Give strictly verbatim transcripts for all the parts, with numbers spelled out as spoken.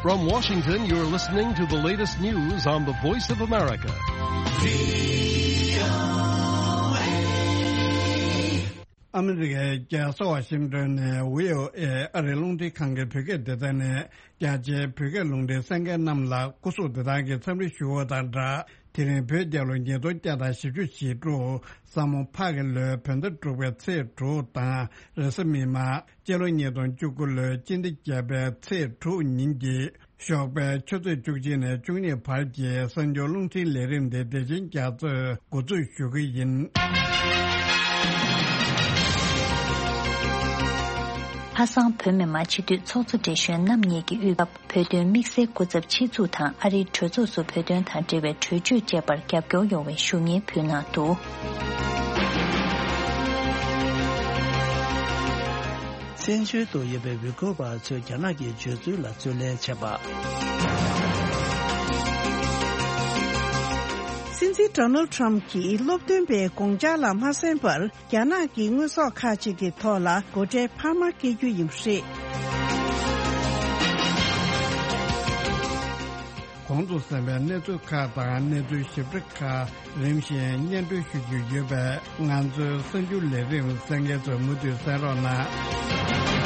From Washington, you're listening to the latest news on the Voice of America. ཨ་མི་རི་ཀའི་རྒྱལ་ས་ཝ་ཤིང་ཏོན་ནས་བྷི་ཨོ་ཨེ་ཨ་རིའི་རླུང་འཕྲིན་ཁང་གི་བོད་སྐད་སྡེ་ཚན་ནས་རྒྱ་ཆེའི་བོད་སྐད་རླུང་འཕྲིན་གསན་མཁན་རྣམས་ལ་སྐུ་གཟུགས་བདེ་ཐང་གི་འཚམས་འདྲི་ཞུ་བ་དང་སྦྲགས། དེ་རིང་བོད་རྒྱལ་ལོ་ཉིས་སྟོང་བརྒྱ་དང་བཞི་བཅུ་ཞེ་དྲུག་ས་མོ་ཕག་གི་ལོའི་བོད་ཟླ་དྲུག་པའི་ཚེས་དྲུག་དང་རེས་གཟའ་མིག་དམར་སྤྱི་ལོ་ཉིས་སྟོང་བཅུ་དགུ་ལོའི་སྤྱི་ཟླ་བརྒྱད་པའི་ཚེས་དྲུག་ཉིན་གྱི་ཞོགས་པའི་ཆུ་ཚོད་བཅུ་གཅིག་ནས་བཅུ་གཉིས་བར་གྱི་གསར་འགྱུར་རླུང་འཕྲིན་ལས་རིམ་དེ་བདེ་ཆེན་རྒྱ་མཚོས་འགོ་འཛུགས་ཞུ་གི་ཡིན། ལྷ་བཟང་བོད་མི་མང་སྤྱི་འཐུས་ཚོགས་གཙོ་བགྲེས་གཞོན་རྣམ་གཉིས་ཀྱིས་དབུས་བོད་དོན་དམིགས་བསལ་སྐུ་ཚབ་ཆེད་འཛུགས་དང་ཨ་རིའི་གྲོས་ཚོགས་སུ་བོད་དོན་དང་འབྲེལ་བའི་གྲོས་ཆོད་བཅས་པར་རྒྱབ་སྐྱོར་ཡོང་བའི་ཞུ་སྙན་ཕུལ་གནང་འདུག། བཙན་བྱོལ་དུ་ཡོད་པའི་ཝི་གོ་བ་ཚོས་རྒྱ་ནག་གི་སྤྱོད་ཚུལ་ལ་རྩོད་ལེན་བྱས་པ། སྲིད་འཛིན་ཌོ་ནལ་ཌི་ཊརམ་ཕི་གྱིས་སློབ་སྟོན་པའི་དགོངས་འཆར་ལ་མ་གསན་པར། རྒྱ་ནག་གི་དངོས་ཟོག་ཁག་ཅིག་གི་ཐོག་ལ་སྒོ་ཁྲལ་འཕར་མ་བཀལ་རྒྱུ་ཡིན་པ་རེད། གོང་དུ་གསན་པའི་གནས་ཚུལ་ཁག་དང་གནས་ཚུལ་ཞིབ་ཕྲ་ཁག་རིམ་བཞིན་སྙན་སྒྲོན་ཞུ་རྒྱུ་ཡོད་པས། ང་ཚོའི་གསར་འགྱུར་ལས་རིམ་གསན་མཁན་ཚོས་མུ་མཐུད་གསན་རོགས་གནང་།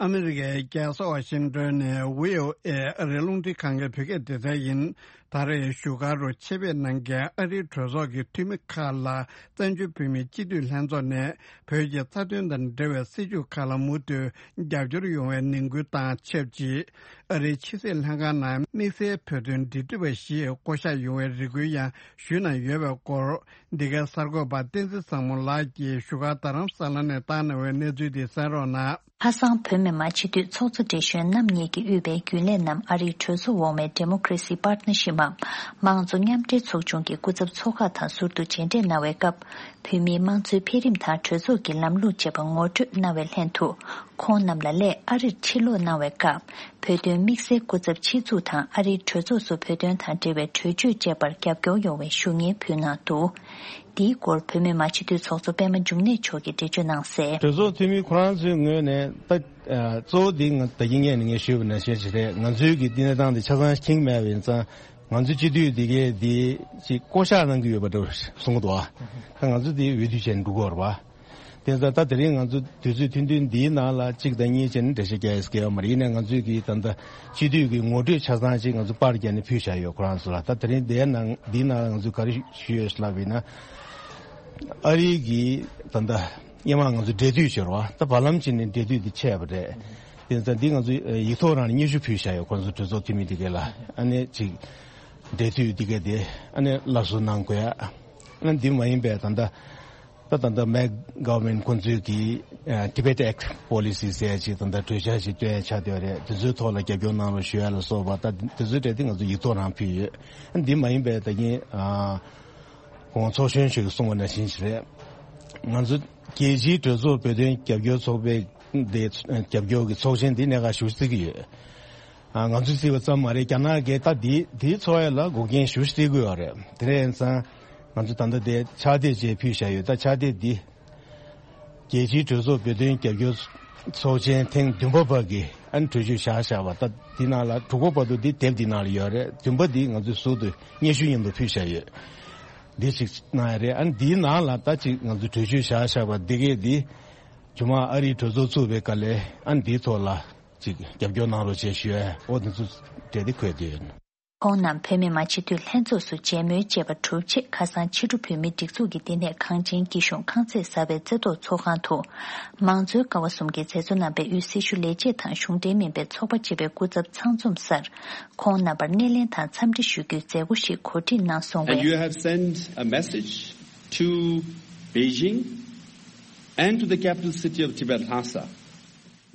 ཨ་མི་རི་ཀའི་རྒྱལ་ས་ཝ་ཤིང་ཏོན་ནས་བྷི་ཨོ་ཨེ་ཨ་རིའི་རླུང་འཕྲིན་ཁང་གི་བོད་སྐད་སྡེ་ཚན་ཡིན། ད་རེས་བཞུགས་སྒར་རུ་ཆེད་ཕེབས་གནང་མཁན་ཨ་རིའི་གྲོས་ཚོགས་ཀྱི་འཐུས་མི་ཁག་ལ་བཙན་བྱོལ་བོད་མིའི་སྤྱི་འཐུས་ལྷན་ཚོགས་ནས་བོད་ཀྱི་རྩ་དོན་དང་འབྲེལ་བའི་སྲིད་བྱུས་ཁག་ལ་མུ་མཐུད་རྒྱབ་སྐྱོར་ཡོང་བའི་ནན་སྐུལ་དང་ཆབས་ཅིག། ཨ་རིའི་ཕྱི་སྲིད་ལྷན་ཁང་ནང་དམིགས་བསལ་བོད་དོན་འབྲེལ་མཐུད་པ་ཞིག་བསྐོ་གཞག་ཡོང་བའི་རེ་སྐུལ་ཡང་ཞུས་གནང་ཡོད་པའི་སྐོར། འདི་གའི་གསར་འགོད་པ་བསྟན་འཛིན་བཟང་མོ་ལགས་ཀྱིས་བཞུགས་སྒར་རྡ་རམ་ས་ལ་ནས་བཏང་གནང་བའི་གནས་ཚུལ་དེ་གསན་རོགས་གནང་། ལྷ་བཟང་བོད་མི་མང་སྤྱི་འཐུས་ཚོགས་གཙོ་བགྲེས་གཞོན་རྣམ་གཉིས་ཀྱིས་དབུས་པའི་རྒྱུན་ལས་རྣམས་ཨ་རིའི་གྲོས་ཚོགས་འོག་མའི་ཌེ་མོ་ཀེ་རེ་སི་པར་ཊི་ནར་ཤིབ་འམ་དམངས་གཙོ་མཉམ་འབྲེལ་ཚོགས་ཆུང་གི་སྐུ་ཚབ་ཚོགས་ཁག་དང་ཟུར་དུ་མཇལ་འཕྲད་གནང་བའི་སྐབས། བོད་མིའི་དམངས་གཙོའི་འཕེལ་རིམ་དང་གྲོས་ཚོགས་ཀྱི་ལམ་ལུགས་བཅས་པ་ངོ་སྤྲོད་གནང་བའི་ལྷན་དུ། ཁོང་རྣམས་ལ་སླད་ཨ་རིར་ཕྱིར་ལོག་གནང་བའི་སྐབས། བོད་དོན་དམིགས་བསལ་སྐུ་ཚབ་ཆེད་འཛུགས་དང་ཨ་རིའི་གྲོས་ཚོགས་སུ་བོད་དོན་དང་འབྲེལ་བའི་གྲོས་ཆོད་བཅས་པར་རྒྱབ་སྐྱོར་ཡོང་བའི་ཞུ་སྙན་ཕུལ་གནང་འདུག། འདིའི་སྐོར་བོད་མི་མང་སྤྱི་འཐུས་ཚོགས་གཙོ་པད་མ་འབྱུང་གནས་མཆོག་གིས་འགྲེལ་བརྗོད་གནང་གསལ། གྲོས་ཚོགས་འཐུས་མི་ཁོ་རང་ཚོའི་ངོས་ནས་ད་ཨ་གཙོ་བོ་འདི་ང་ད་གིན་ངས་ནས་ངས་ཞུས་པ་ནང་བཞིན་ཞིག་རེད། ང་ཚོའི་གི་འདི་གནས་སྟངས་འདི་ཆ་ཚང་མཁྱེན་མེད་པ་ཡིན་ཙང་། ང་ཚོའི་སྤྱི་འཐུས་འདི་གས་འདི་ཅིག་བསྐོ་བཞག་གནང་གི་ཡོད་པ་འདྲ་བོ་གསུང་གི་འདུག་ཨ། ད་ང་ཚོ་འདི་འོས་བསྡུ་བྱས་ནས་འགྲོ་གི་ཡོད་རེད་པ། དེ་ཚོ་ད་དེ་རིང་ང་ཚོ་དུས་ཚོད་ཐུང་ཐུང་འདིའི་ནང་ལ་གཅིག་དང་གཉིས་བྱས་ནས་འགྲེལ་བཤད་རྒྱག་ཡས་སྐལ་བ་མ་རེད། ཡིན་ནའི་ང་ཚོས་ཀྱི་ད་ལྟ་སྤྱི་འཐུས་ཀྱི་ངོ་སྤྲོད་ཆ་ཚང་ཅིག་ང་ཚོ་པར་བརྒྱབ་ནས་ཕུལ་བཞག་ཡོད། ཁོ་རང་ཚོ་ལ་ད་དེ་རིང་འདིའི་ནང་འདིའི་ནང་ལ་ང་ཚོས་ག་རེ་ཞུས་ཡོད་ལབ་ཡིན་ན། ཨ་རི་གི་ད་ལྟ་སྔོན་མ་ང་ཚོ་འབྲེལ་མཐུད་བྱས་རོགས་ད་བར་ལམ་ཅིག་ནས་འབྲེལ་མཐུད་དེ་ཆད་པ་རེད། དེ་ཚོ་འདི་ང་ཚོ་ཡིག་ཐོག་རང་ནས་སྙན་ཞུ་ཕུལ་བཞག་ཡོད། ཁོ་ཚོ་གྲོས་ཚོགས་འཐུས་མི་འདི་གས་ལ་ཨ་ནི་ཅིག་འབྲེལ་མཐུད་འདི་གས་དེ་ཨ་ནི་སླར་གསོ་གནང་དགོས་ཡ། ཨ་ནི་འདི་མ་ཡིན་པའི་ད་ལྟ། ད་ད་ལྟ་མེག་གྷ་ཝར་མེན་ཊི་ཁོང་ཚོས་ཀྱི་ཨ་Tibet Act Policy ཟེར་ཡ་ཅིག་ད་ལྟ་གྲོས་འཆར་ཞིག་བཏོན་ཡ་ཆགས་བསྡད་པ་རེད། དེ་ཚོའི་ཐོག་ལ་རྒྱབ་སྐྱོར་གནང་རོགས་ཞུ་ཡ་ལ་སོགས་པ་ད་དེ་ཚོའི་གྲས་དེ་ང་ཚོ་ཡིག་ཐོག་རང་ཕུལ་ཡོད། ཨ་འདི་མ་ཡིན་པའི་ད་གིན་ཨ་གོང་ཚོགས་གཞོན་ཞིག་གིས་གསུངས་པ་ནང་བཞིན་ཞིག་རེད། ང་ཚོ་རྒྱལ་སྤྱིའི་གྲོས་ཚོགས་བོད་དོན་རྒྱབ་སྐྱོར་ཚོགས་པའི་དེ་རྒྱབ་སྐྱོར་གྱི་ཚོགས་ཆེན་འདི་གནད་འགག་ཞེ་པོ་བརྩི་གི་ཡོད། ཨ་ང་ཚོས་བརྩིས་པ་ཙམ་མ་རེད། རྒྱ་ནག་གིས་ད་འདི་འདིའི་ཚོགས་ཡ་ལ་འགོག་རྐྱེན་ཞེ་པོ་ཅིག་བརྩི་གི་ཡོད་རེད། དེ་འདྲ་ཡིན་ཙང་ང་ཚོ་ད་ལྟ་དེ་ཕྱག་དེབ་ཅིག་ཕུལ་བཞག་ཡོད། ད་ཕྱག་དེབ་འདི་རྒྱལ་སྤྱིའི་གྲོས་ཚོགས་བོད་དོན་རྒྱབ་སྐྱོར་ཚོགས་ཆེན་ཐེངས་བདུན་པ་བར་གྱི་ཨ་ནི་གྲོས་ཆོད་བཞག་བཞག་པ། ད་འདི་ནང་ལ་དྲུག་པ་བར་དུ་འདི་དེབ་འདི་ནང་ལ་ཡོད་རེད། བདུན་པ་འདི་ང་ཚོས་ཟུར་དུ་སྙན་ཞུ་མཉམ་དུ་ཕུལ་བཞག་ཡོད། འདི་ཞིག་གནང་ཡ་རེད། ཨ་ནི་འདིའི་ནང་ལ་ད་ཅིག་ང་ཚོས་གྲོས་ཆོད་བཞག་བཞག་པ་འདི་གས་འདི་ཇོ་མང་ཨ་རིའི་གྲོས་ཚོགས་ཚུགས་པའི་སྐབས་ལ་ཨ་ནི་འདིའི་ཐོག་ལ། ཅིག་རྒྱབ་སྐྱོར་གནང་རོགས་ཞེས་ཞུ་ཡ། ཨོ་དེ་ཚོ་གྲས་དེ་འཁོད་དེ་ཡོད། ཁོང་རྣམས་བོད་མི་མང་སྤྱི་འཐུས་ལྷན་ཚོགས་སུ་མཇལ་མོལ་བཅས་པ་གྲུབ་རྗེས། ཁ་སང་ཕྱི་དྲོ་བོད་མིའི་སྒྲིག་འཛུགས་ཀྱི་བསྟི་གནས་གངས་ཅན་སྐྱིད་གཤོངས་ཁང་ཚན་གསར་པའི་རྩེ་ཐོག་ཚོགས་ཁང་དུ། མང་གཙོའི་ཀ་བ་གསུམ་གྱི་མཛད་གཙོ་རྣམ་པས་དབུས་སྲི་ཞུ་ལས་བྱེད་དང་གཞུང་འབྲེལ་མིན་པའི་ཚོགས་པ་བཅས་པའི་སྐུ་ཚབ་ཚང་འཛོམས་སར། ཁོང་རྣམ་པར་སྣེ་ལེན་དང་འཚམས་འདྲི་ཞུ་རྒྱུའི་མཛད་སྒོ་ཞིག་གོ་སྒྲིག་གནང་སོང་བས། And you have sent a message to Beijing and to the capital city of Tibet, Lhasa,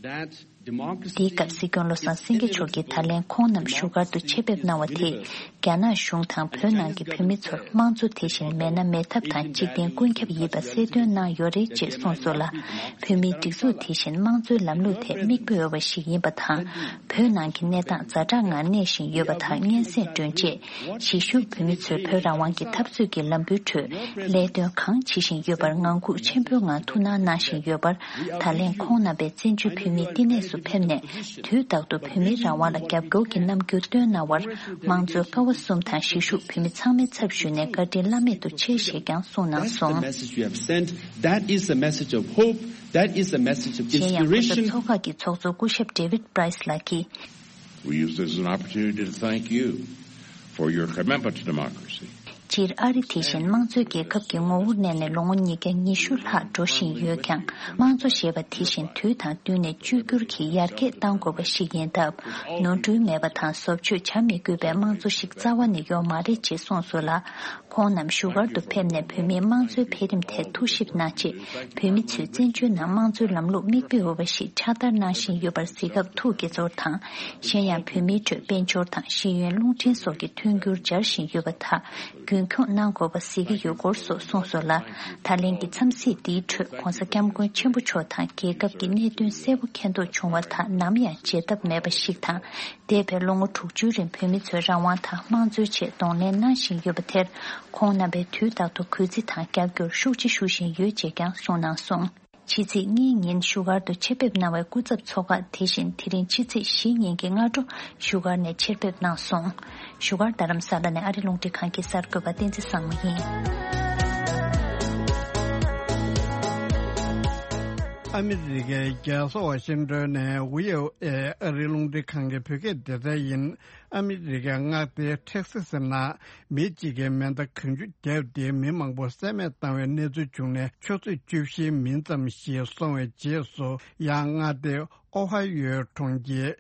that འདིའི་སྐབས་སྲིད་སྐྱོང་བློ་བཟང་སེང་གེ་མཆོག་གིས་ད་ལན་ཁོང་རྣམས་བཞུགས་སྒར་དུ་ཆེད་ཕེབས་གནང་བ་དེས་ རྒྱ་ནག་གཞུང་དང་བོད་ནང་གི་བོད་མི་ཚོར་དམངས་གཙོ་དེ་བཞིན་མེད་ན་མེད་ཐབས་དང་འཇིག་རྟེན་ཀུན་ཁྱབ་ཡིན་པ་གསལ་སྟོན་གནང་ཡོད་རེད་ཅེས་གསུངས་སོང་ལ། བོད་མིའི་སྒྲིག་འཛུགས་དེ་བཞིན་དམངས་གཙོའི་ལམ་ལུགས་ཐད་མིག་དཔེ་འོས་པ་ཞིག་ཡིན་པ་དང་། བོད་ནང་གི་གནས་སྟངས་ཛ་དྲག་ངང་གནས་བཞིན་ཡོད་པ་དང་། སྙན་སེང་སྒྲོན་རྗེས་གཞིས་བཞུགས་བོད་མི་ཚོས་བོད་རང་དབང་གི་འཐབ་རྩོད་ཀྱི་ལམ་བུའི་ཁྲོད་ལས་དོན་གང་བྱེད་བཞིན་ཡོད་པར་ངང་སྒུག་ཆེན་པོའི་ངང་ཐུགས་སྣང་གནང་བཞིན་ཡོད་པར། ད་ལན་ཁོང་རྣམ་པས་བཙན་བྱོལ་བོད་མིའི་བསྟི་གནས་སུ་ཕེབས་ནས། དུས་རྟག་ཏུ་བོད་མིའི་རང་དབང་ལ་རྒྱབ་སྐྱོར་གྱི་རྣམ་འགྱུར་སྟོན་གནང་བར་དམངས་གཙོའི་ཀ་བ་གསུམ་དང་གཞིས་བཞུགས་བོད་མི་ཚང་མའི་ཚབ་ཞུས་ནས་བཀའ་དྲིན་བླ་མེད་དུ་ཆེ་ཞེས་ཀྱང་གསུངས་གནང་སོང་། That is the message of hope. That is the message of inspiration. གཞན་ཡང་གོང་ས་མཆོག་གི་ཚོགས་གཙོ་སྐུ་ཞབས་David Price ལགས་ཀྱིས། We use this as an opportunity to thank you for your commitment to democracy. སྤྱིར་ཨ་རི་དེ་བཞིན་དམངས་གཙོའི་རྒྱལ་ཁབ་ཀྱི་ངོ་བོར་གནས་ནས་ལོ་ངོ་ཉིས་བརྒྱ་ཉི་ཤུ་ལྷག་འགྲོ་བཞིན་ཡོད་ཀྱང་། དམངས་གཙོ་ཞེས་པ་དེ་བཞིན་དུས་དང་བསྟུན་ནས་བཅོས་བསྒྱུར་གྱིས་ཡར་རྒྱས་གཏང་དགོས་པ་ཞིག་ཡིན་སྟབས། ནོར་འཁྲུལ་མེད་པ་དང་བཟོ་བཅོས་བྱ་མི་དགོས་པའི་དམངས་གཙོ་ཞིག་རྩ་བ་ནས་ཡོད་མ་རེད་ཅེས་གསུངས་སོང་ལ། ཁོང་རྣམས་བཞུགས་སྒར་དུ་ཕེབས་ནས་བོད་མིའི་དམངས་གཙོའི་འཕེལ་རིམ་ཐད་ཐུགས་ཞིབ་གནང་ཆེད། བོད་མི་ཚོས་བཙན་བྱོལ་ནང་དམངས་གཙོའི་ལམ་ལུགས་མིག་དཔེ་འོས་པ་ཞིག་ཕྱག་བསྟར་གནང་བཞིན་ཡོད་པར་གཟིགས་སྐབས་ཐུགས་དགྱེས་ཚོར་དང་། གཞན་ཡང་བོད་མིའི་ཁྲོད་དཔལ་འབྱོར་དང་ཤེས་ཡོན་རླུང་འཕྲིན་སོགས་ཀྱི་མཐུན་འགྱུར་སྦྱར་བཞིན་ཡོད་པ་དག་རྒྱུན་འཁྱོངས་གནང་དགོས་པ་གཟིགས་ཀྱི་ཡོད་སྐོར་སོགས་གསུངས་སོང་ལ། ད་ལན་གྱི་འཚམས་གཟིགས་འདིའི་ཁྲོད་༧གོང་ས་༧སྐྱབས་མགོན་ཆེན་པོ་མཆོག་དང་རྒྱལ་ཁབ་ཀྱི་གནད་དོན་གསལ་པོ་མཁྱེན་རྟོགས་བྱུང་བ་དག་ནམ་ཡང་བརྗེད་ཐབས་མེད་པ་ཞིག་དང་། འདས་པའི་ལོ་ངོ་དྲུག་ཅུའི་རིང་བོད་མི་ཚོས་རང་དབང་དང་དམངས་གཙོའི་ཆེད་གདོང་ལེན་གནང་བཞིན་ཡོད་པ་དེར། ཁོང་རྣམ་པས་དུས་རྟག་ཏུ་གུས་བརྩི་དང་རྒྱབ་སྐྱོར་ཤུགས་ཆེ་ཞུ་བཞིན་ཡོད་ཅེས་ཀྱང་གསུངས་གནང་སོང་། ཕྱི་ཚེས་གཉིས་ཉིན་བཞུགས་སྒར་དུ་ཆེད་ཕེབས་གནང་བའི་སྐུ་ཚབ་ཚོགས་ཁག་དེ་བཞིན་དེ་རིང་ཕྱི་ཚེས་བཞི་ཉིན་གྱི་སྔ་དྲོ་བཞུགས་སྒར་ནས་ཆེད་ཕེབས་གནང་སོང་། བཞུགས་སྒར་རྡ་རམ་ས་ལ་ནས་ཨ་རི་རླུང་འཕྲིན་ཁང་གི་གསར་འགོད་པ་བསྟན་འཛིན་བཟང་མོ་ཡིན། ཨ་མི་རི་ཀའི་རྒྱལ་ས་ཝ་ཤིང་ཏོན་ནས་ཝི་ཨོ་ཨེ་ཨ་རི་རླུང་འཕྲིན་ཁང་གི་བོད་སྐད་སྡེ་ཚན་ཡིན། ཨ་མི་རི་ཀའི་མངའ་སྡེ་ཐེག་སི་སི་ནང་མི་གཅིག་གིས་མེ་མདའ་གང་བྱུང་བརྒྱབ་སྟེ་མི་མང་པོ་བསད་རྨས་བཏང་བའི་གནས་ཚུལ་བྱུང་ནས་ཆུ་ཚོད་བཅུ་བཞིའི་མིན་ཙམ་ཞིག་སོང་བའི་རྗེས་སུ། ཡང་མངའ་སྡེ་ཨོ་ཧ་ཡོའི་གྲོང་ཁྱེར་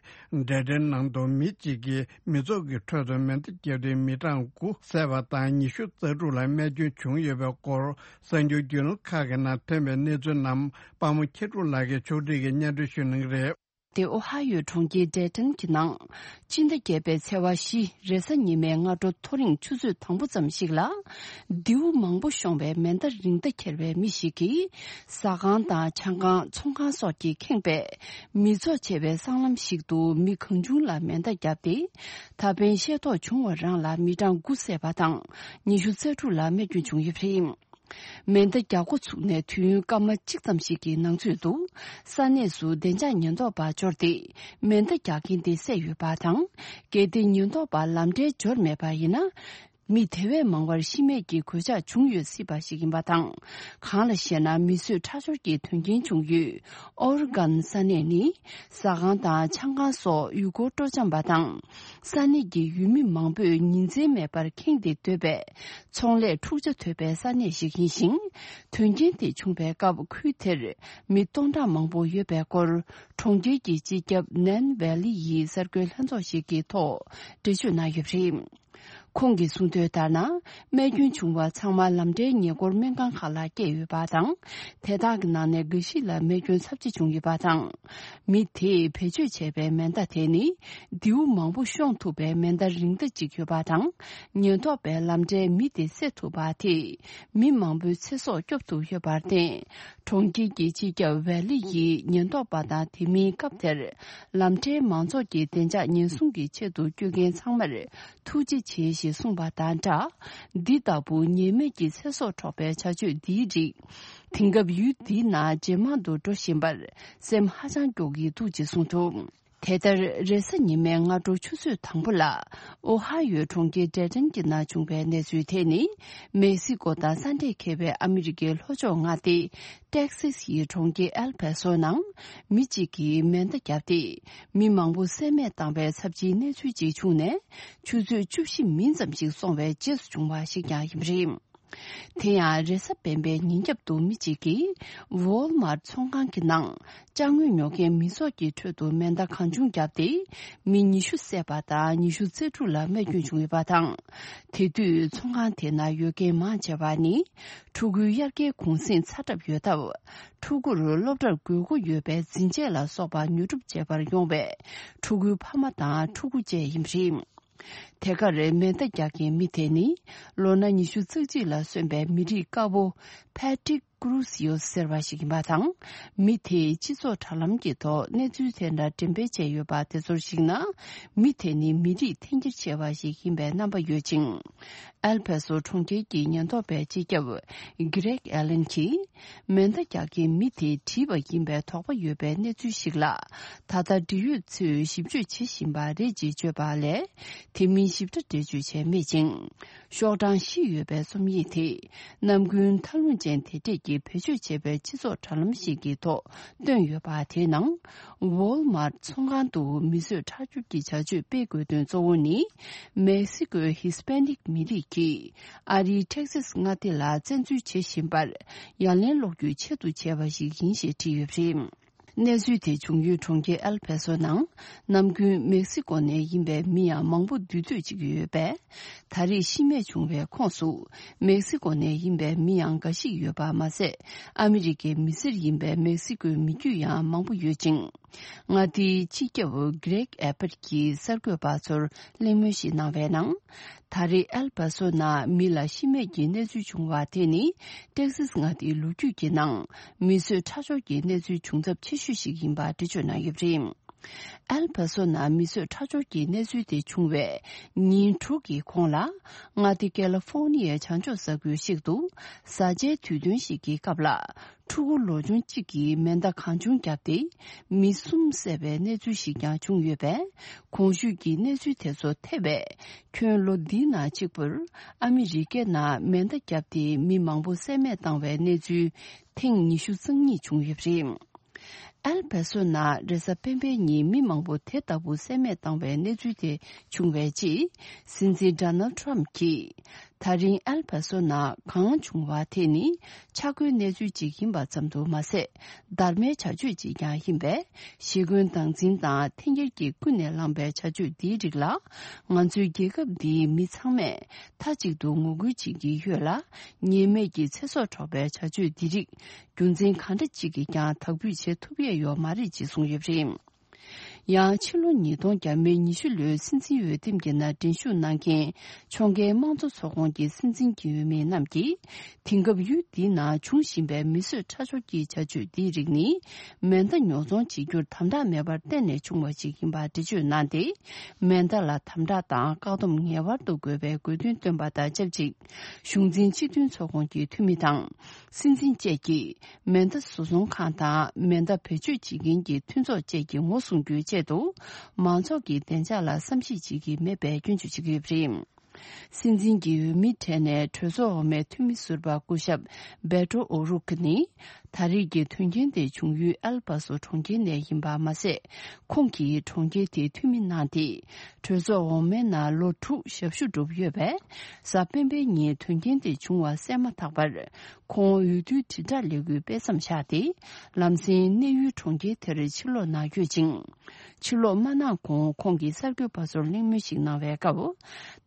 ཌེ་ཏན་ནང་དུ་མི་གཅིག་གིས་མི་ཚོགས་ཀྱི་ཁྲོད་དུ་མེ་མདའ་བརྒྱབ་སྟེ་མི་གྲངས་དགུ་བསད་པ་དང་ཉི་ཤུ་རྩ་དྲུག་ལ་རྨས་སྐྱོན་བྱུང་ཡོད་པའི་སྐོར་གསར་འགྱུར་བརྒྱུད་ལམ་ཁག་གི་ནང་ཐོན་པའི་གནས་ཚུལ་རྣམས་དཔའ་མོ་མཁྱེན་གྲུབ་ལགས་ཀྱིས་ཕྱོགས་སྒྲིག་གིས་སྙན་སྒྲོན་ཞུ་གནང་གི་རེད། དེ་ཨོ་ཧ་ཡོའི་གྲོང་ཁྱེར་ཌེ་ཏན་གྱི་ནང་། སྤྱི་ཟླ་བརྒྱད་པའི་ཚེས་པ་བཞི་རེས་གཟའ་ཉི་མའི་སྔ་དྲོ་ཐོ་རེངས་ཆུ་ཚོད་དང་པོ་ཙམ་ཞིག་ལ། མདེའུ་མང་པོ་ཤོང་བའི་མེ་མདའ་རིང་མདའ་འཁྱེར་བའི་མི་ཞིག་གིས། ཟ་ཁང་དང་ཆང་ཁང་། ཚོང་ཁང་སོགས་ཀྱིས་ཁེངས་པའི་མི་ཚོགས་ཆེ་བའི་སྲང་ལམ་ཞིག་ཏུ་མི་གང་བྱུང་ལ་མེ་མདའ་བརྒྱབ་སྟེ། ད་ཕན་ཤེས་རྟོགས་བྱུང་བ་རང་ལ་མི་གྲངས་དགུ་བསད་པ་དང་ཉི་ཤུ་རྩ་དྲུག་ལ་རྨས་སྐྱོན་བྱུང་ཡོད་པ་རེད། མེ་མདའ་རྒྱག་འགོ་ཚུགས་ནས་དུས་ཡུན་སྐར་མ་གཅིག་ཙམ་ཞིག་གི་ནང་ཚུད་དུ། ས་གནས་སུ་བདེ་འཇགས་ཉེན་རྟོག་པ་འབྱོར་ཏེ། མེ་མདའ་རྒྱག་མཁན་དེ་བསད་ཡོད་པ་དང་། གལ་ཏེ་ཉེན་རྟོག་པ་ལམ་འབྲས་འབྱོར་མེད་པ་ཡིན་ན། མི་དེ་བས་མང་བར་ཤི་རྨས་ཀྱི་གོད་ཆག་བྱུང་ཡོད་སྲིད་པ་ཞིག་ཡིན་པ་དང་། གང་ལ་ཞེ་ན། མི་གསོད་ཁྲག་སྦྱོར་གྱི་དོན་རྐྱེན་བྱུང་ཡུལ་ཨོ་རི་གན་ས་གནས་ནི། ཟ་ཁང་དང་ཆང་ཁང་སོགས་ཡུལ་སྐོར་སྤྲོ་འཆམ་པ་དང་། ས་གནས་ཀྱི་ཡུལ་མི་མང་པོས་ཉིན་མཚན་མེད་པར་ཁེངས་ཏེ་སྡོད་པས། ཚོང་ལས་འཁྲུག་ཆ་དོད་པའི་ས་གནས་ཤིག་ཡིན་ཞིང་། དོན་རྐྱེན་དེ་བྱུང་བའི་སྐབས་ཁུལ་དེར་མི་སྟོང་ཕྲག་མང་པོ་ཡོད་པའི་སྐོར། གྲོང་ཁྱེར་གྱི་སྤྱི་ཁྱབ་ནན་ཝེ་ལི་ཡི་གསར་འགོད་ལྷན་ཚོགས་ཤིག་གི་ཐོག་འགྲེལ་བརྗོད་གནང་ཡོད་པ་རེད། ཁོང་གིས་གསུངས་དོན་ལྟར་ན། རྨས་སྐྱོན་བྱུང་བ་ཚང་མ་ལམ་འབྲས་ཉེན་འཁོར་སྨན་ཁང་ཁག་ལ་བསྐྱལ་ཡོད་པ་དང་། དེ་དག་གི་ནང་ནས་འགའ་ཞིག་ལ་རྨས་སྐྱོན་ཚབས་ཆེ་བྱུང་ཡོད་པ་དང་། མི་དེས་བེད་སྤྱོད་བྱས་པའི་མེ་མདའ་དེ་ནི། མདེའུ་མང་པོ་ཤོང་ཐུབ་པའི་མེ་མདའ་རིང་མདའ་གཅིག་ཡོད་པ་དང་། ཉེན་རྟོག་པས་ལམ་འབྲས་མི་དེ་བསད་ཐུབ་པ་དེས། མི་མང་པོའི་ཚེ་སྲོག་སྐྱོབ་ཐུབ་ཡོད་པར་བརྟེན། གྲོང་ཁྱེར་གྱི་སྤྱི་ཁྱབ་ཝེ་ལི་ཡིས་ཉེན་རྟོག་པ་དང་དེ་མིན་སྐབས་དེར་ལམ་འབྲས་མང་ཚོགས་ཀྱི་བདེ་འཇགས་ཉེན་སྲུང་གི་ཆེད་དུ་སྐྱོད་མཁན་ཚང་མར་ཐུགས་རྗེ་ཆེ་ཞེས་གསུངས་པ་དང་སྦྲགས། འདི་ལྟ་བུ་ཉེས་མེད་ཀྱི་ཚེ་སྲོག་འཕྲོག་པའི་བྱ་སྤྱོད་འདིའི་རིགས། དེང་སྐབས་ཡུལ་འདིའི་ནང་ཇེ་མང་དུ་འགྲོ་བཞིན་པར་སེམས་ཧ་ཅང་སྐྱོ་གི་འདུག་ཅེས་གསུངས་འདུག་དེ་ལྟར། རེས་གཟའ་ཉི་མའི་སྔ་དྲོ་ཆུ་ཚོད་དང་པོ་ལ། ཨོ་ཧ་ཡོའི་གྲོང་ཁྱེར་ཌེ་ཏན་གྱི་ནང་བྱུང་བའི་གནས་ཚུལ་དེ་ནི། མེག་སི་ཀོ་དང་ས་འབྲེལ་མཁས་པའི་ཨ་མི་རི་ཀའི་ལྷོ་ཕྱོགས་མངའ་སྡེ། ཏེག་སི་སི་ཡི་གྲོང་ཁྱེར་ཨེལ་པ་སོ་ནང་། མི་གཅིག་གིས་མེ་མདའ་བརྒྱབ་སྟེ། མི་མང་པོ་བསད་རྨས་བཏང་བའི་ཚབས་ཆེའི་གནས་ཚུལ་ཅིག་བྱུང་ནས། ཆུ་ཚོད་བཅུ་བཞི་མིན་ཙམ་ཞིག་སོང་བའི་རྗེས་སུ་བྱུང་བ་ཞིག་ཀྱང་ཡིན་པ་རེད། དེ་ཡང་རེས་གཟའ་སྤེན་པའི་ཉིན་རྒྱབ་ཏུ་མི་གཅིག་གིས་ཝོལ་མར་ཚོང་ཁང་གི་ནང་ཅ་དངོས་ཉོ་མཁན་མི་ཚོགས་ཀྱི་ཁྲོད་དུ་མེ་མདའ་གང་བྱུང་བརྒྱབ་སྟེ། མི་ཉི་ཤུ་བསད་པ་དང་ཉི་ཤུ་རྩ་དྲུག་ལ་རྨས་སྐྱོན་བྱུང་ཡོད་པ་དང་། དེ་དུས་ཚོང་ཁང་དེ་ནང་ཡོད་མཁན་མང་ཆེ་བ་ནི་ཕྲུ་གུའི་དབྱར་ཁའི་གུང་གསེང་ཚར་གྲབས་ཡོད་སྟབས། ཕྲུ་གུར་སློབ་གྲྭར་དགོས་མཁོ་ཡོད་པའི་འཛིན་ཆས་ལ་སོགས་པ་ཉོ་སྒྲུབ་བྱེད་པར་ཡོང་བའི་ཕྲུ་གུའི་ཕ་མ་དང་ཕྲུ་གུ་བཅས་ཡིན་པ་རེད། དེ་གར་མེ་མདའ་རྒྱག་མཁན་མི་དེ་ནི་ལོ་ན་ཉི་ཤུ་རྩ་གཅིག་ལ་སོན་པའི་མི་རིགས་དཀར་པོ་Patrick Cruz ཟེར་བ་ཞིག་ཡིན་པ་དང་། མི་དེས་སྤྱི་ཚོགས་དྲ་ལམ་གྱི་ཐོག་གནས་ཚུལ་དེ་འདྲ་འགྲེམས་སྤེལ་བྱས་ཡོད་པ་དེ་ཚོར་གཞིགས་ན། མི་དེ་ནི་མི་རིགས་འཐེན་འཁྱེར་ཆེ་བ་ཞིག་ཡིན་པའི་རྣམ་པ་ཡོད་ཅིང་། ཨེལ་ཕ་སོ་གྲོང་ཁྱེར་གྱི་ཉེན་རྟོག་པའི་སྤྱི་ཁྱབ་Greg Allen གྱིས། མེ་མདའ་རྒྱག་མཁན་མི་དེས་བྲིས་པ་ཡིན་པའི་དོགས་པ་ཡོད་པའི་གནས་ཚུལ་ཞིག་ལ། ད་ལྟ་འབྲེལ་ཡོད་ཚོས་ཞིབ་དཔྱོད་བྱེད་བཞིན་པ་རེད་ཅེས་བརྗོད་པ་ལས། དེ་མིན་ཞིབ་ཕྲ་འགྲེལ་བརྗོད་བྱས་མེད་ཅིང་། ཤོག་གྲངས་བཞི་ཡོད་པའི་རྩོམ་ཡིག་དེ། ནམ་རྒྱུན་ཐབས་ལམ་ཅན་དེ་གྲས་ཀྱིས་བེད་སྤྱོད་བྱས་པའི་སྤྱི་ཚོགས་དྲ་ལམ་ཞིག་གི་ཐོག་བཏོན་ཡོད་པ་དེའི་ནང་། Walmart ཚོང་ཁང་དུ་མི་གསོད་ཁྲག་སྦྱོར་གྱི་བྱ་སྤྱོད་སྤེལ་དགོས་དོན་གཙོ་བོ་ནི། མེག་སི་ཀོའི་ཧི་སི་པེ་ནིག་མི་རིགས་ཀྱིས་ཨ་རིའི་ཊེག་སཱས་མངའ་སྡེ་ལ་བཙན་འཛུལ་བྱེད་བཞིན་པར་ཡ་ལན་སློག་རྒྱུའི་ཆེད་དུ་བྱས་པ་ཞིག་ཡིན་ཞེས་བྲིས་ཡོད་པ་རེད། གནས་ཚུལ་དེ་བྱུང་ཡུལ་གྲོང་ཁྱེར་ཨེལ་ཕེ་སོ་ནང་། ནམ་རྒྱུན་མེག་སི་ཀོ་ནས་ཡིན་པའི་མི་ཡང་མང་པོ་འདུས་སྡོད་བྱེད་ཀྱི་ཡོད་པས། ད་རེས་ཤི་རྨས་བྱུང་བའི་ཁོངས་སུ། མེག་སི་ཀོ་ནས་ཡིན་པའི་མི་ཡང་འགའ་ཞིག་ཡོད་པ་མ་ཟད། ཨ་མི་རི་ཀའི་མི་སེར་ཡིན་པའི་མེག་སི་ཀོའི་མི་རྒྱུད་ཡང་མང་པོ་ཡོད་ཅིང་། མངའ་སྡེའི་སྤྱི་ཁྱབ་Greg Abbott གྱིས་གསར་འགོད་པ་ཚོར་གླེང་མོལ་ཞིག་གནང་བའི་ནང་། ད་རེས་ཨེལ་པ་སོ་ན་མི་ལ་ཤི་རྨས་ཀྱི་གནས་ཚུལ་བྱུང་བ་དེ་ནི། ཏེག་སིས་མངའ་སྡེའི་ལོ་རྒྱུས་ཀྱི་ནང་། མི་གསོད་ཁྲག་སྦྱོར་གྱི་གནས་ཚུལ་བྱུང་ཚབས་ཆེ་ཤོས་ཤིག་ཡིན་པ་འགྲེལ་བརྗོད་གནང་ཡོད་པ་རེད། ཨེལ་པ་སོ་ན་མི་གསོད་ཁྲག་སྦྱོར་གྱི་གནས་ཚུལ་དེ་བྱུང་བའི་ཉིན་དྲུག་གི་གོང་ལ། མངའ་སྡེ་ཀེ་ལི་ཧྥོ་ནི་ཡའི་བྱང་ཕྱོགས་ས་ཁུལ་ཞིག་ཏུ། བཟའ་བཅའི་དུས་སྟོན་ཞིག་གི་སྐབས་ལ། ཕྲུ་གུ་ལོ་ཆུང་གཅིག་གིས་མེ་མདའ་གང་བྱུང་བརྒྱབ་སྟེ། མི་གསུམ་བསད་པའི་གནས་ཚུལ་ཞིག་ཀྱང་བྱུང་ཡོད་པས། གོང་ཞུས་ཀྱི་གནས་ཚུལ་དེ་ཚོ་ཐེ་བས། ཁྱོན་ལོ་འདིའི་ནང་གཅིག་པུར། ཨ་མི་རི་ཀའི་ནང་མེ་མདའ་བརྒྱབ་སྟེ་མི་མང་པོ་བསད་རྨས་བཏང་བའི་གནས་ཚུལ་ཐེངས་ཉི་ཤུ་རྩ་གཉིས་བྱུང་ཡོད་པ་རེད། ཨེལ་པེ་སོ་ནང་རེས་གཟའ་སྤེན་པའི་ཉིན་མི་མང་པོ་དེ་ལྟ་བུ་བསད་རྨས་བཏང་བའི་གནས་ཚུལ་དེ་བྱུང་བའི་རྗེས། སྲིད་འཛིན་ཌོ་ནལ་ཌི་ཊརམ་གྱིས། ད་རིང་ཨེལ་པེ་སོ་ནང་གང་བྱུང་བ་དེ་ནི་ཆག་སྒོའི་གནས་ཚུལ་ཅིག་ཡིན་པ་ཙམ་དུ་མ་ཟད། སྡར་མའི་བྱ་སྤྱོད་ཅིག་ཀྱང་ཡིན་པས། ཞི་རྒོལ་སྟངས་འཛིན་དང་འཐེན་འཁྱེར་གྱིས་ཀུན་ནས་བསླངས་པའི་བྱ་སྤྱོད་འདིའི་རིགས་ལ། ང་ཚོའི་རྒྱལ་ཁབ་འདིའི་མི་ཚང་མས་མཐའ་གཅིག་ཏུ་ངོ་རྒོལ་བྱེད་ཀྱི་ཡོད་ལ། ཉེས་མེད་ཀྱི་ཚེ་སྲོག་འཕྲོག་པའི་བྱ་སྤྱོད་འདི་རིགས་རྒྱུ་མཚན་གང་འདྲ་ཅིག་གིས་ཀྱང་དག་འབུད་བྱེད་ཐུབ་ཡས་ཡོད་མ་རེད་ཅེས་གསུངས་ཡོད་པ་རེད། ཡང་ཕྱི་ལོ་ཉིས་སྟོང་བརྒྱ་མེད་ཉི་ཤུ་ལོའི་སྲིད་འཛིན་འོས་འདེམས་ཀྱི་ནང་འགྲན་ཞུགས་གནང་མཁན་ཕྱོགས་འགལ་དམངས་གཙོ་ཚོགས་ཁོངས་ཀྱི་སྲིད་འཛིན་གྱི་འོས་མི་རྣམས་ཀྱིས། དེང་སྐབས་ཡུལ་འདིའི་ནང་འབྱུང་བཞིན་པའི་མི་གསོད་ཁྲག་སྦྱོར་གྱི་བྱ་སྤྱོད་འདིའི་རིགས་ནི། མེ་མདའ་ཉོ་ཚོང་བྱེད་རྒྱུར་དམ་དྲག་མེད་པར་བརྟེན་ནས་བྱུང་བ་ཞིག་ཡིན་པ་འགྲེལ་བརྗོད་གནང་སྟེ། མེ་མདའ་ལ་དམ་དྲག་དང་བཀག་སྡོམ་ངེས་པར་དུ་དགོས་པའི་དགོས་འདུན་བཏོན་པ་དང་ཆབས་ཅིག་གཞུང་འཛིན་སྤྱི་མཐུན་ཚོགས་ཁོངས་ཀྱི་འཐུས་མི་དང་། སྲིད་འཛིན་བཅས་ཀྱིས་མེ་མདའ་བཟོ་ཚོང་ཁང་དང་མེ་མདའ་བེད་སྤྱོད་བྱེད་མཁན་གྱི་མཐུན་ཚོགས་བཅས་ཀྱི་ངོ་སྲུང་རྒྱུའི་ཆེད་དུ། མང་ཚོགས་ཀྱི་བདེ་འཇགས་ལ་བསམ་ཤེས་བྱེད་ཀྱི་མེད་པའི་སྐྱོན་བརྗོད་བྱེད་ཀྱི་ཡོད་པ་རེད། སྲིད་འཛིན་གྱི་འོས་མིའི་གྲས་ནས་གྲོས་ཚོགས་འོག་མའི་འཐུས་མི་ཟུར་པ་སྐུ་ཞབས་བེ་ཏྲོ་ཨོ་རུག་ནི། ད་རེས་ཀྱི་དོན་རྐྱེན་དེ་བྱུང་ཡུལ་ཨལ་པ་སོ་གྲོང་ཁྱེར་ནས་ཡིན་པ་མ་ཟད། ཁོང་གིས་གྲོང་ཁྱེར་དེའི་འཐུས་མི་གནང་སྟེ། གྲོས་ཚོགས་འོག་མའི་ནང་ལོ་དྲུག་ཞབས་ཞུ་བསྒྲུབས་ཡོད་པས། གཟའ་སྤེན་པའི་ཉིན་དོན་རྐྱེན་དེ་བྱུང་བ་གསལ་མ་ཐག་པར། ཁོང་འོས་བསྡུའི་དྲིལ་བསྒྲགས་ལས་འགུལ་སྤེལ་མཚམས་བཞག་སྟེ། ལམ་སེང་གནས་ཡུལ་གྲོང་ཁྱེར་དེར་ཕྱིར་ལོག་གནང་ཡོད་ཅིང་། ཕྱིར་ལོག་མ་གནང་གོང་ཁོང་གིས་གསར་འགོད་པ་ཚོར་གླེང་མོལ་ཞིག་གནང་བའི་སྐབས།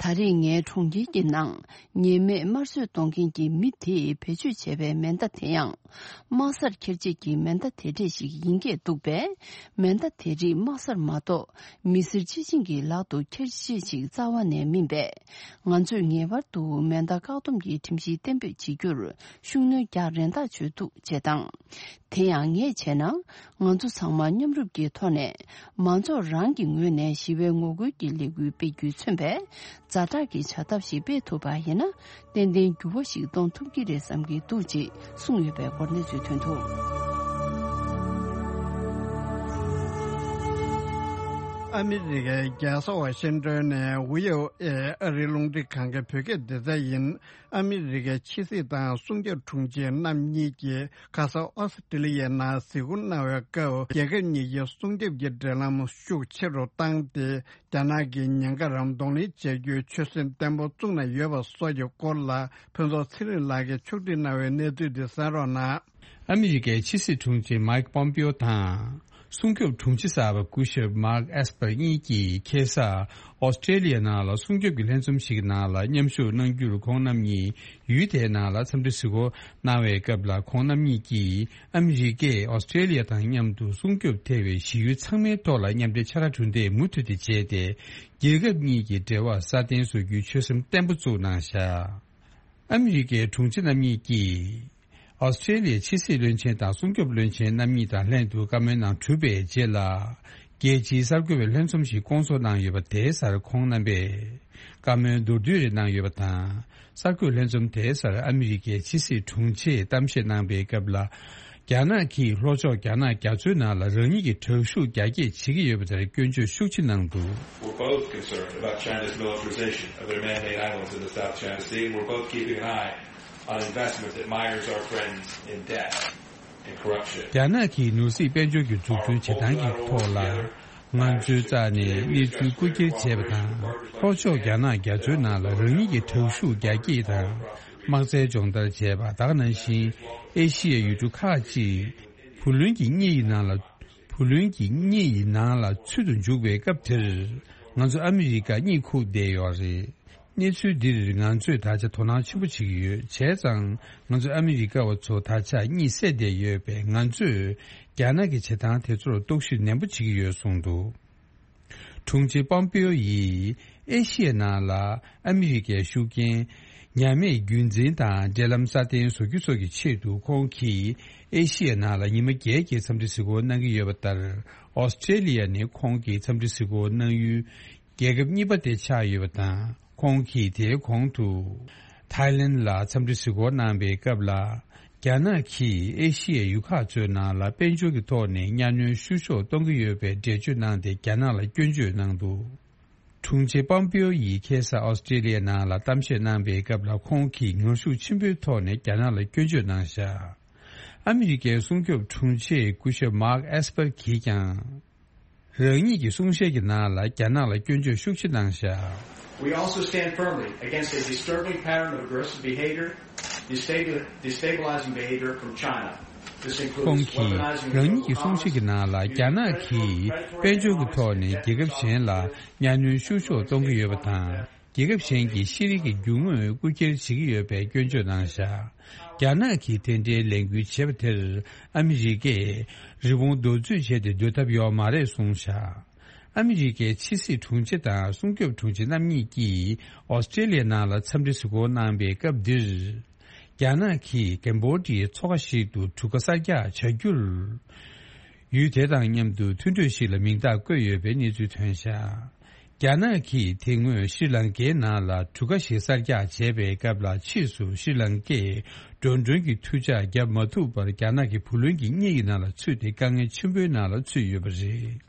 ད་རེས་ངའི་གྲོང་ཁྱེར་གྱི་ནང་ཉེས་མེད་དམར་གསོད་གཏོང་མཁན་གྱི་མི་དེས་བེད་སྤྱོད་བྱས་པའི་མེ་མདའ་དེ་ཡང་། དམག་སར་འཁྱེར་བྱེད་ཀྱི་མེ་མདའ་དེ་འདྲས་ཤིག་ཡིན་སྐད་འདུག་པས། མེ་མདའ་དེ་རིགས་དམག་སར་མ་གཏོགས་མི་སེར་སྤྱི་བྱིངས་ཀྱི་ལག་ཏུ་འཁྱེར་བྱེད་ཅིག་རྩ་བ་ནས་མིན་པས། ང་ཚོས་ངེས་པར་དུ་མེ་མདའ་བཀག་སྡོམ་གྱི་ཁྲིམས་གཞི་གཏན་འབེབས་བྱེད་རྒྱུར་ཤུགས་སྣོན་རྒྱག་རན་ཐག་ཆོད་འདུག་ཅེས་དང་། དེ་ཡང་ངས་བྱས་ན། ང་ཚོ་ཚང་མ་མཉམ་རུབ་ཀྱི་ཐོག་ནས་མང་ཚོགས་རང་གི་ངོས་ནས་ཞི་བའི་ངོ་རྒོལ་གྱི་ལས་འགུལ་སྤེལ་རྒྱུས་མཚོན་པའི་ཛ་དྲག་གི་བྱ་ཐབས་ཤིག་སྤེལ་ཐུབ་པ་ཡིན་ན། ཏན་ཏན་འགྱུར་བ་ཞིག་གཏོང་ཐུབ་ཀྱི་རེད་བསམ་གྱི་འདུག་ཅེས་གསུངས་ཡོད་པའི་སྐོར་གནས་ཚུལ་ཐོན་འདུག་ཨ་མི་རི་ཀའི་རྒྱལ་ས་ཝ་ཤིང་ཏོན་ནས་ཝི་ཨོ་ཨེ་ཨ་རིའི་རླུང་འཕྲིན་ཁང་གི་བོད་སྐད་སྡེ་ཚན་ཡིན། ཨ་མི་རི་ཀའི་ཕྱི་སྲིད་དང་སྲུང་སྐྱོབ་དྲུང་ཆེ་རྣམ་གཉིས་ཀྱིས་ཁ་ས་ཨོ་སི་ཀྲི་ལི་ཡའི་ནང་གཟིགས་སྐོར་གནང་བའི་སྐབས། རྒྱལ་ཁབ་གཉིས་ཀྱི་སྲུང་སྐྱོབ་ཀྱི་འབྲེལ་ལམ་ཤུགས་ཆེ་རུ་བཏང་སྟེ། རྒྱ་ནག་གིས་ཉེན་ཁ་རང་གདོང་ལེན་བྱེད་རྒྱུའི་ཆོད་སེམས་བརྟན་པོ་བཙུགས་གནང་ཡོད་པ་སོགས་ཀྱི་སྐོར་ལ། ཕུན་ཚོགས་ཚེ་རིང་ལགས་ཀྱིས་ཕྱོགས་སྒྲིག་གནང་བའི་གནས་ཚུལ་འདི་གསན་རོགས་གནང་། ཨ་མི་རི་ཀའི་ཕྱི་སྲིད་དྲུང་ཆེ་མཱིག་པོམ་པིའོ་དང་། སྲུང་སྐྱོབ་དྲུང་ཆེ་གསར་པ་སྐུ་ཞབས་Mark Esper་གཉིས་ཀྱིས་ཁ་སང་ཨོ་སི་ཀྲེ་ལི་ཡ་ནང་ལ་སྲུང་སྐྱོབ་ཀྱི་ལྷན་འཛོམས་ཤིག་གི་ནང་ལ་མཉམ་ཞུགས་གནང་རྒྱུར། ཁོང་རྣམ་གཉིས་ཡུལ་དེའི་ནང་ལ་འཚམས་འདྲི་གཟིགས་སྐོར་གནང་བའི་སྐབས་ལ། ཁོང་རྣམ་གཉིས་ཀྱིས་ཨ་མི་རི་ཀས་ཨོ་སི་ཀྲེ་ལི་ཡ་དང་མཉམ་དུ་སྲུང་སྐྱོབ་ཐེ་བའི་གཞི་ཡུལ་ཚང་མའི་ཐོག་ལ་མཉམ་འབྲེལ་ཕྱག་ར་གྲུ་འདེགས་མུ་མཐུད་དེ་བྱས་ཏེ། རྒྱལ་ཁབ་གཉིས་ཀྱི་འབྲེལ་བ་སྲ་བརྟན་བཟོ་རྒྱུའི་ཆོད་སེམས་བརྟན་པོ་བཙུགས་གནང་བཞག་ཨ་མི་རི་ཀའི་དྲུང་ཆེ་རྣམ་གཉིས་ཀྱིས། ཨོ་སི་ཀྲེ་ལི་ཡའི་ཕྱི་སྲིད་བློན་ཆེན་དང་སྲུང་སྐྱོབ་བློན་ཆེན་རྣམ་གཉིས་དང་ལྷན་དུ་བཀའ་མོལ་གནང་གྲུབ་པའི་རྗེས་ལ། རྒྱལ་སྤྱིའི་གསར་འགོད་པའི་ལྷན་འཛོམས་ཤིག་བསྐོང་ཚོགས་གནང་ཡོད་པ་དེའི་སར་ཁོང་རྣམ་པས་བཀའ་མོལ་མདོར་བསྡུས་རེ་གནང་ཡོད་པ་དང་། གསར་འགོད་ལྷན་འཛོམས་དེའི་སར་ཨ་མི་རི་ཀའི་ཕྱི་སྲིད་དྲུང་ཆེས་གཏམ་བཤད་གནང་པའི་སྐབས་ལ། རྒྱ་ནག་གིས་ལྷོ་ཕྱོགས་རྒྱ་ནག་རྒྱ་མཚོའི་ནང་ལ་རང་ཉིད་ཀྱི་དྲག་ཤུགས་རྒྱ་སྐྱེད་བྱེད་ཀྱི་ཡོད་པ་དེར་སྐྱོན་བརྗོད་ཤུགས་ཆེ་གནང་འདུག We're both concerned about China's militarization of their man-made islands in the South China Sea, and we're both keeping an eye on investment that mires our friends in debt and corruption. རྒྱ་ནག་གིས་ནོར་སྲིད་དཔལ་འབྱོར་གྱི་འཛུགས་སྐྲུན་བྱེད་སྟངས་ཀྱི་ཐོག་ལ། ང་ཚོའི་རྩ་ནས་གནས་ཚུལ་རྐུ་འཁྱེར་བྱས་པ་དང་། ལྷོ་ཕྱོགས་རྒྱ་ནག་རྒྱ་མཚོའི་ནང་ལ་རང་ཉིད་ཀྱི་དྲག་ཤུགས་རྒྱ་སྐྱེད་དང་། དམག་རྩལ་སྦྱོང་བརྡར་བྱས་པ་དག་ནང་བཞིན། ཨེ་ཤི་ཡའི་ཡུལ་གྲུ་ཁག་ཅིག་བུ་ལོན་གྱི་གཉེན་ཡིག་ནང་ལ། བུ་ལོན་གྱི་གཉེན་ཡིག་ནང་ལ་ཚུད་དུ་འཇུག་པའི་སྐབས་དེར། ང་ཚོ་ཨ་མི་རི་ཀ་གཉིད་ཁུག་བསྡད་ཡོད་རེད། གནས་ཚུལ་འདིར་ང་ཚོས་ད་ཆ་དོ་སྣང་ཆེན་པོ་བྱེད་ཀྱི་ཡོད། བྱས་ཙང་ང་ཚོ་ཨ་མི་རི་ཀ་བ་ཚོ་ད་ཆ་གཉིད་སད་བསྡད་ཡོད་པས། ང་ཚོས་རྒྱ་ནག་གི་བྱེད་སྟངས་དེ་ཚོར་རྟོག་ཞིབ་ནན་པོ་བྱེད་ཀྱི་ཡོད་གསུངས་འདུག་དྲུང་ཆེ་པོམ་པེའོ་ཡིས་ཨེ་ཤི་ཡའི་ནང་ལ་ཨ་མི་རི་ཀའི་ཤུགས་རྐྱེན་ཉམས་དམས་རྒྱུན་འཛིན་དང་འབྲེལ་ལམ་སྲ་བརྟན་བཟོ་རྒྱུ་སོགས་ཀྱི་ཆེད་དུ། ཁོང་གིས་ཨེ་ཤི་ཡའི་ནང་ལ་ཉི་མ་བརྒྱད་ཀྱི་འཚམས་འདྲི་གཟིགས་སྐོར་གནང་གི་ཡོད་པ་ལྟར། ཨོ་སི་ཀྲེ་ལི་ཡ་ནི་ཁོང་གི་འཚམས་འདྲི་གཟིགས་སྐོར་གནང་ཡུལ་རྒྱལ་ཁབ་གཉིས་པ་དེ་ཆགས་ཡོད་པ་དང་། ཁོང་གིས་དེའི་གོང་དུ་ཐའི་ལེན་ལ་འཚམས་འདྲི་གཟིགས་སྐོར་གནང་པའི་སྐབས་ལ། རྒྱ་ནག་གིས་ཨེ་ཤི་ཡའི་ཡུལ་ཁག་ཚོའི་ནང་ལ་དཔལ་འབྱོར་གྱི་ཐོག་ནས་གཉའ་གནོན་བཤུ་གཞོག་གཏོང་གི་ཡོད་པའི་འགྲེལ་བརྗོད་གནང་སྟེ། རྒྱ་ནག་ལ་སྐྱོན་བརྗོད་གནང་འདུག་དྲུང་ཆེ་པོམ་པེའོ་ཡིས་ཁ་སང་ཨོ་སི་ཀྲེ་ལི་ཡའི་ནང་ལ་གཏམ་བཤད་གནང་པའི་སྐབས་ལ། ཁོང་གིས་ངར་ཤུགས་ཆེན་པོའི་ཐོག་ནས་རྒྱ་ནག་ལ་སྐྱོན་བརྗོད་གནང་བཞག་ཨ་མི་རི་ཀའི་སྲུང་སྐྱོབ་དྲུང་ཆེ་སྐུ་ཞབས་མཱག་ཨེས་པར་གྱིས་ཀྱང་། རང་ཉིད་ཀྱི་གསུང་བཤད་ཀྱི་ནང་ལ་རྒྱ་ནག་ལ་སྐྱོན་བརྗོད་ཤུགས་ཆེ་གནང་བཞག We also stand firmly against a disturbing pattern of aggressive behavior, destabil- destabilizing behavior from China. This ཁོང་includes གིས་weaponizing རང་ཉིད་ཀྱི་གསུང་བཤད་ཀྱི་ནང་ལ། རྒྱ་ནག་གིས་དཔལ་འབྱོར་གྱི་ཐོག་ནས་རྒྱལ་ཁབ་གཞན་ལ་གཉའ་གནོན་བཤུ་གཞོག་གཏོང་གི་ཡོད་པ་དང་། རྒྱལ་ཁབ་གཞན་གྱི་ཤེས་རིག་གི་རྒྱུ་དངོས་རྐུ་འཁྱེར་བྱེད་ཀྱི་ཡོད་པའི་སྐྱོན་བརྗོད་གནང་བཞག་རྒྱ་ནག་གིས་དེ་འདྲའི་ལས་འགུལ་བྱས་པ་དེར་ཨ་མི་རི་ཀས་རི་བོང་རྡོག་རྫུས་བྱས་ཏེ་སྡོད་ཐབས་ཡོད་མ་རེད་གསུངས་བཞག་ཨ་མི་རི་ཀའི་ཕྱི་སྲིད་དྲུང་ཆེ་དང་སྲུང་སྐྱོབ་དྲུང་ཆེ་རྣམ་གཉིས་ཀྱིས་ཨོ་སི་ཀྲེ་ལི་ཡའི་ནང་ལ་འཚམས་འདྲི་གཟིགས་སྐོར་གནང་པའི་སྐབས་འདིར། རྒྱ་ནག་གིས་ཀེམ་བོ་ཌི་ཡའི་མཚོ་ཁ་ཞིག་ཏུ་གྲུ་ཁ་གསར་རྒྱག་བྱ་རྒྱུར། ཡུལ་དེ་དང་མཉམ་དུ་མཐུན་གྲོས་ཤིག་ལ་མིང་རྟགས་བཀོད་ཡོད་པའི་གནས་ཚུལ་ཐོན་བཞག་རྒྱ་ནག་གིས་དེ་སྔོན་ཤྲི་ལང་ཀའི་ནང་ལ་གྲུ་ཁ་ཞིག་གསར་རྒྱག་བྱས་པའི་སྐབས་ལ། ཕྱིས་སུ་ཤྲི་ལང་ཀས་འགྲོ་གྲོན་གྱི་མཐུད་ཕྱག་བརྒྱབ་མ་ཐུབ་པར། རྒྱ་ནག་གི་བུ་ལོན་གྱི་གཉེན་ཡིག་ནང་ལ་ཚུད་དེ་དཀའ་ངལ་ཆེན་པོའི་ནང་ལ་ཚུད་ཡོད་པ་རེད།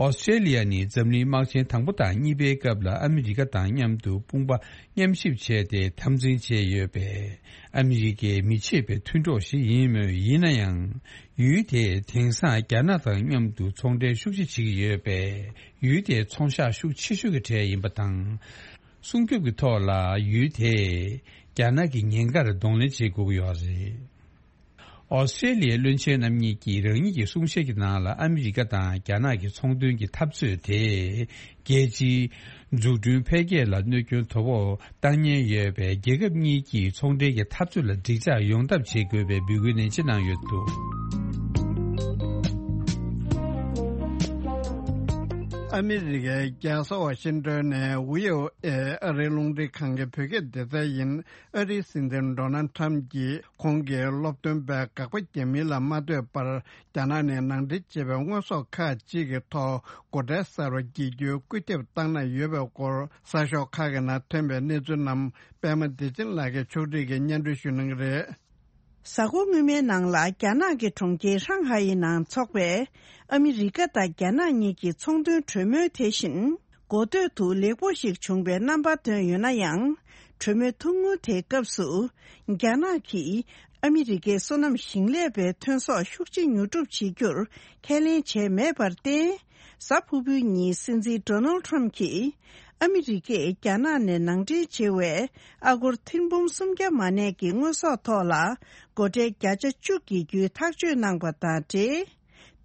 ཨོ་སི་ཀྲེ་ལི་ཡ་ནི་འཛམ་གླིང་དམག་ཆེན་དང་པོ་དང་གཉིས་པའི་སྐབས་ལ་ཨ་མི་རི་ཀ་དང་མཉམ་དུ་དཔུང་པ་མཉམ་གཤིབ་བྱས་ཏེ་འཐབ་འཛིང་བྱས་ཡོད་པས། ཨ་མི་རི་ཀའི་མི་ཕྱེད་པའི་མཐུན་གྲོགས་ཤིག་ཡིན་མོད། ཡིན་ན་ཡང་། ཡུལ་དེས་དེང་སང་རྒྱ་ནག་དང་མཉམ་དུ་ཚོང་འབྲེལ་ཤུགས་ཆེ་བྱེད་ཀྱི་ཡོད་པས། ཡུལ་དེའི་ཚོང་ཤག་ཤུགས་ཆེ་ཤོས་ཀྱི་གྲས་ཡིན་པ་དང་། སྲུང་སྐྱོབ་ཀྱི་ཐོག་ལ་ཡུལ་དེས་རྒྱ་ནག་གི་ཉེན་ཁར་གདོང་ལེན་བྱེད་དགོས་ཀྱི་ཡོད་རེད། ཨོ་སི་ཀྲེ་ལི་ཡའི་བློན་ཆེན་རྣམ་གཉིས་ཀྱིས་རང་ཉིད་ཀྱི་གསུང་བཤད་ཀྱི་ནང་ལ། ཨ་མི་རི་ཀ་དང་རྒྱ་ནག་གི་ཚོང་དོན་གྱི་འཐབ་རྩོད་དེ་རྒྱལ་སྤྱིའི་འཛུགས་སྐྲུན་འཕེལ་རྒྱས་ལ་གནོད་སྐྱོན་དོ་ཕོག་བཏང་ཉེན་ཡོད་པས། རྒྱལ་ཁབ་གཉིས་ཀྱིས་ཚོང་འབྲེལ་གྱི་འཐབ་རྩོད་ལ་འགྲིག་འཇགས་ཡོང་ཐབས་བྱེད་དགོས་པའི་འབོད་སྐུལ་ནན་ཆེ་གནང་ཡོད་འདུག་ཨ་མི་རི་ཀའི་རྒྱལ་ས་ཝ་ཤིང་ཏོན་ནས་ཝི་ཨོ་ཨེ་ཨ་རིའི་རླུང་འཕྲིན་ཁང་གི་བོད་སྐད་སྡེ་ཚན་ཡིན། ཨ་རིའི་སྲིད་འཛིན་ཌོ་ནལ་ཁྲམ་གྱིས་ཁོང་གི་སློབ་སྟོན་པས་དགག་པ་རྒྱག་མིན་ལ་མ་ལྟོས་པར། རྒྱ་ནག་ནས་ནང་འདྲེན་བྱས་པའི་དངོས་ཟོག་ཁག་ཅིག་གི་ཐོག་སྒོ་ཁྲལ་གསར་པ་འགེལ་རྒྱུའི་སྐུལ་ཁྱབ་བཏང་གནང་ཡོད་པའི་སྐོར། གསར་ཤོག་ཁག་གི་ནང་ཐོན་པའི་གནས་ཚུལ་རྣམས་པད་མ་བདེ་ཆེན་ལགས་ཀྱིས་ཕྱོགས་སྒྲིག་གིས་སྙན་སྒྲོན་ཞུ་གནང་གི་རེད། གཟའ་འཁོར་སྔོན་མའི་ནང་ལ་རྒྱ་ནག་གི་གྲོང་ཁྱེར་ཧྲང་ཧའེ་ཡི་ནང་འཚོགས་པའི་ཨ་མི་རི་ཀ་དང་རྒྱ་ནག་གཉིས་ཀྱི་ཚོང་དོན་གྲོས་མོལ་དེ་བཞིན། འགོ་སྟོད་དུ་ལེགས་པོ་ཞིག་བྱུང་བའི་རྣམ་པ་བཏོན་ཡོད་ན་ཡང་། གྲོས་མོལ་ཐུང་ངུ་དེའི་སྐབས་སུ། རྒྱ་ནག་གིས་ཨ་མི་རི་ཀའི་སོ་ནམ་ཞིང་ལས་པའི་ཐོན་ཟོག་ཤུགས་ཆེ་ཉོ་སྒྲུབ་བྱེད་རྒྱུར་ཁས་ལེན་བྱས་མེད་པར་བརྟེན། གཟའ་ཕུར་བུའི་ཉིན་སྲིད་འཛིན་ཌོ་ནལ་ཁྲམ་གྱིས། ཨ་མི་རི་ཀས་རྒྱ་ནག་ནས་ནང་འདྲེན་བྱེད་པའི་ཨ་སྒོར་ཐེར་འབུམ་སུམ་བརྒྱ་མ་གནས་ཀྱི་དངོས་ཟོག་ཐོག་ལ། སྒོ་ཁྲལ་བརྒྱ་ཆ་བཅུ་འགེལ་རྒྱུའི་ཐག་གཅོད་གནང་པ་དང་འབྲེལ།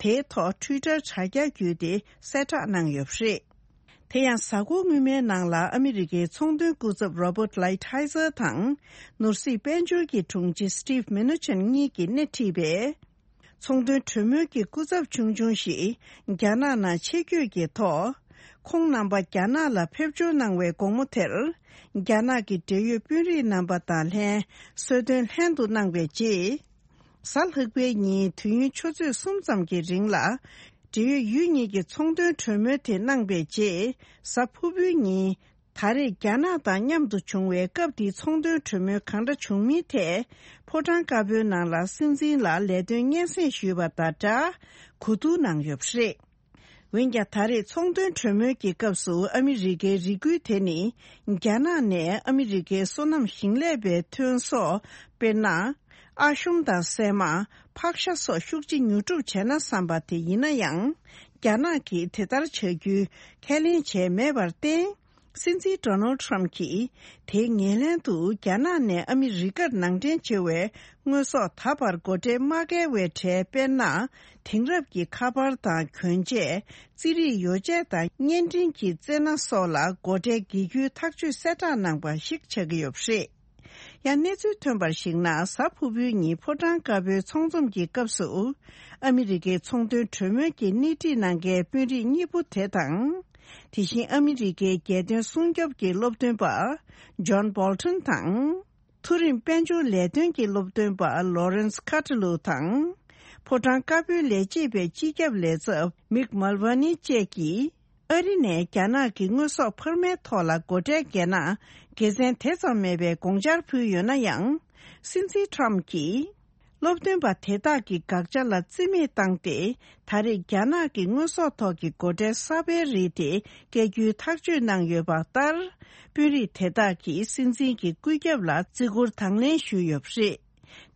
དེའི་ཐོག་ཊུའི་ཊར་དྲ་རྒྱ་བརྒྱུད་དེ་གསལ་བསྒྲགས་གནང་ཡོད་པ་རེད། དེ་ཡང་གཟའ་འཁོར་སྔོན་མའི་ནང་ལ་ཨ་མི་རི་ཀའི་ཚོང་དོན་སྐུ་ཚབ་Robert Lighthizer་དང་ནོར་སྲིད་དཔལ་འབྱོར་གྱི་དྲུང་ཆེ་Steve Mnuchin་གཉིས་ཀྱིས་སྣེ་ཁྲིད་པའི་ཚོང་དོན་གྲོས་མོལ་གྱི་སྐུ་ཚབ་ཆུང་ཆུང་ཞིག་རྒྱ་ནག་ནང་ཆེད་བསྐྱོད་ཀྱི་ཐོག་ཁོང་རྣམ་པ་རྒྱ་ནག་ལ་ཕེབས་འབྱོར་གནང་བའི་དགོང་མོ་དེར། རྒྱ་ནག་གི་འབྲེལ་ཡོད་དཔོན་རིགས་རྣམ་པ་དང་ལྷན་གསོལ་སྟོན་ལྷན་དུ་གནང་བའི་རྗེས། གཟའ་ལྷག་པའི་ཉིན་དུས་ཡུན་ཆུ་ཚོད་གསུམ་ཙམ་གྱི་རིང་ལ། འབྲེལ་ཡོད་ཡུལ་གཉིས་ཀྱི་ཚོང་དོན་གྲོས་མོལ་དེ་གནང་བའི་རྗེས། གཟའ་ཕུར་བུའི་ཉིན། ད་རེས་རྒྱ་ནག་དང་མཉམ་དུ་བྱུང་བའི་སྐབས་དེའི་ཚོང་དོན་གྲོས་མོལ་གང་འདྲ་བྱུང་མིན་ཐད། ཕོ་བྲང་དཀར་པོའི་ནང་ལ་སྲིད་འཛིན་ལ་ལས་དོན་སྙན་སེང་ཞུས་པ་དང་སྦྲགས། གོ་བསྡུར་གནང་ཡོད་པ་རེད། འོན་ཀྱང་ད་རེས་ཚོང་དོན་གྲོས་མོལ་གྱི་སྐབས་སུ་ཨ་མི་རི་ཀའི་རེ་སྐུལ་དེ་ནི། རྒྱ་ནག་ནས་ཨ་མི་རི་ཀའི་སོ་ནམ་ཞིང་ལས་པའི་ཐོན་ཟོག་དཔེར་ན། ཨ་ཤོམ་དང་སྲན་མ། ཕག་ཤ་སོགས་ཤུགས་ཆེ་ཉོ་སྒྲུབ་བྱས་ན་བསམ་པ་དེ་ཡིན་ན་ཡང་། རྒྱ་ནག་གིས་དེ་ལྟར་བྱ་རྒྱུའི་ཁས་ལེན་བྱས་མེད་པར་བརྟེན། སྲིད་འཛིན་Donald Trump་གྱིས་དེའི་ངོས་ལེན་དུ་རྒྱ་ནག་ནས་ཨ་མི་རི་ཀར་ནང་འདྲེན་བྱེད་པའི་དངོས་ཟོག་ད་བར་སྒོ་ཁྲལ་མ་བཀལ་བའི་གྲས། དཔེར་ན། དེང་རབས་ཀྱི་ཁ་པར་དང་གྱོན་ཆས། རྩིས་རིག་ཡོ་བྱད་དང་བརྙན་འཕྲིན་གྱི་རྩེད་སྣ་སོགས་ལ་སྒོ་ཁྲལ་དགེ་བསྐུལ་ཐག་གཅོད་གསལ་བསྒྲགས་གནང་པ་ཞིག་ཆགས་ཀྱི་ཡོད་པ་རེད། ཡང་གནས་ཚུལ་ཐོན་པར་གཞིགས་ན། གཟའ་ཕུར་བུའི་ཉིན་ཕོ་བྲང་དཀར་པོའི་ཚོགས་འཛོམས་ཀྱི་སྐབས་སུ། ཨ་མི་རི་ཀའི་ཚོང་དོན་གྲོས་མོལ་གྱི་སྣེ་ཁྲིད་གནང་མཁན་དཔོན་རིགས་གཉིས་པོ་དེ་དང་། དེ་བཞིན་ཨ་མི་རི་ཀའི་རྒྱལ་དོན་སྲུང་སྐྱོབ་ཀྱི་སློབ་སྟོན་པ། John Bolton་དང་། མཐོ་རིམ་དཔལ་འབྱོར་ལས་དོན་གྱི་སློབ་སྟོན་པ་Lawrence Kuttelow་དང་། ཕོ་བྲང་དཀར་པོའི་ལས་བྱེད་པའི་སྤྱི་ཁྱབ་ལས་ཚབ་Mick Mulvaney་བཅས་ཀྱིས། ཨ་རི་ནས་རྒྱ་ནག་གི་དངོས་ཟོག་འཕར་མའི་ཐོག་ལ་སྒོ་ཁྲལ་འགེལ་ན། དགེ་མཚན་དེ་ཙམ་མེད་པའི་དགོངས་འཆར་ཕུལ་ཡོད་ན་ཡང་། སྲིད་འཛིན་Trump་གྱིས། སློབ་སྟོན་པ་དེ་དག་གི་དགག་བྱ་ལ་རྩིས་མེད་བཏང་སྟེ། ད་རེས་རྒྱ་ནག་གི་དངོས་ཟོག་ཐོག་གི་སྒོ་ཁྲལ་གསར་པའི་རིགས་དེ་བཀལ་རྒྱུའི་ཐག་གཅོད་གནང་ཡོད་པ་ལྟར། དཔོན་རིགས་དེ་དག་གིས་སྲིད་འཛིན་གྱི་བཀོད་ཁྱབ་ལ་བརྩི་བཀུར་དང་ལེན་ཞུས་ཡོད་པ་རེད།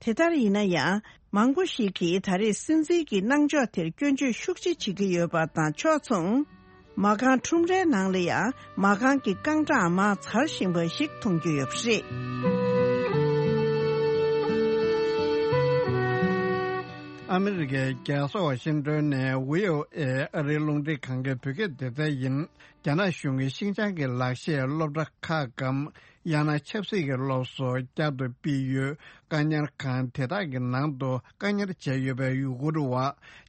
དེ་ལྟར་ཡིན་ན་ཡང་། མང་པོ་ཞིག་གིས་ད་རེས་སྲིད་འཛིན་གྱི་གནང་ཕྱོགས་དེར་སྐྱོན་བརྗོད་ཤུགས་ཆེ་བྱེད་ཀྱི་ཡོད་པ་དང་ཕྱོགས་མཚུངས། མ་རྐང་ཁྲོམ་རའི་ནང་ལ་ཡང་མ་རྐང་གི་རྐང་གྲངས་མར་འཛར་བཞིན་པ་ཞིག་མཐོང་རྒྱུ་ཡོད་པ་རེད། ཨ་མི་རི་ཀའི་རྒྱལ་ས་ཝ་ཤིང་ཏོན་ནས་ཝི་ཨོ་ཨེ་ཨ་རིའི་རླུང་འཕྲིན་ཁང་གི་བོད་སྐད་སྡེ་ཚན་ཡིན། རྒྱ་ནག་གཞུང་གིས་ཤིང་ཅང་གི་ལག་ཤེས་སློབ་གྲྭ་ཁག་གམ། ཡང་ན་ཆབ་སྲིད་ཀྱི་སློབ་གསོ་བསྐྱར་དུ་སྤེལ་ཡུལ་བཀག་ཉར་ཁང་དེ་དག་གི་ནང་དུ་བཀག་ཉར་བྱས་ཡོད་པའི་ཡུ་གུར་བ་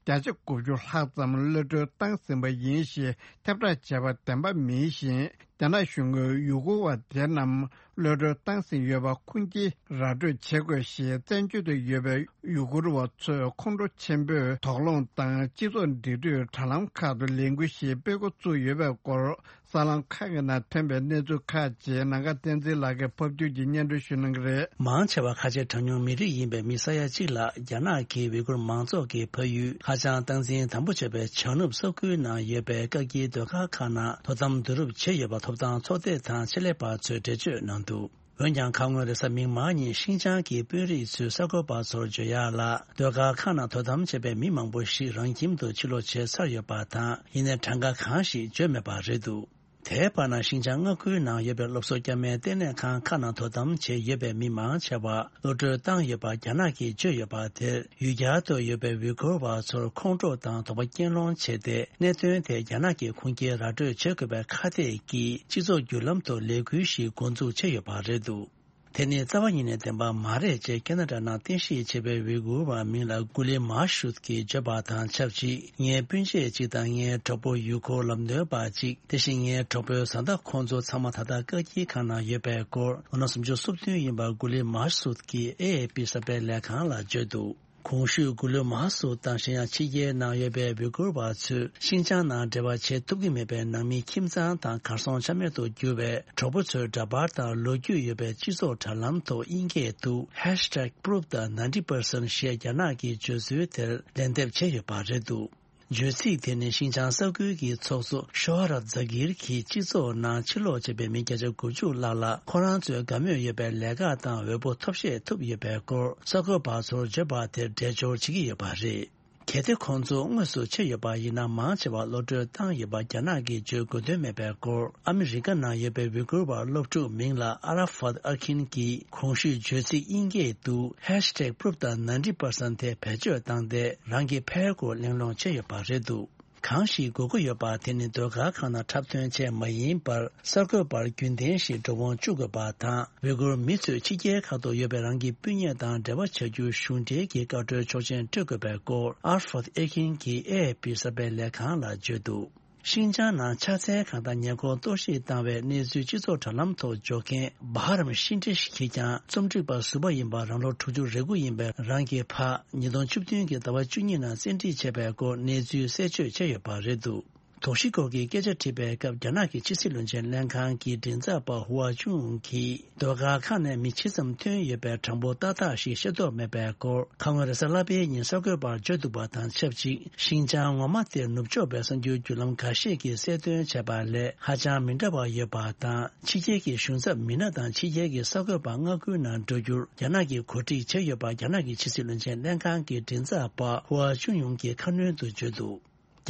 བརྒྱ་ཆ་དགུ་བཅུ་ལྷག་ཙམ་གློད་གྲོལ་བཏང་ཟིན་པ་ཡིན་ཞེས་ཁྱབ་བསྒྲགས་བྱས་པ་བདེན་པ་མིན་ཞིང་། རྒྱ་ནག་གཞུང་གིས་ཡུ་གུར་བ་དེ་རྣམས་གློད་གྲོལ་བཏང་ཟིན་ཡོད་པ་ཁུངས་སྐྱེལ་ར་སྤྲོད་བྱེད་དགོས་ཞེས་བཙན་བྱོལ་དུ་ཡོད་པའི་ཡུ་གུར་བ་ཚོས་ཁོང་ཁྲོ་ཆེན་པོས་དོགས་སློང་དང་སྤྱི་ཚོགས་འབྲེལ་མཐུད་དྲ་ལམ་ཁག་ཏུ་ལས་འགུལ་ཞིག་སྤེལ་འགོ་བཙུགས་ཡོད་པའི་སྐོར། གསར་ལམ་ཁག་གི་ནང་ཐོན་པའི་གནས་ཚུལ་ཁག་ཅིག་ནམ་མཁའ་བསྟན་འཛིན་ལགས་ཀྱིས་ཕབ་བསྒྱུར་གྱིས་སྙན་སྒྲོན་ཞུ་གནང་གི་རེད། མང་ཆེ་བ་ཁ་ཆེ་གྲངས་ཉུང་མི་རིགས་ཡིན་པའི་མི་ས་ཡ་གཅིག་ལ་རྒྱ་ནག་གིས་ཝི་གུར་མང་ཚོགས་ཀྱི་ཕ་ཡུལ་ཧ་ཅང་སྟངས་འཛིན་དམ་པོ་བྱས་པའི་བྱང་ནུབ་ས་ཁུལ་ནང་ཡོད་པའི་བཀག་སྐྱིལ་སྡོད་ཁང་ཁག་ནང་དོ་དམ་བསྡུ་རུབ་བྱས་ཡོད་པ་ཐོབ་ཐང་ཚོགས་སྡེ་དང་ཆེད་ལས་པ་ཚོས་འགྲེལ་བརྗོད་གནང་འདུག་འོན་ཀྱང་ཁ་སྔོན་རེས་གཟའ་མིག་དམར་ཉིན་ཤིང་ཅང་གི་དཔོན་རིགས་ཚོས་གསར་འགོད་པ་ཚོར་བརྗོད་ཡག་ལ། སྡོད་སྒར་ཁག་ནང་དོ་དམ་བྱས་པའི་མི་མང་པོ་ཞིག་རང་ཁྱིམ་དུ་ཕྱིར་ལོག་བྱས་ཚར་ཡོད་པ་དང་། ཡིན་ནའི་གྲངས་ཀ་གང་ཞིག་བརྗོད་མེད་པ་རེད་འདུག་དེའི་བར་ན་ཤིང་ཅང་མངའ་ཁུལ་ནང་ཡོད་པའི་སློབ་གསོ་བསྐྱར་མའི་ལྟེ་གནས་ཁང་ཁག་ནང་དོ་དམ་བྱས་ཡོད་པའི་མི་མང་ཆེ་བ་གློད་གྲོལ་བཏང་ཡོད་པ་རྒྱ་ནག་གིས་བརྗོད་ཡོད་པ་དེར། ཡུལ་གྱར་དུ་ཡོད་པའི་ཝི་གུར་བ་ཚོར་ཁོང་ཁྲོ་དང་དོགས་པ་སྐྱེད་སློང་བྱས་ཏེ། གནད་དོན་དེ་རྒྱ་ནག་གིས་ཁུངས་སྐྱེལ་ར་སྤྲོད་བྱེད་དགོས་པའི་ཁ་གཏད་ཀྱིས་སྤྱི་ཚོགས་བརྒྱུད་ལམ་དུ་ལས་འགུལ་ཞིག་འགོ་འཛུགས་བྱས་ཡོད་པ་རེད་འདུག་དེ་ནི་རྩ་བ་ཉིད་ནས་བདེན་པ་མ་རེད་ཅེས་ཁེ་ན་ཌ་ནང་རྟེན་གཞི་བྱས་པའི་ཝི་གུར་བ་མིང་ལ་གུ་ལི་མ་ཤུད་ཀྱིས་བརྗོད་པ་དང་ཆབས་ཅིག་ངའི་སྤུན་མཆེད་ཅིག་དང་ངའི་གྲོགས་པོ་ཡུལ་སྐོར་ལམ་སྟོན་པ་ཅིག་དེ་བཞིན་ངའི་གྲོགས་པོའི་བཟའ་ཟླ་ཁོང་ཚོ་ཚང་མ་ད་ལྟ་བཀག་སྐྱིལ་ཁང་ནང་ཡོད་པའི་སྐོར། ལོ་ན་སུམ་ཅུ་སོ་བདུན་ཡིན་པ་གུ་ལི་མ་ཤུད་ཀྱིས་ཨེ་ཨེ་པི་གསར་སྤེལ་ལས་ཁང་ལ་བརྗོད་འདུག་གོང་ཞུས་གུ་ལུ་མ་སུ་དང་གཞན་ཡང་ཕྱི་རྒྱལ་ནང་ཡོད་པའི་ཝི་གུར་བ་ཚོས་ཤིན་ཅང་ནང་འབྲེལ་བ་བྱེད་ཐུབ་ཀྱི་མེད་པའི་ནང་མིའི་ཁྱིམ་ཚང་དང་གར་སོང་ཆ་མེད་དུ་གྱུར་བའི་གྲོགས་པོ་ཚོའི་འདྲ་པར་དང་ལོ་རྒྱུས་ཡོད་པའི་སྤྱི་ཚོགས་དྲ་ལམ་ཐོག་དབྱིན་སྐད་དུ་ཧེཤ་ཊེག་པུ་རུབ་དང་ནའིན་ཊི་པར་སེན་ཊི་ཞེས་རྒྱ་ནག་གིས་བརྗོད་ཚུལ་དེར་ལན་འདེབས་བྱས་ཡོད་པ་རེད་འདུག་བརྗོད་ཚིག་དེ་ནི་ཤིན་ཅང་ས་ཁུལ་གྱི་ཚོགས་གཙོ་ཤོ་ཧ་ར་ཛ་གིར་གྱིས་སྤྱི་ཚོགས་ནང་ཕྱིར་ལོག་བྱས་པའི་མི་བརྒྱ་ཆ་དགུ་བཅུ་ལྷག་ལ་ཁོ་རང་ཚོའི་དགའ་མོས་ཡོད་པའི་ལས་ཀ་དང་འོས་པོ་ཐོབ་ཤེས་ཐུབ་ཡོད་པའི་སྐོར་གསར་འགོད་པ་ཚོར་བརྗོད་པ་དེར་འགྲེལ་བརྗོད་བྱེད་ཀྱི་ཡོད་པ་རེད། གལ་ཏེ་ཁོང་ཚོ་དངོས་སུ་ཆགས་ཡོད་པ་ཡིན་ན། མང་ཆེ་བ་གློད་བཀྲོལ་བཏང་ཡོད་པ་རྒྱ་ནག་གིས་བརྗོད་དགོས་དོན་མེད་པའི་སྐོར། ཨ་མི་རི་ཀ་ནང་ཡོད་པའི་ཝི་གུར་བ་སློབ་ཕྲུག་མིང་ལ་ཨ་ར་ཧྥད་ཨར་ཁིན་གྱིས་གོང་ཞུས་བརྗོད་ཚིག་དབྱིན་སྐད་དུ་ཧེཤ་ཊེག་པུ་རུབ་དང་ནན་ཊི་པར་སེན་ཊི་དེ་བེད་སྤྱོད་བཏང་སྟེ། རང་གི་ཕའི་སྐོར་གླེང་སློང་བྱས་ཡོད་པ་རེད་འདུག་གང་ཞིག་དགོས་མཁོ་ཡོད་པ་དེ་ནི་ཟློས་གར་ཁང་ནང་འཁྲབ་སྟོན་བྱས་མ་ཡིན་པར། གསར་འགོད་པར་རྒྱུན་ལྡན་ཞིག་འགྲོ་འོང་བཅུག་དགོས་པ་དང་། ཝི་གུར་མི་ཚོས་ཕྱི་རྒྱལ་ཁག་ཏུ་ཡོད་པའི་རང་གི་སྤུན་ཉེ་དང་འབྲེལ་བ་བྱ་རྒྱུར་གཞུང་འབྲེལ་གྱི་བཀའ་འཁྲོལ་ཆོག་མཆན་སྤྲོད་དགོས་པའི་སྐོར། ཨར་ཧྥད་ཨེ་ཁིན་གྱིས་ཨེ་ཨེ་ཕི་གསར་སྤེལ་ལས་ཁང་ལ་བརྗོད་འདུག་ཤིན་ཅང་ནང་ཕྱག་འཚལ་ཁང་དང་ཉེ་འཁོར་གཏོར་བཤིག་བཏང་བའི་གནས་ཚུལ་སྤྱི་ཚོགས་དྲ་ལམ་ཐོག་འཇོག་མཁན་བྷ་ཧ་རམ་ཤིན་ཏྲི་ཤི་གིས་ཀྱང་རྩོམ་སྒྲིག་པ་ཟུར་པ་ཡིན་པ། རང་ལོ་དྲུག་ཅུ་རེ་དགུ་ཡིན་པའི་རང་གི་ཕ། ཉིས་སྟོང་བཅུ་བདུན་གྱི་ཟླ་བ་བཅུ་གཉིས་ནང་བཙན་ཁྲིད་བྱས་པའི་སྐོར་གནས་ཚུལ་གསལ་བརྗོད་བྱས་ཡོད་པ་རེད་འདུག་དོགས་གཞི་སྐོར་གྱི་སྐད་ཆ་དྲིས་པའི་སྐབས། རྒྱ་ནག་གི་ཕྱི་སྲིད་བློན་ཆེན་ལྷན་ཁང་གི་མགྲིན་ཚབ་པ་ཧུའ་ཅུན་ཡུང་གིས། ཟློས་གར་ཁང་ནས་མི་ཇི་ཙམ་ཐོན་ཡོད་པའི་གྲངས་འབོར་ཏག་ཏག་ཞིག་ཤེས་རྟོགས་མེད་པའི་སྐོར། ཁ་སྔོན་རེས་གཟའ་ལྷག་པའི་ཉིན་གསར་འགོད་པར་བརྗོད་འདུག་པ་དང་ཆབས་ཅིག་ཤིན་ཅང་ངོ་མ་དེར་ནུབ་ཕྱོགས་པའི་གསར་འགྱུར་བརྒྱུད་ལམ་འགའ་ཤས་ཀྱིས་གསལ་སྟོན་བྱས་པ་ལས་ཧ་ཅང་མི་འདྲ་བ་ཡོད་པ་དང་། ཕྱི་རྒྱལ་གྱི་གཞུང་ཚབ་མི་སྣ་དང་ཕྱི་རྒྱལ་གྱི་གསར་འགོད་པ་མངགས་སྐུལ་ནང་འགྲོ་རྒྱུར་རྒྱ་ནག་གིས་གོ་སྒྲིག་བྱས་ཡོད་པ། རྒྱ་ནག་གི་ཕྱི་སྲིད་བློན་ཆེན་ལྷན་ཁང་གི་མགྲིན་ཚབ་པ་ཧུའ་ཅུན་ཡུང་གིས་ཁ་སྣོན་དུ་བརྗོད་འདུག་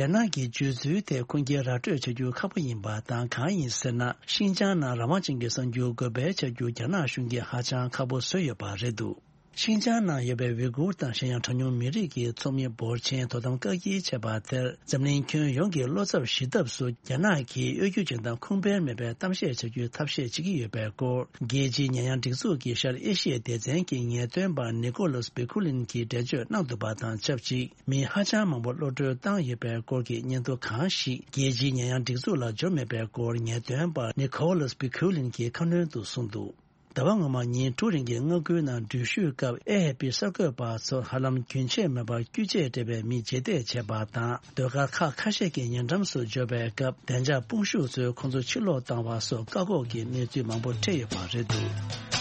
རྒྱ་ནག་གི་བརྗོད་ཚུལ་དེ་ཁུངས་སྐྱེལ་ར་སྤྲོད་བྱ་རྒྱུ་ཁག་པོ་ཡིན་པ་དང་། གང་ཡིན་ཟེར་ན། ཤིན་ཅང་ནང་རང་དབང་ཅན་གྱི་གསར་འགྱུར་འགོད་སྤེལ་བྱ་རྒྱུ་རྒྱ་ནག་གཞུང་གིས་ཧ་ཅང་ཁག་པོ་བཟོས་ཡོད་པ་རེད་འདུག་ཤིན་ཅང་ནང་ཡོད་པའི་ཝི་གུར་དང་གཞན་ཡང་གྲངས་ཉུང་མི་རིགས་ཀྱི་ཚོགས་མི་འབོར་ཆེན་དོ་དམ་བཀག་སྐྱིལ་བྱས་པ་དེར། འཛམ་གླིང་ཁྱོན་ཡོངས་ཀྱི་བློ་འཚབ་ཞི་ཐབས་སུ་རྒྱ་ནག་གིས་གཡོ་སྒྱུ་ཅན་དང་ཁུངས་སྤེལ་མེད་པའི་གཏམ་བཤད་བྱ་རྒྱུའི་ཐབས་ཤེས་བྱེད་ཀྱི་ཡོད་པའི་སྐོར། རྒྱལ་སྤྱིའི་ཉེས་ཡངས་སྒྲིག་འཛུགས་ཀྱི་ཤར་ཨེ་ཤི་ཡའི་སྡེ་ཚན་གྱི་ངེས་སྟོན་པ་ནི་ཀོ་ལཱས་བི་ཁུ་ལིན་གྱིས་འགྲེལ་བརྗོད་གནང་འདུག་པ་དང་ཆབས་ཅིག་མི་ཧ་ཅང་མང་པོ་གློད་བཀྲོལ་བཏང་ཡོད་པའི་སྐོར་གྱི་སྙན་ཐོ་གང་ཞིག་རྒྱལ་སྤྱིའི་ཉེས་ཡངས་སྒྲིག་འཛུགས་ལ་འབྱོར་མེད་པའི་སྐོར། ངེས་སྟོན་པ་ནི་ཀོ་ལཱས་བི་ཁུ་ལིན་གྱིས་ཁ་སྣོན་དུ་གསུངས་འདུག་ཟླ་བ་སྔོན་མ་ཉིན་དྲུག་རིང་གི་མངགས་སྐུལ་ནང་འགྲུལ་བཞུད་སྐབས། ཨེ་ཨེ་ཕི་གསར་འགོད་པ་ཚོར་ཧ་ལམ་རྒྱུན་ཆད་མེད་པར་རྒྱུ་ཆས་སྤྲས་པའི་མི་རྗེས་འདེད་བྱས་པ་དང་། ཟློས་གར་ཁག་ཁ་ཤས་ཀྱི་ཉེ་འགྲམ་སུ་འབྱོར་བའི་སྐབས། བདེ་འཇགས་དཔུང་ཤུགས་ཚོས་ཁོང་ཚོ་ཕྱིར་ལོག་བཏང་བ་སོགས་བཀག་འགོག་གི་གནས་ཚུལ་མང་པོ་འཕྲད་ཡོད་པ་རེད་འདུག་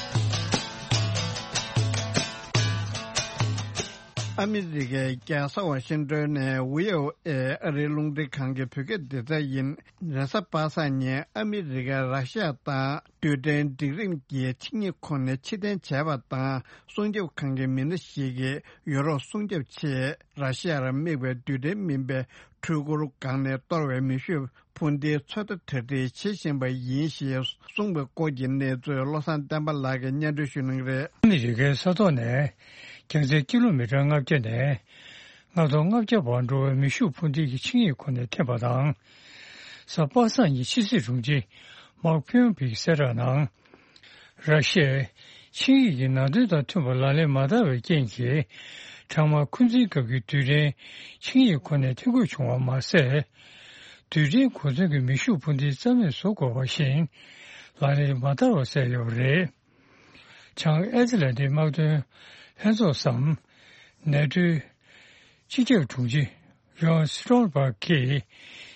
ཨ་མི་རི་ཀའི་རྒྱལ་ས་ཝ་ཤིང་ཏོན་ནས་བྷི་ཨོ་ཨེ་ཨ་རིའི་རླུང་འཕྲིན་ཁང་གི་བོད་སྐད་སྡེ་ཚན་ཡིན། རེས་གཟའ་པ་སངས་ཉིན་ཨ་མི་རི་ཀས་ར་ཤི་ཡ་དང་རྡུལ་ཕྲན་སྒྲིག་རིམ་གྱི་ཆིངས་ཡིག་ཁོངས་ནས་ཕྱིར་འཐེན་བྱས་པ་དང་། སྲུང་སྐྱོབ་ཁང་གི་མི་སྣ་ཞིག་གིས་ཡུ་རོབ་སྲུང་སྐྱོབ་ཆེད་ར་ཤི་ཡར་དམིགས་པའི་རྡུལ་ཕྲན་མིན་པའི་འཕྲུལ་འཁོར་སྒང་ནས་གཏོར་བའི་མེ་ཤུགས་འཕུར་མདེལ་ཚོད་ལྟ་གྲ་སྒྲིག་བྱེད་བཞིན་པ་ཡིན་ཞེས་གསུངས་པའི་སྐོར་གྱི་གནས་ཚུལ་བློ་བཟང་བསྟན་པ་ལགས་ཀྱིས་སྙན་སྒྲོན་ཞུ་གནང་གི་རེད། ཨ་མི་རི་ཀའི་ས་ཐོག་ནས་རྒྱང་ཚད་ཀི་ལོ་མི་ཊར་ལྔ་བརྒྱ་ནས་ལྔ་སྟོང་ལྔ་བརྒྱ་བར་འགྲོ་བའི་མེ་ཤུགས་འཕུར་མདེལ་གྱི་ཆིངས་ཡིག་ཁོངས་ནས་འཐེན་པ་དང་། གཟའ་པ་སངས་ཉིན་ཕྱི་སྲིད་དྲུང་ཆེ་མཱག་ཕིའུ་པིག་གསལ་བསྒྲགས་ནང་། ར་ཤི་ཡས་ཆིངས་ཡིག་གི་ནང་དོན་དང་མཐུན་པར་ལག་ལེན་མ་བསྟར་བའི་རྐྱེན་གྱིས། ཐང་དམག་འཁོན་འཛིན་སྐབས་ཀྱི་རྡུལ་ཕྲན་ཆིངས་ཡིག་ཁོངས་ནས་འཐེན་དགོས་བྱུང་བ་མ་ཟད། རྡུལ་ཕྲན་གོ་མཚོན་གྱི་མེ་ཤུགས་འཕུར་མདེལ་རྩ་མེད་བཟོ་དགོས་པ་བཞིན་ལག་ལེན་མ་བསྟར་བ་བསལ་ཡོད་པ་རེད། བྱང་ཨེ་ཏི་ལན་ཏིག་དམག་དོན་ལྷན་ཚོགས་སམ། ནེ་ཏོའི་སྤྱི་ཁྱབ་དྲུང་ཆེ་ཡོན་སི་ཊོལ་པར་གྱིས་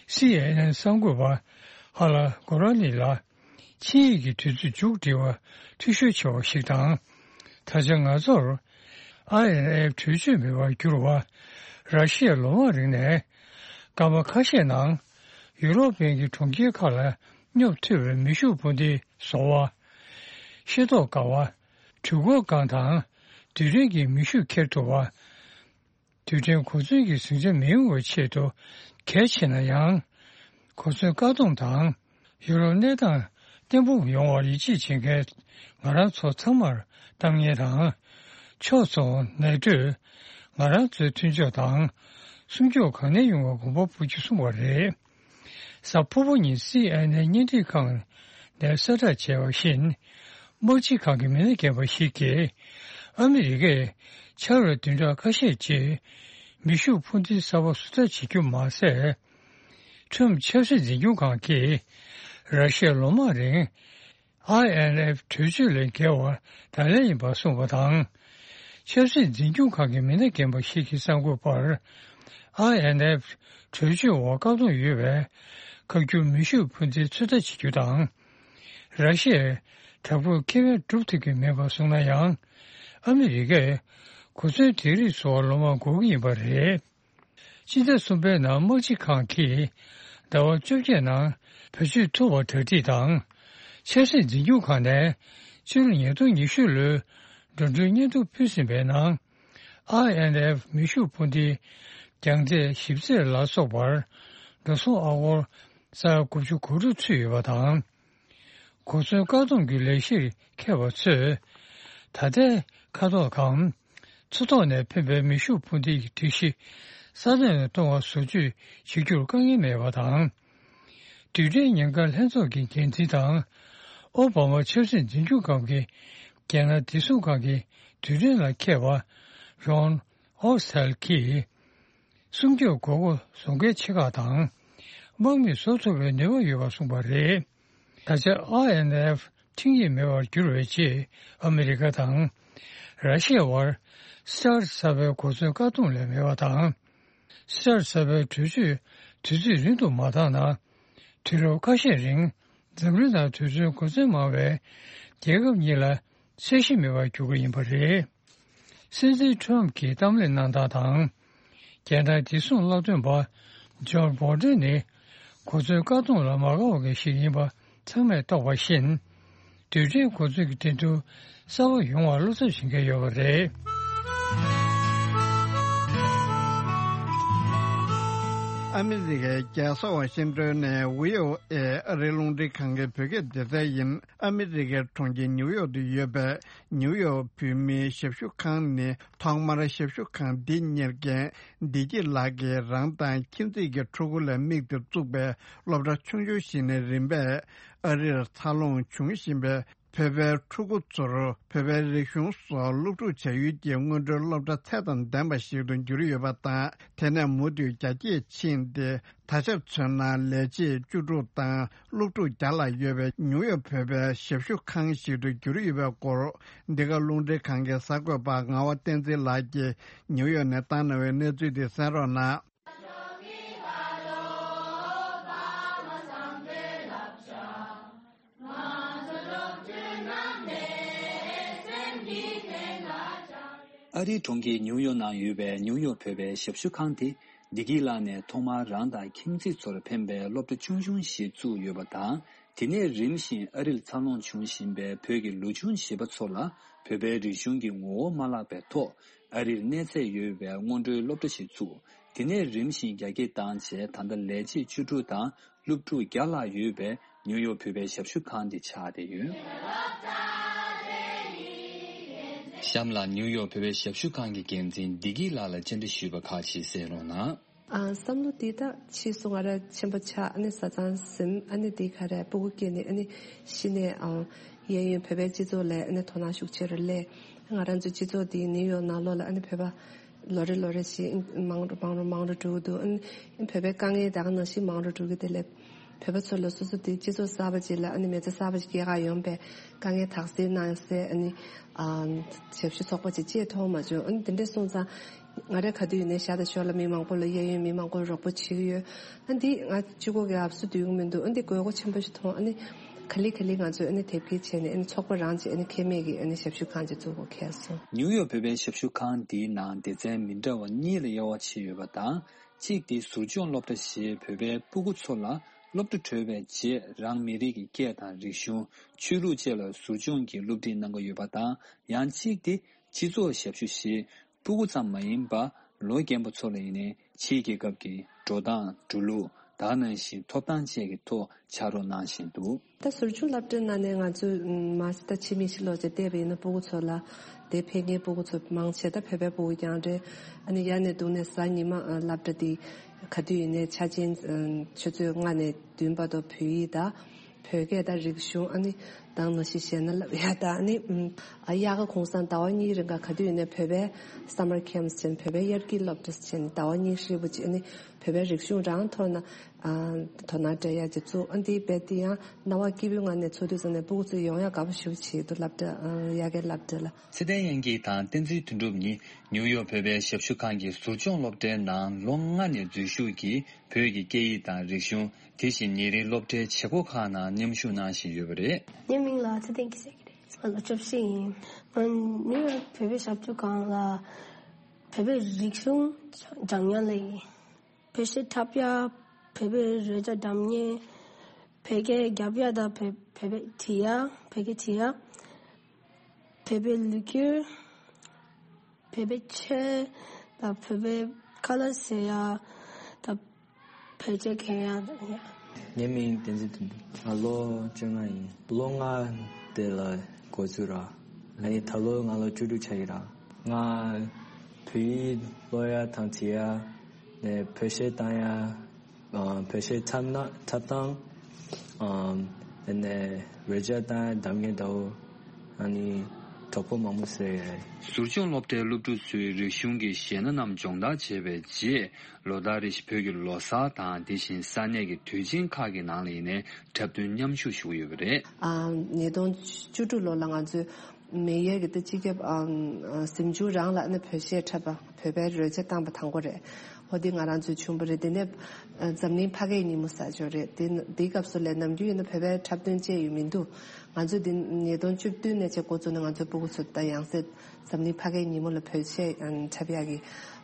སི་ཨེན་ཨེན་གསར་འགོད་པ་ཧ་ལ་གོ་ར་ལི་ལ་ཆིངས་ཡིག་གི་དུས་ཚོད་མཇུག་སྒྲིལ་བར་འཐུས་ཤོར་བྱས་པ་ཞིག་དང་། ད་ཆ་ང་ཚོར་ཨའི་ཨེན་ཨེཕ་གྲོས་ཆོད་མེད་པར་གྱུར་བ། ར་ཤི་ཡས་ལོ་མང་རིང་ནས་སྐར་མ་ཁ་ཤས་ནང་ཡུ་རོབ་པའི་གྲོང་ཁྱེར་ཁག་ལ་སྙོབ་ཐུབ་པའི་མེ་ཤུགས་འཕུར་མདེལ་བཟོ་བ། ཤེས་རྟོགས་དཀའ་བ། འཕྲུལ་འཁོར་སྒང་དང་རྡུལ་ཕྲན་གྱི་མེ་ཤུགས་འཁྱེར་ཐུབ་པ། རྡུལ་ཕྲན་གོ་མཚོན་གྱི་ཟིང་ཆ་མི་ཡོང་བའི་ཆེད་དུ་གལ་ཆེ་ན་ཡང་། གོ་མཚོན་བཀག་སྡོམ་དང་ཡུ་རོབ་གནས་སྟངས་བརྟན་པོ་ཡོང་བར་ཡིད་ཆེས་བྱེད་མཁན་ང་རང་ཚོ་ཚང་མར་གཏམ་ངན་དང་། ཕྱོགས་མཚུངས་ནེ་ཏོས་ང་རང་ཚོའི་མཐུན་ཕྱོགས་དང་སྲུང་སྐྱོབ་གང་ནས་ཡོང་བའི་དགོངས་པ་འབུལ་རྒྱུ་གསུངས་པ་རེད། གཟའ་ཕུར་བུ་ཉིན་སི་ཨེན་ཨེན་བརྙན་འཕྲིན་ཁང་ནས་གསལ་བསྒྲགས་བྱས་པ་བཞིན། དམག་སྤྱི་ཁང་གི་མི་སྣ་རྒན་པ་ཞིག་གིས། ཨ་མི་རི་ཀས་ཕྱར་བའི་བདུན་ཕྲག་ཁ་ཤས་རྗེས་མེ་ཤུགས་འཕུར་མདེལ་གསར་པ་བཟོ་ལྟ་བྱེད་རྒྱུ་མ་ཟད། ཁྲོམ་ཆབ་སྲིད་འཛིན་སྐྱོང་ཁང་གིས་ར་ཤི་ཡས་ལོ་མང་རིང་ཨའི་ཨེན་ཨེཕ་གྲོས་ཆོད་ལས་འགལ་བར་བརྡ་ལན་ཡིན་པ་གསུངས་པ་དང་། ཆབ་སྲིད་འཛིན་སྐྱོང་ཁང་གི་མི་སྣ་རྒན་པ་ཞིག་གིས་གསར་འགོད་པར། ཨའི་ཨེན་ཨེཕ་གྲོས་ཆོད་འོག་བཀག་སྡོམ་ཡོད་པའི་ཁ་སྒྱུར་མེ་ཤུགས་འཕུར་མདེལ་ཚོད་ལྟ་བྱེད་རྒྱུ་དང་། ར་ཤི་ཡས་དྲག་པོའི་ཁེ་ཕན་སྒྲུབ་ཐུབ་ཀྱི་མེད་པར་གསུངས་ན་ཡང་། ཨ་མི་རི་ཀས་གོ་མཚོན་དེ་རིགས་བཟོ་བར་ལོ་མང་འགོར་གྱི་ཡིན་པ་རེད། སྤྱི་ཟླ་གསུམ་པའི་ནང་དམག་སྤྱི་ཁང་གིས་ཟླ་བ་བཅོ་བརྒྱད་ནང་བེད་སྤྱོད་ཐུབ་པར་གྲ་སྒྲིག་དང་། ཆབ་སྲིད་འཛིན་སྐྱོང་ཁང་ནས་ཕྱི་ལོ་ཉིས་སྟོང་ཉི་ཤུ་ལོའི་འགྲོ་གྲོན་སྙན་ཐོ་ཕུལ་ཟིན་པའི་ནང་། ཨའི་ཨེན་ཨེཕ་མེ་ཤུགས་འཕུར་མདེལ་ རྒྱང་ཚད་ཞིབ་ཚད་ལ་སོགས་པར་འགྲོ་སོང་ཨ་སྒོར་ས་ཡ་དགུ་བཅུ་གོ་དྲུག་ཚུད་ཡོད་པ་དང་། གོ་མཚོན་བཀག་སྡོམ་གྱི་ལས་གཞིར་འཁེལ་བ་ཚོས་ད་ལྟའི་ཁ་ཐོག་གམ་མཚོ་ཐོག་ནས་འཕེན་པའི་མེ་ཤུགས་འཕུར་མདེལ་གྱི་སྒྲིག་གཞི་ས་ཐོག་ནས་གཏོང་བ་བཟོ་བཅོས་བྱེད་རྒྱུར་དཀའ་ངལ་མེད་པ་དང་། རྡུལ་ཕྲན་ཉེན་ཁ་ལྷན་ཚོགས་ཀྱི་འགན་འཛིན་དང་། ཨོ་བྷ་མ་ཆབ་སྲིད་འཛིན་སྐྱོང་ཁང་གི་རྒྱལ་ནང་བདེ་སྲུང་ཁང་གི་རྡུལ་ཕྲན་ལ་མཁས་པ་རོན་ཨོ་སི་ཐལ་གྱིས། སྲུང་སྐྱོབ་དགོས་མཁོ་བཟོ་འགན་ཆེ་ཁག་དང་། དམག་མིས་བཟོ་ཐུབ་པའི་ནུས་པ་ཡོད་པ་གསུངས་པ་རེད། ད་ཆ་ཨའི་ཨེན་ཨེཕ་ཁྲིམས་ཡིག་མེད་པར་གྱུར་བའི་རྗེས། ཨ་མི་རི་ཀ་དང་ར་ཤི་ཡ་བར་སི་ཊར་གསར་པའི་གོ་མཚོན་བཀག་སྡོམ་ལས་མེད་པ་དང་། སི་ཊར་གསར་པའི་གྲོས་ཆོད་དུས་ཚོད་རིང་དུ་མ་བཏང་ན། དུས་རབས་ཁ་ཤས་རིང་འཛམ་གླིང་ནང་དུས་ཚོད་གོ་མཚོན་མང་བའི་རྒྱལ་ཁབ་གཉིས་ལ་ཚད་གཞི་མེད་པར་འགྱུར་གྱི་ཡིན་པ་རེད། སྲིད་འཛིན་ཁྲོམ་གྱིས་གཏམ་གླེང་གནང་སྟངས་དང་། རྒྱལ་ནང་བདེ་སྲུང་སློབ་སྟོན་པ་ཇོན་བོལ་ཏོན་ནི་གོ་མཚོན་བཀག་སྡོམ་ལ་མ་དགའ་བ་ཞིག་ཡིན་པ་ཚང་མས་རྟོགས་པ་བཞིན། རྡུལ་ཕྲན་གོ་མཚོན་གྱི་འགྲན་བསྡུར་གསར་པ་ཡོང་བར་བློ་འཚབ་བྱེད་མཁན་ཡོད་པ་རེད། ཨ་མི་རི་ཀའི་རྒྱལ་ས་ཝ་ཤིང་ཏོན་ནས་བྷི་ཨོ་ཨེ་ཨ་རིའི་རླུང་འཕྲིན་ཁང་གི་བོད་སྐད་སྡེ་ཚན་ཡིན། ཨ་མི་རི་ཀའི་གྲོང་ཁྱེར་ཉིའུ་ཡོག་ཏུ་ཡོད་པའི་ཉིའུ་ཡོག་བོད་མིའི་ཞབས་ཞུ་ཁང་ནི། ཐོག་མར་ཞབས་ཞུ་ཁང་འདི་གཉེར་མཁན་བདེ་སྐྱིད་ལགས་ཀྱིས་རང་དང་ཁྱིམ་མཚེས་ཀྱི་ཕྲུ་གུ་ལ་དམིགས་ཏེ་བཙུགས་པའི་སློབ་གྲྭ་ཆུང་ཆུང་ཞིག་ནས་རིམ་པས་ཨ་རིར་འཚར་ལོངས་བྱུང་བཞིན་པའི་བོད་པའི་ཕྲུ་གུ་ཚོར་བོད་པའི་རིག་གཞུང་སོགས་སློབ་ཕྲུག་བྱ་ཡུལ་གྱི་སྔོན་འགྲོའི་སློབ་གྲྭ་ཚད་དང་ལྡན་པ་ཞིག་ཏུ་གྱུར་ཡོད་པ་དང་། དེ་ནས་མུ་མཐུད་རྒྱ་སྐྱེད་ཕྱིན་ཏེ། ད་ཆར་མཚོན་ན་ལས་བྱེད་བཅུ་དྲུག་དང་སློབ་ཕྲུག་བརྒྱ་ལྷག་ཡོད་པའི་ཉིའུ་ཡོག་བོད་པའི་ཞབས་ཞུ་ཁང་ཞིག་ཏུ་གྱུར་ཡོད་པའི་སྐོར། འདི་ག་རླུང་འཕྲིན་ཁང་གི་གསར་འགོད་པ་ངག་དབང་བསྟན་འཛིན་ལགས་ཀྱིས་ཉིའུ་ཡོག་ནས་བཏང་གནང་བའི་གནས་ཚུལ་དེ་གསན་རོགས་གནང་། ཨ་རིའི་གྲོང་ཁྱེར་ཉིའུ་ཡོག་ནང་ཡོད་པའི་ཉིའུ་ཡོག་བོད་པའི་ཞབས་ཞུ་ཁང་དེ། བདེ་སྐྱིད་ལགས་ནས་ཐོག་མར་རང་དང་ཁྱིམ་མཚེས་ཚོར་ཕན་པའི་སློབ་གྲྭ་ཆུང་ཆུང་ཞིག་བཙུགས་ཡོད་པ་དང་། དེ་ནས་རིམ་བཞིན་ཨ་རིར་འཚར་ལོངས་བྱུང་བཞིན་པའི་བོད་ཀྱི་ལོ་ཆུང་བྱིས་པ་ཚོ་ལ་བོད་པའི་རིག་གཞུང་གི་ངོ་བོ་མ་བརླག་པའི་ཐོག་ཨ་རིར་གནས་ཚད་ཡོད་པའི་སྔོན་འགྲོའི་སློབ་གྲྭ་ཞིག་བཙུགས། དེ་ནས་རིམ་བཞིན་རྒྱ་སྐྱེད་བཏང་རྗེས། ད་ལྟ་ལས་བྱེད་བཅུ་དྲུག་དང་སློབ་ཕྲུག་བརྒྱ་ལྷག་ཡོད་པའི་ཉིའུ་ཡོག་བོད་པའི་ཞབས་ཞུ་ཁང་དེ་ཆགས་བསྡད་ཡོད། གཤམ་ལ་ཉིའུ་ཡོག་བོད་པའི་ཞབས་ཞུ་ཁང་གི་འགན་འཛིན་བདེ་སྐྱིད་ལགས་ལ་བཅར་འདྲི་ཞུས་པ་ཁག་ཅིག་གསན་རོགས་གནང་། ཨ། བསམ་བློ་འདི་ད་ཕྱིས་སུ་ང་རང་ཆེན་པོ་ཆགས། ཨ་ནི་བཟའ་ཚང་ཟིན། ཨ་ནི་འདི་ག་རེ་སྤུ་གུ་སྐྱེས་ནས། ཨ་ནི་གཞི་ནས་ཨ་གཡས་གཡོན་བོད་པའི་སྤྱི་ཚོགས་ལ་ཨ་ནི་དོ་སྣང་ཤུགས་ཆེ་རུ་སླེབས། ང་རང་ཚོའི་སྤྱི་ཚོགས་འདི་ནིའུ་ཡོག་ནང་ལོགས་ལ་ཨ་ནི་བོད་པ་ལོ་རེ་ལོ་རེ་བཞིན་མང་རུ་མང་རུ་མང་རུ་འགྲོ་གི་འདུག། ཨ་ནི་བོད་པའི་དཀའ་ངལ་ད་ག་ནང་བཞིན་མང་རུ་འགྲོ་གི། དེ་ལས་བོད་པ་ཚོ་ལ་སོ་སོ་དེ་སྤྱི་ཚོགས་གསར་པ་ཅིག་ལ། ཨ་ནི་མི་ཚེ་གསར་པ་ཅིག་སྐྱེལ་ག་ཡོང་པའི་དཀའ་ངལ་དག་སེལ་གནང་སའི། ཨ་ནི་ཨ་ཞབས་ཞུ་ཚོགས་པ་ཅིག་ཅེས་མཐོང་མ་བྱུང་། ཨ་ནི་དེ་འདྲ་སོང་ཙང་ང་རང་ག་དུས་ཡིན་ནའི་ཤར་དང་ཕྱོགས་ལ་མི་མང་པོ་ལ། གཡས་གཡོན་མི་མང་པོ་ལ་རོགས་པ་བྱེད་ཀྱི་ཡོད། ཨ་འདི་ང་གཅིག་པོ་གིས་ཨབ་སུ་སྡུད་ཀྱི་མི་འདུག། ཨ་འདི་དགོས་མཁོ་ཆེན་པོ་ཞིག་མཐོང་། ཨ་ནི་ག་ལེ་ག་ལེ་ང་ཚོས་ཨ་ནི་དེབ་སྐྱེལ་བྱས་ནས། ཨ་ནི་ཚོགས་པ་རང་བྱས། ཨ་ནི་ཁེ་མེད་ཀྱི་ཨ་ནི་ཞབས་ཞུ་ཁང་ཅིག་བཙུགས་དགོས་ཁེལ་སོང་། ཉིའུ་ཡོག་བོད་པའི་ཞབས་ཞུ་ཁང་འདིའི་ནང་སྡེ་ཚན་མི་འདྲ་བ་གཉིས་ལ་དབྱེ་བ་ཕྱེ་ཡོད་པ་དང་། གཅིག་དེ་ཟུར་སྦྱོང་སློབ་གྲྭ་ཞེས་བོད་པའི་སྤུ་གུ་ཚོ་ལ་སློབ་གྲྭ་གྲོལ་བའི་རྗེས་རང་མི་རིགས་ཀྱི་སྐད་དང་རིག་གཞུང་། ཆོས་ལུགས་བཅས་ལ་ཟུར་སྦྱོང་གི་སློབ་ཁྲིད་གནང་གི་ཡོད་པ་དང་། ཡང་གཅིག་དེ་སྤྱི་ཚོགས་ཞབས་ཞུ་ཞེས་སྤུ་གུ་ཙམ་མ་ཡིན་པར་ལོ་རྒན་པ་ཚོ་ལ་ཡིན་ནའི་ཕྱིའི་རྒྱལ་ཁབ་ཀྱི་འགྲོ་སྟངས། འགྲོ་ལུགས། ད་ག་ནང་བཞིན་ཐོབ་ཐང་བཅས་ཀྱི་ཐོག་ཕྱག་རོགས་གནང་བཞིན་འདུག། ད་ཟུར་སྦྱོང་སློབ་གྲྭའི་ནང་ནས་ང་ཚོས་མ་ཟད་ད་ཕྱི་མིག་ཅིག་ལོག་བྱས་བལྟས་པ་ཡིན་ན། སྤུ་གུ་ཚོ་ལ་དེ་ཕེབས་མཁན་སྤུ་གུ་ཚོ་མང་ཆེ་ད་བོད་པའི་སྤུ་གུ་རྐྱང་རེད། ཨ་ནི་ཡར་ནས་འདུག་ནས་གཟའ་ཉི་མ་ཨ་སློབ་གྲྭ་འདི་ག་དུས་ཡིན་ནའི་ཆ་ཆེན་ཨ་ཆུ་ཚོད་ལྔ་ནས་བདུན་བར་དུ་བོད་ཡིག་དང་བོད་སྐད་དང་རིག་གཞུང་། ཨ་ནི་དེ་ནང་བཞིན་གཞས་སྣ་བསླབ་ཡ་དང་། ཨ་ནི་ཨ་དབྱར་ཁ་གུང་སེང་ཟླ་བ་གཉིས་རིང་ག་ག་དུས་ཡིན་ནའི་བོད་པའི་summer camps་བྱས་ནས། བོད་པའི་དབྱར་སྐྱིད་སློབ་གྲྭ་བྱས་ནས་ཟླ་བ་གཉིས་ཧྲིལ་པོ་བྱས་ནས། བོད་པའི་རིག་གཞུང་རང་ཐོག་ན་ཨ་དོ་སྣང་སྤྲད་ཡ་ཅིག་བཙུགས། ཨ་འདི་རྦད་དེ་ཡང་སྣང་བ་སྐྱིད་པོའི་ངང་ནས་ཚོགས་དུས་ཙམ་ནས་སྤུ་གུ་ཚོ་ཡོང་ཡ་དགའ་པོ་ཞེ་པོ་བྱེད་འདུག། སློབ་གྲྭ་ཨ་དབྱར་ཁའི་སློབ་གྲྭ་ལ། ཚེ་བརྟན་དབྱངས་སྐྱིད་དང་བསྟན་འཛིན་དོན་གྲུབ་གཉིས་ནིའུ་ཡོག་བོད་པའི་ཞབས་ཞུ་ཁང་གི་ཟུར་སྦྱོང་སློབ་གྲྭའི་ནང་ལོ་ལྔ་ནས་འཛུལ་ཞུགས་ཀྱིས་བོད་ཀྱི་སྐད་ཡིག་དང་རིག་གཞུང་། དེ་བཞིན་ཉིན་རེའི་སློབ་གྲྭའི་བྱེད་སྒོ་ཁག་ནང་མཉམ་ཞུགས་གནང་བཞིན་ཡོད་པ་རེད། ངའི་མིང་ལ་ཚེ་བརྟན་སྐྱིད་ཟེར་གྱི་རེད། ང་ལོ་བཅུ་བཞི་ཡིན། ང་ནིའུ་ཡོག་བོད་པའི་ཞབས་ཞུ་ཁང་ལ་བོད་པའི་རིག་གཞུང་སྦྱང་མཁན་ལ་ཡིན། བོད་གཞས་འཁྲབ་ཡ། བོད་པའི་རོལ་ཆ་འགྲམ་ཉེ། བོད་སྐད་རྒྱབ་ཡ་དང་བོད་བོད་པའི་བྲིས་ཡ། བོད་སྐད་བྲིས་ཡ། བོད་པའི་ལོ་རྒྱུས། བོད་པའི་ཆོས་དང་བོད་པའི་ ཁ་ལག་ཟ་ཡ་དང་བོད་ཆས་གྱོན་ཡ་དང་ཡ། ངའི་མིང་བསྟན་འཛིན་དོན་གྲུབ། ང་ལོ་བཅོ་ལྔ་ཡིན། ལོ་ལྔ་དེ་ལ་འགོ་ཚུགས་ར། ཨ་ནི་ད་ལོ་ང་ལོ་བཅུ་དྲུག་ཆགས་ཀྱི་ར། ང་བོད་ཡིག་ཀློག་ཡ་དང་བྲིས་ཡ། ནས་བོད་གཞས་བཏང་ཡ། ཨ། བོད་གཞས་འཁྲབ་ན་འཁྲབ་སྟངས། ཨ། དེ་ནས་རོལ་ཆ་བཏང་ཡ་གདམ་ངེས་འདྲ་བོ། ཨ་ནི་གྲོགས་པོ་མང་པོ་བཟོས་ཡོད། ཟུར་སྦྱོང་སློབ་གྲྭའི་སློབ་ཕྲུག་ཚོས་རིག་གཞུང་གི་གཞས་སྣ་རྣམས་སྦྱོང་བརྡར་བྱས་པའི་རྗེས། ལོ་ལྟར་རེ་བཞིན་བོད་ཀྱི་ལོ་གསར་དང་དེ་བཞིན་ས་གནས་ཀྱི་དུས་ཆེན་ཁག་གི་ནང་ལ་ཡིན་ནའི་འཁྲབ་སྟོན་མཉམ་ཞུགས་ཞུ་གི་ཡོད་པ་རེད། ཨ། ཉིས་སྟོང་བཅུ་དྲུག་ལོ་ལ་ང་ཚོས་མེ་ཡར་གྱི་ད་སྤྱི་ཁྱབ། ཨ། གཟིམ་ཆུང་རང་ལ་ནི་བོད་གཞས་འཁྲབ་པ། བོད་པའི་རོལ་ཆ་བཏང་པ་དང་པོ་རེད། ཧོ་དེ་ང་རང་ཚོའི་ཆུང་པ་རེད། དེ་ནས་འཛམ་གླིང་ཕ་སྐད་ཉིན་མོ་ཟེར་ཅིག་ཡོད་རེད། དེ་དེའི་སྐབས་སུ་ལས་ནམ་རྒྱུན་ཡིན་ན་བོད་པའི་འཁྲབ་སྟོན་བྱས་ཡོད་མི་འདུག་ང་ཚོ་དེ་ཉིས་སྟོང་བཅུ་བདུན་ནས་བྱས་འགོ་བཙུགས་ནས་ང་ཚོའི་སྤུ་གུ་ཚོ་ད་ཡང་སེ་འཛམ་གླིང་ཕ་སྐད་ཉིན་མོ་ལ་བོད་གཞས་འཁྲབ་ཡག་གི།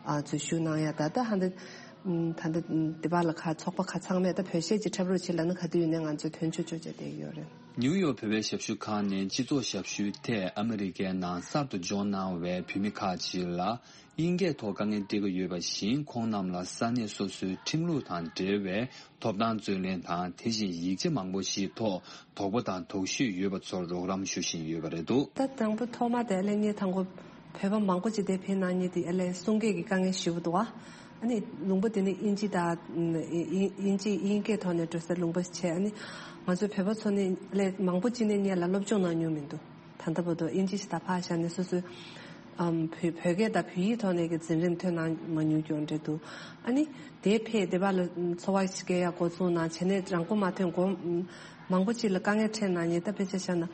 ཨ། འཛུལ་ཞུགས་གནང་ཡ། ད་ལྟ་ཧ་འདི་ད་ལྟ་དེ་བར་ལ་ཁ་ཚོགས་པ་ཁ་ཚང་མས་ད་བོད་གཞས་ཅིག་འཁྲབ་རོགས་བྱེད་ལབ་ན་ག་དུས་ཡིན་ནའི་ང་ཚོས་དོན་ཆུང་ཆུང་བྱས་བསྡད་ཀྱི་ཡོད་རེད། ནིའུ་ཡོག་བོད་པའི་ཞབས་ཞུ་ཁང་ནས་སྤྱི་ཚོགས་ཞབས་ཞུའི་ཐད་ཨ་མི་རི་ཀའི་ནང་གསར་དུ་འབྱོར་གནང་བའི་བོད་མི་ཁག་ཅིག་ལ་དབྱིན་སྐད་ཐོག་དཀའ་ངལ་འཕྲད་ཀྱི་ཡོད་པ་བཞིན། ཁོང་རྣམས་ལ་ས་གནས་སོ་སོའི་ཁྲིམས་ལུགས་དང་འབྲེལ་བའི་ཐོབ་ཐང་རྩོད་ལེན་དང་། དེ་བཞིན་ཡིག་ཆ་མང་པོ་ཞིག་ཐོག་དོགས་པ་དང་དོགས་གཞི་ཡོད་པ་ཚོར་རོགས་རམ་ཞུ་བཞིན་ཡོད་པ་རེད་འདུག་ད་དང་པོ་ཐོག་མ་དེ་ཨ་ལས་ངས་དང་པོ་བོད་པ་མང་པོ་ཅིག་དེ་ཕེབས་གནང་མཁན་དེ་ཨ་ལས་གསུང་སྐད་ཀྱི་དཀའ་ངལ་ཞེ་པོ་འདུག་ཨ་ནི་ལུང་པ་དེ་ནི་དབྱིན་ཇི་དང་། དབྱིན་ཇི་དབྱིན་སྐད་ཐོག་ནས་འགྲོ་སའི་ལུང་པ་ཞིག་བྱས། ཨ་ནི་ང་ཚོ་བོད་པ་ཚོ་ནི་ཨ་ལས་མང་པོ་ཅིག་ནས་སྔོན་ལ་སློབ་སྦྱོང་གནང་མྱོང་མི་འདུག་ད་ལྟ་བར་དུ་དབྱིན་ཇི་ཞིག་ད་ཕར་བཞག་ནས་སོ་སོའི་ཨམ། བོད་བོད་སྐད་དང་བོད་ཡིག་ཐོག་ནས་ཀྱི་འཛིན་རིམ་ཐོན་གནང་མ་མྱོང་རྐྱང་རེད་འདུག་ཨ་ནི་དེ་ཕེབས་དེ་བར་ལ་འཚོ་བ་ཞིག་སྐྱེལ་ཡག་འགོ་བཙུགས་གནང་བྱས་ནས་རང་མགོ་མ་ཐོན་གོང་མང་པོ་ཅིག་ལ་དཀའ་ངལ་འཕྲད་གནང་མཁན། ད་དཔེ་ཆ་བཞག་ན་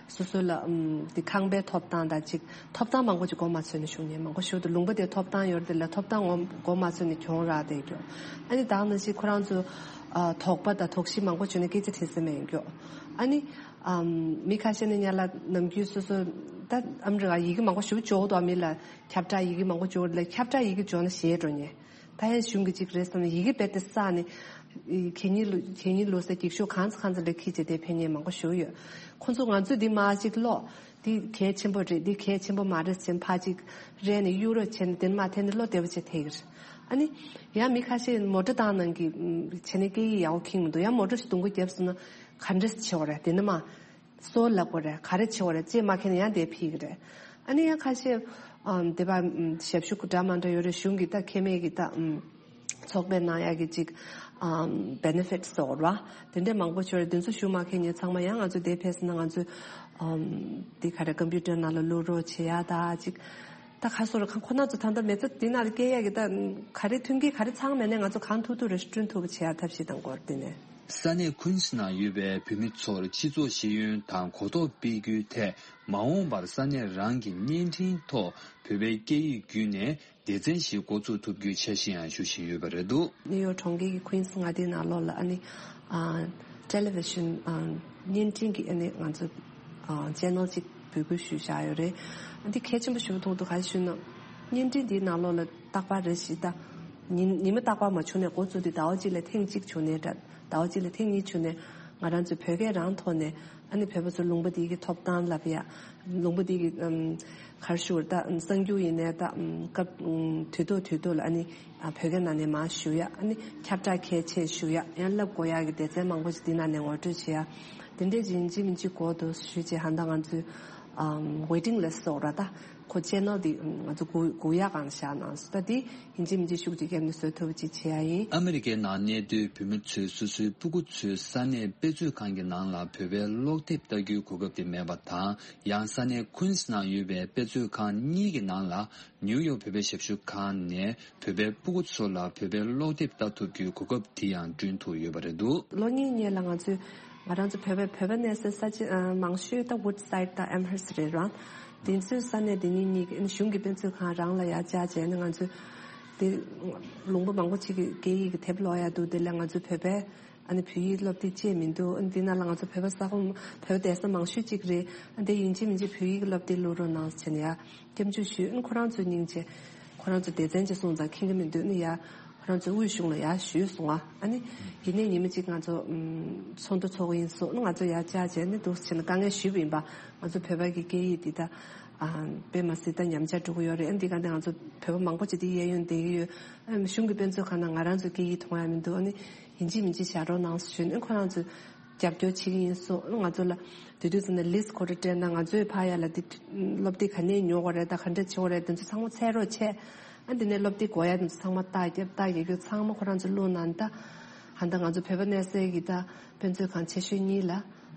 སོ་སོ་ལ་ཨམ། དེ་ཁང་པའི་ཐོབ་ཐང་དང་ཅིག་ཐོབ་ཐང་མང་པོ་ཅིག་མགོ་མ་ཚོས་ནས་བཞུགས་མཁན་མང་པོ་ཞིག་འདུག་ལུང་པ་དེ་ཐོབ་ཐང་ཡོད་རེད་དེ་ལ་ཐོབ་ཐང་མགོ་མ་ཚོས་ནས་གྱོང་རག་བསྡད་ཀྱོག་ཨ་ནི་ད་ནང་བཞིན་ཁོ་རང་ཚོ་ཨ། དོགས་པ་དང་དོགས་གཞི་མང་པོ་བྱུང་ནས་སྐད་ཆ་དྲིས་ས་མེད་ཀྱོག་ཨ་ནི། ཨམ། མི་ཁ་ཤས་ནི་སྔོན་ལ་ནམ་རྒྱུན་སོ་སོ་ད་ཨ་མི་རི་ཀ་ཡི་གེ་མང་པོ་ཞིག་འབྱོར་འདུག་མི་ལ་ཁྱབ་བསྒྲགས་ཡི་གེ་མང་པོ་འབྱོར་ལ་ཁྱབ་བསྒྲགས་ཡི་གེ་འབྱོར་ན་ཞེད་འགྲོ་མཁན། ད་ཡང་གཞུང་གི་ཅིག་རེད་བསམ་ནས་ཡི་གེ་རྦད་དེ་བསགས་ནས། གད་སྙིགས་ལོ་གད་སྙིགས་ལོ་ཟེར་འགྱིག་ཤོག་གང་ཚ་གང་ཚ་ལ་འཁྱེར་བྱས་དེ་ཕེབས་མཁན་མང་པོ་ཞིག་ཡོད། ཁོང་ཚོ་ང་ཚོས་འདི་མར་ཅིག་ཀློག་འདི་གལ་ཆེན་པོ་རེད། འདི་གལ་ཆེན་པོ་མ་རེད་ཟེར་ཕར་ཅིག་རལ་ནས་གཡུག་རོགས་བྱས་ནས་དེ་ནས་མར་དེ་ནས་བློ་བདེ་པོ་བྱས་ཐེག་གི་རེད། ཨ་ནི་ཡང་མི་ཁ་ཤས་མོ་ཊ་བཏང་གནང་གི་བྱས་ནས་སྐད་ཡིག་ཡག་པོ་ཁེངས་མི་འདུག་ཡང་མོ་ཊ་ཞིག་རྡུང་གོ་བརྒྱབ་སོང་ན་ག་འདྲ་བྱེད་དགོས་རེད། དེ་ནས་མར་སོ་ལབ་དགོས་རེད། ག་རེ་བྱེད་དགོས་རེད། ཅེས་མ་མཁྱེན་ན་ཡང་དེ་ཕུད་ཀྱི་རེད། ཨ་ནི་ཡང་ཁ་ཤས་ཨམ། དེ་བ་ཞབས་ཞུ་འདྲ་མ་འདྲ་ཡོད་རེད། གཞུང་གི་ད་ཁེ་མེད་ཀྱི་ད་ཨམ། ཚོགས་པའི་ནང་ཡག་གི་ཅིག་ཨམ། བེ་ནེ་ཕིཊ་ཟེར་བ་དེ་འདྲས་མང་པོ་ཡོད་རེད། དེ་ཚོ་ཞུ་མ་མཁན་ཉེ་ཚང་མ་ཡང་ང་ཚོ་དེ་ཕེབས་ན་ང་ཚོ་ཨམ། དེ་ག་རེ་ཀམ་པུ་ཊར་ནང་ལ་བླུག་རོགས་བྱེད་ཡ་ད་ཅིག་ད་ཁ་སོ་ར་ཁང་ཁོ་ན་ཚོ་ད་ལྟ་མེད་ཚ་དེ་ནང་ལ་སྐྱེལ་ཡག་གི་ད་ག་རེ་མཐུན་རྐྱེན་ག་རེ་ཚང་མེད་ནའི་ང་ཚོ་གང་ཐུབ་ཐུབ་རེ་བསྐྲུན་ཐུབ་པ་བྱེད་ཡ་ཐབས་ཤེས་དང་སྐོར་དེ་ནས། ས་གནས་ཀུན་སི་ནང་ཡོད་པའི་བོད་མི་ཚོར་སྤྱི་ཚོགས་ཤེས་ཡོན་དང་གོ་རྟོགས་སྤེལ་རྒྱུའི་ཐད་མ་འོངས་པར་ས་གནས་རང་གི་བརྙན་འཕྲིན་ཐོག་བོད་པའི་སྐད་ཡིག་བརྒྱུད་ནས་སྡེ་ཚན་ཞིག་འགོ་ཚུགས་ཐུབ་རྒྱུའི་འཆར་གཞི་ཡང་ཞུ་བཞིན་ཡོད་པ་རེད་འདུག་ནིའུ་ཡོག་གྲོང་ཁྱེར་གྱི་ཀུན་སི་མངའ་སྡེའི་ནང་ལོགས་ལ་ཨ་ནི་ཨ། ཊེ་ལི་ཝི་ཤན་ཨ། བརྙན་འཕྲིན་གྱི་ཨ་ནི་ང་ཚོ་ཨ། ཆེ་ནལ་གཅིག་འབོད་སྐུལ་ཞུས་བཞག་ཡོད་རེད། ཨ་འདི་གལ་ཆེན་པོ་ཞིག་མཐོང་འདུག་ག་རེ་ཞུས་ན། བརྙན་འཕྲིན་འདིའི་ནང་ལོགས་ལ་རྟག་པར་རེ་ཞིག་ད། ཉིན་ཉི་མ་རྟག་པར་མ་བྱུང་ནས་འགོ་བཙུགས་དུས་ཟླ་བ་གཅིག་ལ་ཐེངས་གཅིག་བྱུང་ནའི་འདྲ། ཟླ་བ་གཅིག་ལ་ཐེངས་གཉིས་བྱུང་ནས་ང་རང་ཚོའི་བོད་སྐད་རང་ཐོག་ནས་ཨ་ནི་བོད་པ་ཚོ་ལུང་པ་འདི་གི་ཐོབ་ཐང་ལབ་ཡ། ལུང་པ་འདི་གི་ཨམ། ག་རེ་ཞུ་དགོས་རེད། ད་གསར་འགྱུར་ཡིན་ནའི་ད་ཨམ། སྐབས་ཨམ། དུས་ཐོག་དུས་ཐོག་ལ་ཨ་ནི་ཨ། བོད་སྐད་ནང་ནས་མར་ཞུ་ཡ། ཨ་ནི་ཁྱབ་བསྒྲགས་གལ་ཆེ་ཞུ་ཡ། ཡང་བསླབ་དགོས་ཡ་གི་སྡེ་ཚན་མང་པོ་ཞིག་འདི་ནང་ནས་ངོ་སྤྲོད་བྱེད་ཡ། དེ་འདྲས་ཡིན་གཅིག་མིན་གཅིག་དགོས་འདུག་ཞུས་བྱས་ཧ་ད་ང་ཚོས་ཨམ། ཝེ་ཊིང་ལིསི་ཊི་ཟེར་བ་ར་ད། ཁོ་ཆེ་ནལ་འདི་ང་ཚོ་སྒུག་སྒུག་ཡག་སྒང་བཞག་གནང་སོང་། ད་འདི་ཡིན་གཅིག་མིན་གཅིག་ཤུགས་ཀྱིས་བརྒྱབ་ནས་བཟོ་ཐུབ་པ་ཅིག་བྱེད་ཡ་ཡིན། ཨ་མི་རི་ཀའི་ནང་གནས་སྡོད་བོད་མི་ཚོས་སོ་སོའི་སྤུ་གུ་ཚོའི་ས་གནས་དཔེ་མཛོད་ཁང་གི་ནང་ལ་བོད་པའི་ཀློག་དེབ་ལྟ་རྒྱུའི་གོ་སྐབས་དེ་མེད་པ་དང་། ཡང་ས་གནས་ཀུན་སི་ནང་ཡོད་པའི་དཔེ་མཛོད་ཁང་གཉིས་ཀྱི་ནང་ལ་ནིའུ་ཡོག་བོད་པའི་ཞབས་ཞུ་ཁང་ནས་བོད་པའི་སྤུ་གུ་ཚོ་ལ་བོད་པའི་ཀློག་དེབ་ལྟ་ཐུབ་རྒྱུའི་གོ་སྐབས་དེ་ཡང་བསྐྲུན་ཐུབ་ཡོད་པ་རེད་འདུག་ལོ་གཉིས་སྔོན་ལ་ང་ཚོས་ང་རང་ཚོ་བོད་པའི་བོད་པ་གནས་སའི་ས་ཆ་ཨ། མང་ཤོས་ད་Woodside་དང་Amherst་རེད་ར། དེ་ཚོའི་ས་གནས་དེ་གཉིས་གཉིས་ཀྱི་གཞུང་གི་དཔེ་མཛོད་ཁང་རང་ལ་ཡར་བཅར་བྱས་ནས་ང་ཚོས་དེ་ལུང་པ་མང་པོ་ཅིག་གི་སྐད་ཡིག་གི་དེབ་ཀློག་ཡ་འདུག་དེ་ལ་ང་ཚོ་བོད་པའི་ཨ་ནི་བོད་ཡིག་སློབ་དེབ་ཅིག་མི་འདུག་ཨ་ནི་དེ་ནང་ལ་ང་ཚོ་བོད་པ་ས་ཁོངས་བོད་པ་བསྡད་ས་མང་ཤོས་ཅིག་རེད། ཨ་དེ་ཡིན་གཅིག་མིན་གཅིག་བོད་ཡིག་སློབ་དེབ་བླུག་རོགས་གནང་ཟེར་ནས་ཡ། སྐྱབས་འཇུག་ཞུས། ཨ་ནི་ཁོ་རང་ཚོའི་སྙིང་རྗེ། ཁོ་རང་ཚོ་སྡེ་ཚན་གྱི་སོང་ཙང་མཁྱེན་གྱི་མི་འདུག་ཨ་ནི་ཡ། ཁོ་རང་ཚོའི་དབུས་གཞུང་ལ་ཡ་ཞུས་སོང་ཨ། ཨ་ནི་ཡིན་ནའི་ཉི་མ་གཅིག་ང་ཚོ་ཚོགས་འདུ་ཚོགས་ཀྱི་ཡིན་གསུངས། ཨ་ནི་ང་ཚོ་ཡ་བཅར་བྱས་ནས་འདུག་ཟེར་ནས་དཀའ་ངལ་ཞུས་པ་ཡིན་པ། ང་ཚོ་བོད་པ་གི་སྐད་ཡིག་འདི་ད་ ཨ་དཔེ་མ་སྲིད་ད་ཉམས་ཆག་འགྲོ་གི་ཡོད་རེད། ཨ་འདི་ག་འདི་ང་ཚོ་བོད་པ་མང་པོ་ཅིག་འདི་གཡས་གཡོན་བསྡད་ཀྱི་ཡོད། ཨ་གཞུང་གི་དཔེ་མཛོད་ཁང་ནང་ང་རང་ཚོ་སྐད་ཡིག་མཐོང་ཡ་མི་འདུག་ཨ་ནི་ཡིན་གཅིག་མིན་གཅིག་བཞག་རོགས་གནང་ཞུས་ནས་ཁོ་རང་ཚོས་རྒྱབ་སྐྱོར་བྱེད་ཀྱི་ཡིན་གསུངས། ང་ཚོ་ལ་དེ་དུས་ཙམ་ནས་ལིས་ཁོ་རང་སྤྲད་ན་ང་ཚོས་ཕར་ཡ་ལ་འདི་སློབ་དེབ་ག་ནས་ཉོ་དགོས་རེད། ད་ག་འདྲ་བྱེད་དགོས་རེད། དེ་ཚོ་ཚང་མ་འཚོལ་རོགས་བྱས། ཨ་འདི་ནས་སློབ་དེབ་དགོས་ཡ་དེ་ཚོ་ཚང་མ་རྟགས་བརྒྱབ། རྟགས་བརྒྱབ་རྒྱུ་ཚང་མ་ཁོ་རང་ཚོ་བླུགས་གནང་། ད་ཧ་ད་ང་ཚོ་བོད་པ་གནས་སའི་གི་ད་དཔེ་མཛོད་ཁང་ཆེ་ཤོས་གཉིས་ལ་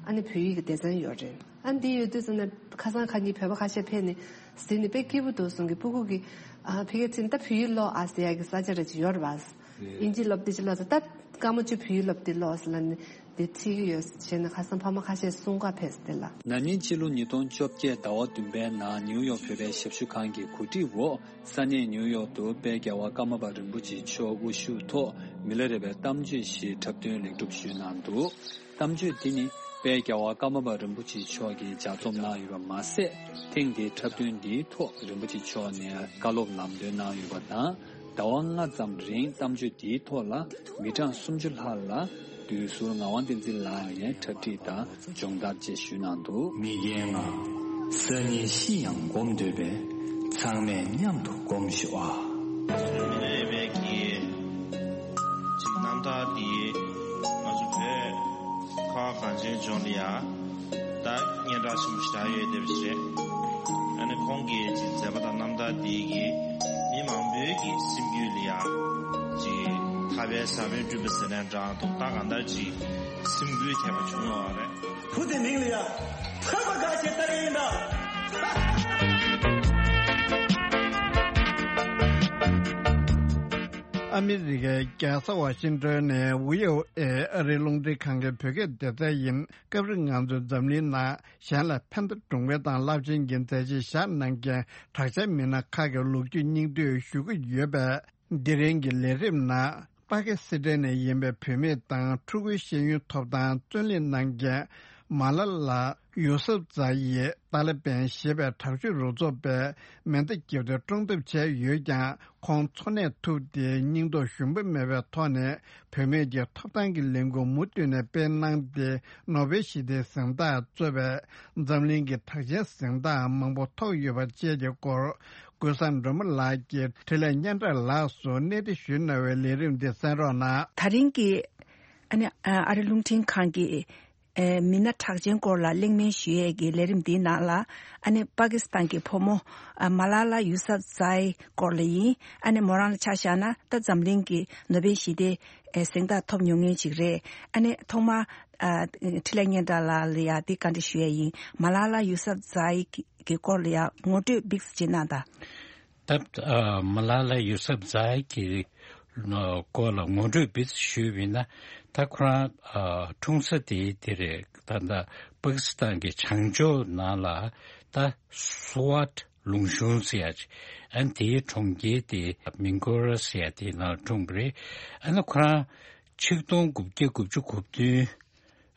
ཨ་ནི་བོད་ཡིག་གི་སྡེ་ཚན་ཡོད་རེད། ཨ་འདི་ཡོད་དུས་ཙམ་ནས་ཁ་སང་ཁ་ཉིན་བོད་པ་ཁ་ཤས་ཕེབས་ནས་གཟིགས་ནས་དཔེ་སྐྱིད་པོ་འདུག་གསུང་གི། སྤུ་གུ་གི་ཨ་ཕ་གིར་ཕྱིན་ད་བོད་ཡིག་ཀློག་ཨ་ཟེར་ཡ་གི་ས་ཆ་རེ་ཅིག་ཡོད་རེད་པ། ཨིན་ཇི་སློབ་དེབ་ཅིག་ཀློག་ཟེར། ད་སྐར་མ་བཅུ་བོད་ཡིག་སློབ་དེབ་ཀློག་ཟེར་ལབ་ནས་དེ་ཁྲིད་ཀྱི་ཡོད་ཟེར་ནས་ཁ་སང་ཕ་མ་ཁ་ཤས་གསུང་ག་ཕེབས་ཟེར་ལ། ན་ནིང་ཕྱི་ལོ་ཉིས་སྟོང་བཅོ་བརྒྱད་ཟླ་བ་བདུན་པའི་ནང་ནིའུ་ཡོག་བོད་པའི་ཞབས་ཞུ་ཁང་གི་གོ་སྒྲིག་འོག་ས་གནས་ནིའུ་ཡོག་ཏུ་དཔལ་རྒྱལ་བ་ཀརྨ་པ་རིན་པོ་ཆེ་མཆོག་དབུ་བཞུགས་ཐོག་མི་ལ་རས་པའི་གཏམ་བརྗོད་ཞིག་འཁྲབ་སྟོན་ལེགས་གྲུབ་ཞུས་གནང་འདུག་གཏམ་བརྗོད་འདི་ནི་དཔལ་རྒྱལ་བ་ཀརྨ་པ་རིན་པོ་ཆེ་མཆོག་གིས་ལྗགས་རྩོམ་གནང་ཡོད་པ་མ་ཟད། ཐེངས་འདིའི་འཁྲབ་སྟོན་འདིའི་ཐོག་རིན་པོ་ཆེ་མཆོག་ནས་བཀའ་སློབ་ལམ་སྟོན་གནང་ཡོད་པ་དང་། ཟླ་བ་ལྔ་ཙམ་རིང་གཏམ་བརྗོད་འདིའི་ཐོག་ལ་མི་གྲངས་སུམ་ཅུ་ལྷག་ལ་བསྡུས་ཟུར་ངག་དབང་བསྟན་འཛིན་ལགས་ནས་འཁྲབ་ཁྲིད་དང་སྦྱོང་བརྡར་བཅས་ཞུས་གནང་འདུག་མི་རྒན་ང་། སང་ཉིན་ཤི་ཡང་སྒོམ་འདོད་པས། ཚང་མས་མཉམ་དུ་སྒོམ་ཤོག་ཨ། མི་ལ་རས་པའི་གི་ཅིག་རྣམ་ཐར་འདི་ང་ཚོ་བོད་ཁ་བ་གངས་ཅན་ལྗོངས་ལ་ཡ་ད་སྙན་གྲགས་ཆེན་པོ་ཞེ་དྲག་ཡོད་བསྡད་པ་ཞིག་རེད། ཨ་ནི་ཁོང་གི་ཅིག་མཛད་པ་དང་རྣམ་ཐར་འདི་གིས་མི་མང་པོའི་གི་སེམས་རྒྱུད་ལ་ཡ་ཅིག་ཐར་པའི་ཟབ་དོན་བསྐྲུན་པ་ཟེར་ནའང་འདྲ་འདུག་ད་གང་ལྟར་ཅིག་སེམས་འགུལ་ཐེབས་པ་བྱུང་ཡོད་རེད། བུ་དེ་མིང་ལ་ཡ་ཐར་པ་དགའ་ཞེས་བཏགས་ཡིན་ད། ཨ་མི་རི་ཀའི་རྒྱལ་ས་ཝ་ཤིང་ཏོན་ནས་བྷི་ཨོ་ཨེ་ཨ་རིའི་རླུང་འཕྲིན་ཁང་གི་བོད་སྐད་སྡེ་ཚན་ཡིན། སྐབས་རེ་ང་ཚོའི་འཛམ་གླིང་ནང་གཞན་ལས་ཕན་བདེ་སྒྲུབ་མཁན་དང་རླབས་ཆེན་གྱི་མཛད་རྗེས་བཞག་གནང་མཁན་གྲགས་ཅན་མི་སྣ་ཁག་གི་ལོ་རྒྱུས་སྙིང་བསྡུས་ཞུ་གི་ཡོད་པས། འདི་རིང་གི་ལས་རིམ་ནང་པ་ཀི་སི་ཐན་ནས་ཡིན་པའི་བུད་མེད་དང་ཕྲུ་གུའི་ཤེས་ཡོན་ཐོབ་ཐང་བརྩོན་ལེན་གནང་མཁན་མ་ལ་ལ་ཡུ་སབ་ཛ་ཡི་ཏཱ་ལི་བན་ཞེས་པའི་དྲག་སྤྱོད་རུ་ཚོགས་པས་མེ་མདའ་བརྒྱབ་སྟེ་བཀྲོངས་ཐབས་བྱས་ཡོད་ཀྱང་། ཁོང་འཚོ་གནས་ཐུབ་སྟེ་སྙིང་སྟོབས་ཞུམ་པ་མེད་པའི་ཐོག་ནས་བུད་མེད་ཀྱི་ཐོབ་ཐང་གི་ལས་འགུལ་མུ་མཐུད་ནས་སྤེལ་གནང་སྟེ། ནོ་བེལ་ཞི་བདེའི་གཟེངས་རྟགས་གཙོས་པའི་འཛམ་གླིང་གི་གྲགས་ཅན་གཟེངས་རྟགས་མང་པོ་ཐོབ་ཡོད་པ་བཅས་ཀྱི་སྐོར། ཀུན་བཟང་སྒྲོལ་མ་ལགས་ཀྱིས་འཕྲིན་ལས་སྙན་གྲགས་ལགས་སུ་གནས་འདྲི་ཞུས་གནང་བའི་ལས་རིམ་འདི་གསན་རོགས་གནང་། ད་རིང་གི་ཨ་ནི་ཨ་རི་རླུང་འཕྲིན་ཁང་གི་ཨེ་མི་སྣ་གྲགས་ཅན་སྐོར་ལ་གླེང་མོལ་ཞུ་ཡས་ཀྱི་ལས་རིམ་འདིའི་ནང་ལ། ཨ་ནི་པ་ཀི་སི་ཐན་གྱི་བུ་མོ་ཨ་མ་ལ་ལ་ཡུ་སབ་ཛའི་སྐོར་ལ་ཡིན། ཨ་ནི་མོ་རང་ལ་ཆ་བཞག་ན་ད་འཛམ་གླིང་གི་ནོ་བེལ་ཞི་བདེ་ཨེ་གཟེངས་རྟགས་ཐོབ་མྱོང་མཁན་ཅིག་རེད། ཨ་ནི་ཐོག་མར་ཨ་འཕྲིན་ལས་སྙན་གྲགས་ལགས་ལ་ཡ་འདི་བཀའ་འདྲི་ཞུ་ཡས་ཡིན། མ་ལ་ལ་ཡུ་སབ་ཛའི་གི་སྐོར་ལ་ཡ་ངོ་སྤྲོད་ཏོག་ཙམ་ཅིག་གནང་དང་། ད་ཨ་མ་ལ་ལ་ཡུ་སབ་ཛའི་གི་སྐོར་ལ་ངོ་སྤྲོད་ཏོག་ཙམ་ཞུས་པ་ཡིན་ན། ད་ཁོ་རང་ཨ་འཁྲུངས་ས་དེ་དེ་རེད། ད་ལྟ་པ་ཀི་སི་ཐན་གྱི་བྱང་ཕྱོགས་ནང་ལ་ད་སུ་ཝཊ་ལུང་གཤོང་ཟེར་ཡ་ཅིག་ཨ་ནི་དེའི་གྲོང་ཁྱེར་དེ་མིང་ཀོ་ར་ཟེར་ཡ་དེའི་ནང་འཁྲུངས་པ་རེད། ཨ་ནི་ཁོ་རང་ཆིག་སྟོང་དགུ་བརྒྱ་དགུ་བཅུ་གོ་བདུན་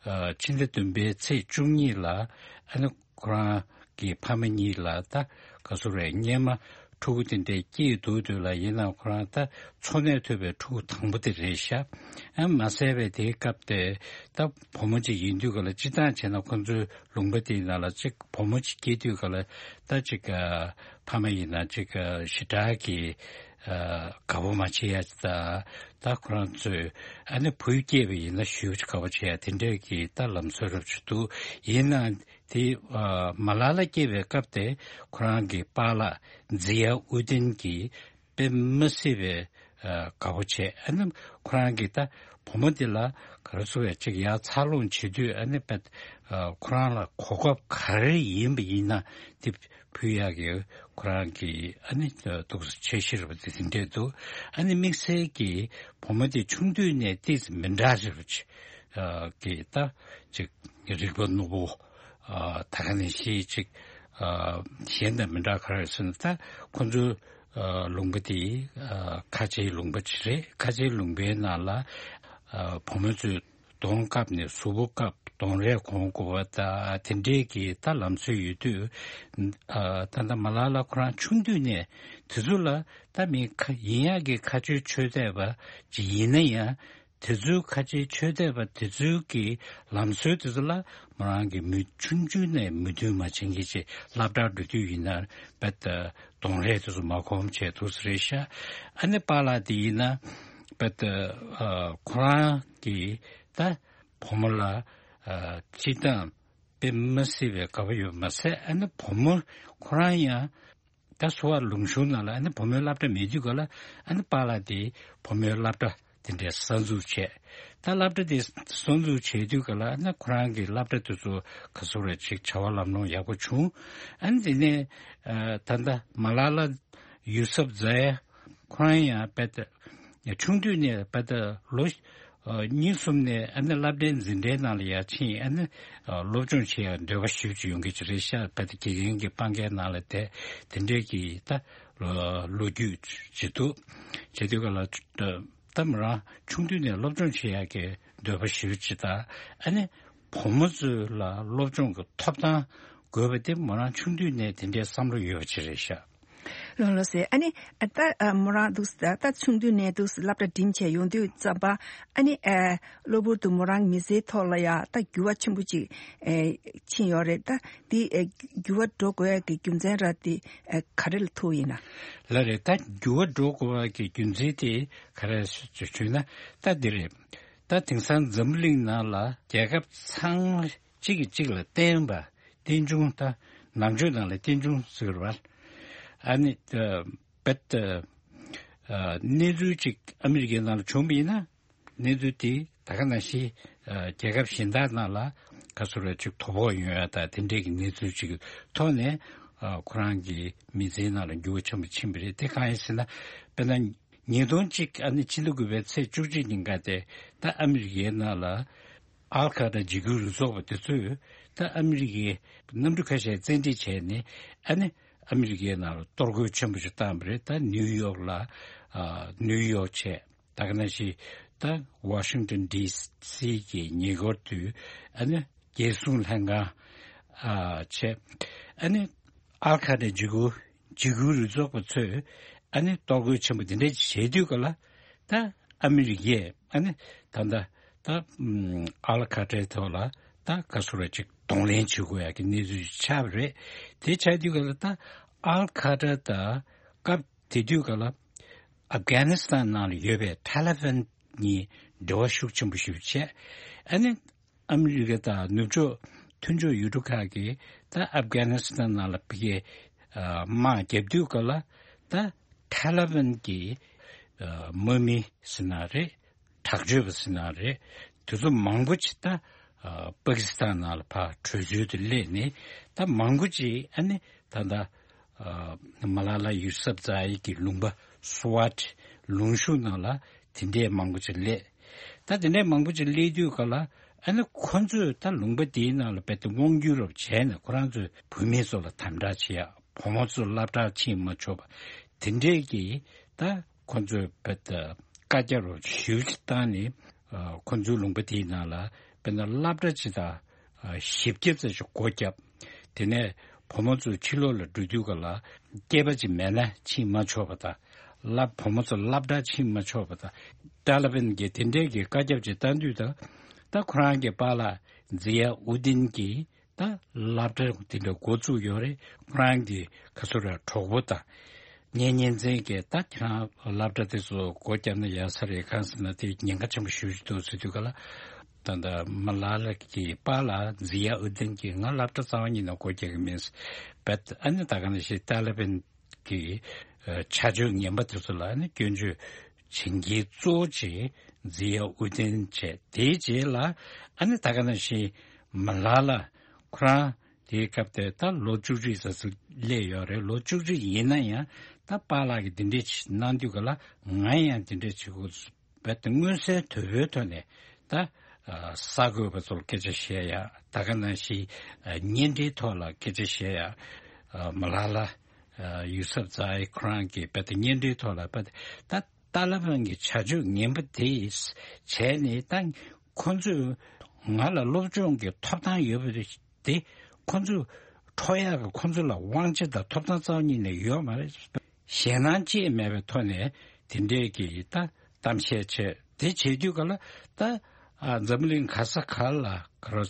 ཕྱི་ཟླ་བདུན་པའི་ཚེས་བཅུ་གཉིས་ལ། ཨ་ནི་ཁོ་རང་གི་ཕ་མ་གཉིས་ལ་ད་ག་ཚོད་རེད། སྔོན་མ་ཕྲུ་གུ་དེ་འདྲ་སྐྱེས་འདུག་དུས་ལ་ཡིན་ནའང་ཁོ་རང་ད་འཚོ་གནས་ཐུབ་པའི་ཕྲུ་གུ་དང་པོ་དེ་རེད་ཤག་ཨ་མ་ཟད་པའི་དེའི་སྐབས་དེ་ད་བུ་མོ་གཅིག་ཡིན་དུས་ག་ལ་སྤྱིར་བཏང་བྱས་ན་ཁོ་ཚོའི་ལུང་པ་དེའི་ནང་ལ་གཅིག་བུ་མོ་གཅིག་སྐྱེས་དུས་ག་ལ་ད་གཅིག་ཕ་མ་ཡིན་ན་གཅིག་ཞེ་དྲག་གི་དགའ་པོ་མ་བྱེད་ཡ་ཅིག་དང་། ད་ཁོ་རང་ཚོས་ཨ་ནི་བུ་སྐྱེས་པ་ཡིན་ན་ཞེ་པོ་ཅིག་དགའ་པོ་བྱེད་ཡ་དེ་འདྲས་ཀྱི་ད་ལམ་སྲོལ་རབ་ཅིག་འདུག་ཡིན་ནའང་དེ་ཨ་མ་ལ་ལ་སྐྱེས་པའི་སྐབས་དེ་ཁོ་རང་གི་པཱ་ལགས་ཛི་ཡ་ཨུ་དིན་གྱིས་དཔེ་མི་སྲིད་པའི་ཨ་དགའ་པོ་བྱས། ཨ་ནི་ཁོ་རང་གིས་ད་བུ་མོ་འདི་ལ་ག་རེ་ཟེར་བས་ཅིག་ཡར་འཚར་ལོངས་བྱེད་དུས་ཨ་ནི་དཔེ་ཨ་ཁོ་རང་ལ་གོ་སྐབས་ག་རེ་ཡིན་པ་ཡིན་ན་དེ་ཕུལ་ཡག་གི་ཁོ་རང་གི་ཨ་ནི་འདུག་སེ་འཆར་གཞི་རེད་པ་དེ་དེ་འདྲས་འདུག་ཨ་ནི་དམིགས་བསལ་གྱིས་བུ་མོ་དེ་ཆུང་དུས་ནས་ཏོག་ཙམ་མི་འདྲ་ཞིག་རེད་པ། ཨ་གི་ད་ཅིག་རིག་པ་རྣོ་པོ། ཨ་ད་ག་ནང་བཞིན་ཅིག་ཨ་གཞན་དང་མི་འདྲ་ག་རེ་ཟེར་ན། ད་ཁོ་ཚོའི་ཨ་ལུང་པ་དེ་ཨ་ཁ་ཆེའི་ལུང་པ་ཅིག་རེད། ཁ་ཆེའི་ལུང་པའི་ནང་ལ་ཨ་བུ་མོ་ཚོས་གདོང་བཀབ་ནས་གཟུགས་པོ་བཀབ། གདོང་རས་གོན་དགོས་པ་ད་དེ་འདྲས་ཀྱི་ད་ལམ་སྲོལ་ཡོད་དུས། ཨ་ད་ལྟ་མ་ལ་ལ་ཁོ་རང་ཆུང་དུས་ནས་དེ་ཚོ་ལ་ད་མི་ཁ་ཡིན་ཡག་གི་ཁ་ཆོས་ཆོས་དད་པ་ཅིག་ཡིན་ན་ཡང་། དེ་ཚོའི་ཁ་ཆེའི་ཆོས་དད་པ་དེ་ཚོའི་གི་ལམ་སྲོལ་དེ་ཚོ་ལ་མོ་རང་གི་མི་ཆུང་ཆུང་ནས་མོས་མཐུན་མ་བྱེད་མཁན་ཅིག་སློབ་གྲྭར་འགྲོ་དུས་ཡིན་ན་བེད་གདོང་ལེན་དེ་ཚོ་མ་གོམས་བྱས་འདུག་ས་རེད་ཤག་ཨ་ནི་པཱ་ལགས་དེ་ཡིན་ན་བེད་ཁོ་རང་གི་ད་བུ་མོ་ལ་སྤྱིར་བཏང་དཔེ་མི་སྲིད་པའི་དགའ་པོ་ཡོད་མ་ཟད། ཨ་ནི་བུ་མོ་ཁོ་རང་ཡང་ད་གསོ་བ་ལུང་གཤོང་ནང་ལ་ཨ་ནི་བུ་མོའི་སློབ་གྲྭ་མེད་དུས་ག་ལ་ཨ་ནི་པཱ་ལགས་དེ་བུ་མོའི་སློབ་གྲྭ་དེ་འདྲའི་གསར་འཛུགས་བྱས། ད་སློབ་གྲྭ་དེ་གསར་འཛུགས་བྱས་དུས་ག་ལ་ཨ་ནི་ཁོ་རང་གི་སློབ་གྲྭ་དེ་ཚོ་ག་ཚོད་རེ་ཅིག་བྱ་བ་ལམ་ལྷོང་ཡག་པོ་བྱུང་། ཨ་ནི་དེ་ནས་ད་ལྟ་མ་ལ་ལ་ཡུ་སབ་ཛ་ཡ་ཁོ་རང་ཡང་བེད་ཆུང་དུས་ནས་བེད་ལོ་ཨ་གཉིས་གསུམ་ནས་ཨ་ནི་སློབ་གྲྭའི་འཛིན་གྲྭའི་ནང་ལ་ཡར་ཕྱིན། ཨ་ནི་ཨ་སློབ་སྦྱོང་བྱེད་ཡག་འདོད་པ་ཞེ་པོ་ཅིག་ཡོང་གི་ཅིག་རེད་ཤག་བེད་དགེ་རྒན་གྱི་སྤང་གའི་ནང་ལ་བསྡད་དེ་འདྲའི་གི་ད་ལོ་ལོ་རྒྱུས་ཅིག་འདུག་བྱེད་དུས་ག་ལ་ད་མོ་རང་ཆུང་དུས་ནས་སློབ་སྦྱོང་བྱེད་ཡག་གི་འདོད་པ་ཞེ་པོ་ཅིག་དང་། ཨ་ནི་བུ་མོ་ཚོ་ལ་སློབ་སྦྱོང་གི་ཐོབ་ཐང་དགོས་པ་དེ་མོ་རང་ཆུང་དུས་ནས་དེ་འདྲའི་བསམ་བློ་ཡོད་པ་ཅིག་རེད་ཤག་ལགས་ལགས་སེ། ཨ་ནི་ད་མོ་རང་འདུག་ད་ཆུང་དུས་ནས་འདུག་སློབ་གྲྭ་འགྲིམས་བྱས་ཡོང་དུས་ཙམ་པ་ཨ་ནི་གློ་བུར་དུ་མོ་རང་མི་ཚེའི་ཐོག་ལ་ཡ་ད་འགྱུར་བ་ཆེན་པོ་ཅིག་ཕྱིན་ཡོད་རེད། ད་འདི་འགྱུར་བ་འགྲོ་དགོས་ཡ་གི་རྒྱུ་མཚན་ར་དེ་ག་རེ་ལ་ཐུག་ཡིན་ན། ལགས་རེད། ད་འགྱུར་བ་འགྲོ་དགོས་པ་གི་རྒྱུ་མཚན་དེ་ག་རེ་ཞུས་ན་ད་འདི་རེད། ད་དེང་སང་འཛམ་བུ་གླིང་ནང་ལ་རྒྱལ་ཁབ་ཚང་མ་གཅིག་གིས་གཅིག་ལ་བརྟེན་པ། རྟེན་འབྱུང་ད་ནང་ཆོས་ནང་ལ་རྟེན་འབྱུང་ཟེར་བ། ཨ་ནི་བེད་གནས་ཚུལ་གཅིག་ཨ་མི་རི་ཀའི་ནང་ལ་བྱུང་བ་ཡིན་ན་གནས་ཚུལ་དེ་ད་ག་ནང་བཞིན་རྒྱལ་ཁབ་གཞན་དག་ནང་ལ་ག་ཚོད་རེ་ཅིག་དོ་ཕོག་ཡོང་ཡ་ད་དེ་འདྲའི་གི་གནས་ཚུལ་ཅིག་གི་ཐོག་ནས་ཁོ་རང་གི་མི་ཚེའི་ནང་ལ་འགྱུར་བ་ཆེན་པོ་ཕྱིན་པ་རེད། དེ་གང་ཡིན་ཟེར་ན་དཔེར་ན། ཉིས་སྟོང་གཅིག་ཨ་ནི་ཕྱི་ཟླ་དགུ་པའི་ཚེས་བཅུ་གཅིག་ཉིན་ཀ་དེ་ད་ཨ་མི་རི་ཀའི་ནང་ལ་ཨལ་ཁ་ཏྲ་འཇིགས་སྐུལ་རུ་ཚོགས་པ་དེ་ཚོས་ད་ཨ་མི་རི་ཀའི་གནམ་གྲུ་ཁ་ཤས་བཙན་ཁྲིད་བྱས་ནས་ཨ་ནི་ཨ་མི་རི་ཀའི་ནང་ལ་གཏོར་རྒོལ་ཆེན་པོ་ཞིག་བཏང་བ་རེད། ད་ནིའུ་ཡོག་ལ་ཨ་ནིའུ་ཡོག་བྱས། ད་ག་ནང་བཞིན་ད་ཝ་ཤིང་ཏོན་ཌི་སི་གི་ཉེ་འཁོར་དུ་ཨ་ནི་རྒྱལ་སྲུང་ལྷན་ཁང་ཨ་བྱས། ཨ་ནི་ཨལ་ཁ་ཏྲ་འཇིགས་སྐུལ་འཇིགས་སྐུལ་རུ་ཚོགས་པ་ཚོས་ཨ་ནི་གཏོར་རྒོལ་ཆེན་པོ་འདི་འདྲ་བྱེད་དུས་ག་ལ་ད་ཨ་མི་རི་ཀས་ཨ་ནི་ད་ལྟ་ད་ཨམ་ཨལ་ཁ་ཏྲའི་ཐོག་ལ་ད་ག་ཚོད་རེ་ཅིག་གདོང་ལེན་བྱེད་དགོས་ཡ་གི་གནས་ཚུལ་ཆགས་པ་རེད། དེ་ཆགས་དུས་ག་ལ་ད་ཨལ་ཁ་ཏྲ་དང་སྐབས་དེ་དུས་ག་ལ་ཨབ་གྷ་ནི་སི་ཐན་ནང་ལ་ཡོད་པའི་ཐ་ལི་བན་གཉིས་འབྲེལ་བ་ཤུགས་ཆེན་པོ་ཞིག་བྱས། ཨ་ནི་ཨ་མི་རི་ཀ་དང་ནུབ་ཕྱོགས་མཐུན་ཕྱོགས་ཡུལ་གྲུ་ཁག་གིས་ད་ཨབ་གྷ་ནི་སི་ཐན་ནང་ལ་ཕ་གིའི་ཨ་དམག་རྒྱབ་དུས་ག་ལ་ད་ཐ་ལི་བན་གྱི་ཨ་དམག་མི་ཟེར་ན་རེད། དྲག་སྤྱོད་པ་ཟེར་ན་རེད། དེ་ཚོ་མང་པོ་ཅིག་ད་ཨ་པ་ཀི་སི་ཐན་ནང་ལ་ཕར་བྲོས་བྱོལ་དུ་སླེབས་ནས་ད་མང་པོ་ཅིག་ཨ་ནི་ད་ལྟ་ཨ་མ་ལ་ལ་ཡུ་སབ་ཛ་ཡི་གི་ལུང་པ་སུ་ཝཊ་ལུང་གཤོང་ནང་ལ་དེ་འདྲའི་མང་པོ་ཅིག་སླེབས། ད་དེ་འདྲའི་མང་པོ་ཅིག་སླེབས་དུས་ག་ལ་ཨ་ནི་ཁོ་ཚོས་ད་ལུང་པ་དེའི་ནང་ལ་རྦད་དེ་དབང་སྒྱུར་རོབ་བྱས་ནས་ཁོ་རང་ཚོས་བུད་མེད་ཚོ་ལ་དམ་དྲག་བྱེད་ཡག་བུ་མོ་ཚོ་སློབ་གྲྭར་ཕྱིན་མ་ཆོག་པ་དེ་འདྲའི་གི་ད་ཁོ་ཚོས་རྦད་དེ་བཀའ་རྒྱ་རོབ་ཞེ་པོ་ཅིག་བཏང་ནས་ཨ་ཁོ་ཚོའི་ལུང་པ་དེའི་ནང་ལ་དཔེར་ན་སློབ་གྲྭ་ཅིག་དང་། བཞི་བརྒྱ་ཙམ་ཞིག་སྒོ་བརྒྱབ། དེ་ནས་བུ་མོ་ཚོ་ཕྱི་ལོགས་ལ་འགྲོ་དུས་ག་ལ་སྐྱེས་པ་ཅིག་མེད་ན་ཕྱིན་མ་ཆོག་པ་དང་། སློབ་བུ་མོ་ཚོ་སློབ་གྲྭར་ཕྱིན་མ་ཆོག་པ་དང་། ཏཱ་ལི་བན་གྱིས་དེ་འདྲའི་གི་བཀའ་ཁྱབ་ཅིག་བཏང་དུས་དང་། ད་ཁོ་རང་གི་པཱ་ལགས་ཛི་ཡ་ཨུ་དིན་གྱིས་ད་སློབ་གྲྭ་དེ་འདྲ་འགོ་བཙུགས་ཡོད་རེད། ཁོ་རང་གི་ག་ཚོད་ར་གྲོགས་པོ་དང་། ངའི་གཉེན་ཚན་གྱིས་ད་ཁྱེད་རང་སློབ་གྲྭ་དེ་ཚོ་སྒོ་བརྒྱབ་ན་ཡག་ས་རེད། གང་ཟེར་ན་དེ་ཉེན་ཁ་ཆེན་པོ་ཞེ་པོ་ཅིག་འདུག་ཟེར་དུས་ག་ལ། ད་ལྟ་མ་ལ་ལ་གི་པཱ་ལགས་ཛི་ཡ་ཨུ་དིན་གྱིས་ང་སློབ་གྲྭ་རྩ་བ་ཉིད་ནས་སྒོ་རྒྱག་གི་མིན། བེད་ཨ་ནི་ད་ག་ནང་བཞིན་ཏཱ་ལི་བན་གྱི་ཨ་བྱ་སྤྱོད་ངན་པ་དེ་ཚོ་ལ་ཨ་ནི་སྐྱོན་བརྗོད་བྱེད་མཁན་གཙོ་བོ་ཅིག་ཛི་ཡ་ཨུ་དིན་བྱས། དེའི་རྗེས་ལ་ཨ་ནི་ད་ག་ནང་བཞིན་མ་ལ་ལ་ཁོ་རང་དེའི་སྐབས་དེ་ད་ལོ་བཅུ་གཅིག་ཙམ་ཙམ་སླེབས་ཡོད་རེད། ལོ་བཅུ་གཅིག་ཡིན་ན་ཡང་ད་པཱ་ལགས་ཀྱིས་འདི་འདྲས་ཅིག་གནང་དུས་ག་ལ་ང་ཡང་འདི་འདྲས་བྱེད་དགོས། རྦད་དེ་མངོན་གསལ་དོད་པོའི་ཐོག་ནས་ད་ཨ་གསར་འགོད་པ་ཚོར་སྐད་ཆ་བཤད་ཡ། ད་ག་ནང་བཞིན་ཨ་བརྙན་འཕྲིན་ཐོག་ལ་སྐད་ཆ་བཤད་ཡ། ཨ་མ་ལ་ལ་ཨ་ཡུ་སབ་ཛ་ཡི་ཁོ་རང་གིས་རྦད་དེ་བརྙན་འཕྲིན་ཐོག་ལ་རྦད་དེ་ད་ཏཱ་ལི་བན་གྱི་བྱ་སྤྱོད་ངན་པ་དེ་བྱས་ནས་ད་ཁོ་ཚོས་ང་ལ་སློབ་སྦྱོང་གི་ཐོབ་ཐང་ཡོད་པ་དེ་ཁོ་ཚོས་འཕྲོག་ཡག་གི་ཁོ་ཚོ་ལ་དབང་ཆ་དང་ཐོབ་ཐང་རྩ་བ་ཉིད་ནས་ཡོད་མ་རེད། ཞེད་སྣང་ཅི་ཡང་མེད་པའི་ཐོག་ནས་དེ་འདྲའི་གི་ད་གཏམ་བཤད་བྱས། དེ་བྱེད་དུས་ག་ལ་ད་ཨ་འཛམ་བུ་གླིང་ག་ས་ག་ལ་ག་རོ་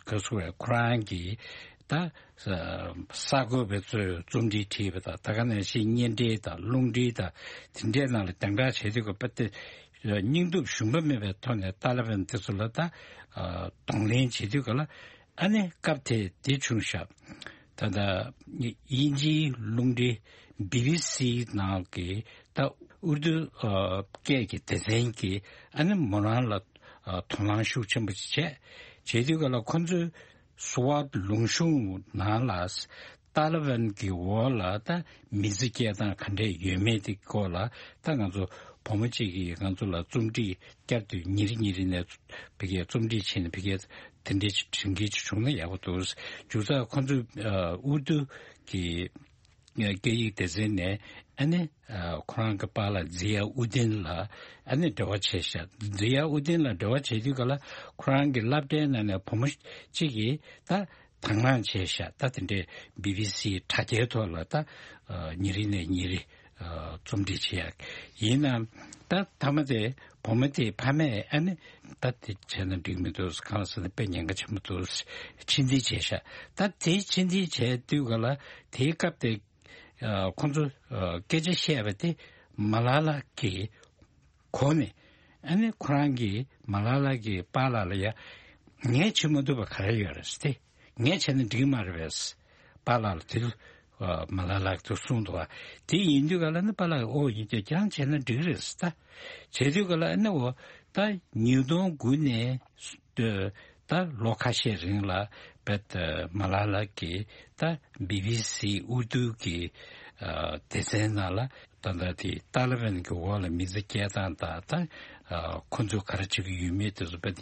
ག་སུ་བས་ཁོ་རང་གི་ད་གསར་འགོད་པའི་ཚོས་རྩོམ་སྒྲིག་བྲིས་པ་དང་། ད་ག་ནང་བཞིན་བརྙན་འཕྲིན་དང་རླུང་འཕྲིན་དང་དེ་འདྲའི་ནང་ལ་སྦྱང་བརྡར་བྱེད་དུས་ག་པ་དེ་སྙིང་སྟོབས་ཞུམ་པ་མེད་པའི་ཐོག་ནས་ཏཱ་ལི་བན་དེ་ཚོ་ལ་ད་གདོང་ལེན་བྱེད་དུས་ག་ལ་ཨ་ནི་སྐབས་དེ་དེ་བྱུང་ཤག་ད་ལྟ་དབྱིན་ཇིའི་རླུང་འཕྲིན་བི་བི་སི་ནང་གི་ད་ཨུར་དུ་སྐད་ཀྱི་སྡེ་ཚན་གྱིས་ཨ་ནི་མོ་རང་ལ་དོ་སྣང་ཤུགས་ཆེན་པོ་བྱས། བྱེད་དུས་ག་ལ་ཁོ་ཚོས་སུ་ཝཱད་ལུང་གཤོང་ནང་ལ་ཏཱ་ལི་བན་གྱི་འོག་ལ་ད་མི་ཚེ་སྐྱེལ་སྟངས་ག་འདྲས་ཡོད་མེད་དེ་སྐོར་ལ་ད་ང་ཚོ་བུ་མོ་གཅིག་གིས་ང་ཚོ་ལ་རྩོམ་སྒྲིག་བསྐྱར་དུ་ཉིན་རེ་ཉིན་རེ་ནས་ཕ་གིའི་རྩོམ་སྒྲིག་བྱས་ནས་ཕ་གིའི་དེ་འདྲའི་ཅིག་དྲན་སྐུལ་ཅིག་བྱུང་ན་ཡག་པོ་འདུག་མཇུག་རྩ་ཁོ་ཚོས་ཨུར་དུ་གི་སྐད་ཡིག་སྡེ་ཚན་ནས་ཨ་ནི་ཁོ་རང་གི་པཱ་ལགས་ཛི་ཡ་ཨུ་དིན་ལ་ཨ་ནི་འབྲེལ་བ་བྱས་ཤག་ཛི་ཡ་ཨུ་དིན་ལ་འབྲེལ་བ་བྱེད་དུས་ག་ལ་ཁོ་རང་གི་སློབ་གྲྭའི་ནང་ནས་བུ་མོ་གཅིག་གིས་ད་དང་བླངས་བྱས་ཤག་ད་དེ་འདྲའི་བི་བི་སི་དྲ་རྒྱའི་ཐོག་ལ་ད་ཉིན་རེ་ནས་ཉིན་རེ་རྩོམ་སྒྲིག་བྱེད་ཡག་ཡིན་ནའང་ད་མཐའ་མ་དེ་བུ་མོ་དེའི་ཕ་མས་ཨ་ནི་ད་དེ་བྱས་ན་འགྲིག་མི་འདུག་གང་ཟེར་ན་དཔེ་ཉེན་ཁ་ཆེན་པོ་འདུག་ཕྱིར་འཐེན་བྱས་ཤག་ད་དེ་ཕྱིར་འཐེན་བྱས་དུས་ག་ལ་དེའི་སྐབས་དེ་ཁོང་ཚོ་སྐད་ཆ་བཤད་པ་དེ་མ་ལ་ལ་གི་གོ་ནས་ཨ་ནི་ཁོ་རང་གིས་མ་ལ་ལ་གི་པཱ་ལགས་ལ་ཡ་ངས་བྱེད་མ་ཐུབ་པ་ག་རེ་ཡོད་རེད་ཟེར་ཏེ། ངས་བྱས་ན་འགྲིག་མ་རེད་པས། པཱ་ལགས་ལ་དེ་ལ་མ་ལ་ལ་གིས་གསུངས་འདུག་བ། དེ་ཡིན་དུས་ག་ལ་ནི་པཱ་ལགས་ཨོ་ཡིན་ཀྱང་ཁྱེད་རང་བྱས་ན་འགྲིག་རེད་ཟེར་ད། བྱས་དུས་ག་ལ་ཨ་ནི་འོ་ད་ཉིས་སྟོང་དགུ་ནས་ད་ལོ་ཁ་ཤས་རིང་ལ་བེད་མ་ལ་ལ་གིས་ད་བི་བི་སི་ཨུར་དུ་གི་སྡེ་ཚན་ནང་ལ་ད་ལྟ་དེ་ཏཱ་ལི་བན་གྱི་འོག་ལ་མི་ཚེ་སྐྱེལ་སྟངས་དང་ད་ཁོ་ཚོས་ག་རེ་བྱེད་ཀྱི་ཡོད་མེད་དེ་ཚོ་བེད་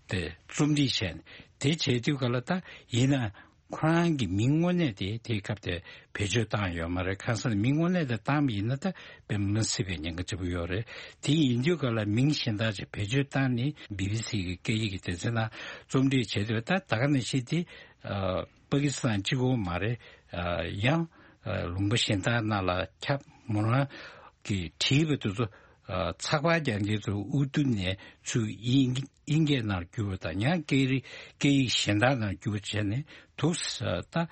དེ་རྩོམ་སྒྲིག་བྱས་ནས་དེ་བྱས་དུས་ག་ལ་ད་ཡིན་ན། ཁོ་རང་གི་མིང་དངོས་གནས་དེ་དེའི་སྐབས་དེ་བེད་སྤྱོད་བཏང་ཡོད་མ་རེད། གང་ཟེར་ན་མིང་དངོས་གནས་དེ་བཏང་བ་ཡིན་ན་ད་དཔེ་མི་སྲིད་པའི་ཉེན་ཁ་ཆེན་པོ་ཡོད་རེད། དེ་ཡིན་དུས་ག་ལ་མིང་གཞན་དག་ཅིག་བེད་སྤྱོད་བཏང་ནས་བི་བི་སི་གི་སྐད་ཡིག་གི་སྡེ་ཚན་ནང་རྩོམ་སྒྲིག་བྱས་དུས་ད་ད་ག་ནང་བཞིན་དེ་པ་ཀི་སི་ཐན་གཅིག་པོ་མ་རེད། ཡང་ལུང་པ་གཞན་དག་ནང་ལ་ཁྱབ། མོ་རང་གིས་བྲིས་པ་དེ་ཚོ་ཚགས་པར་རྒྱག་མཁན་ཚོ་ཨུར་དུ་ནས་ཚུར་དབྱིན་དབྱིན་སྐད་ནང་བསྒྱུར་བ་དང་ཡང་སྐད་རིགས་སྐད་ཡིག་གཞན་དག་ནང་བསྒྱུར་བ་བྱས་ནས་འདུག་ད་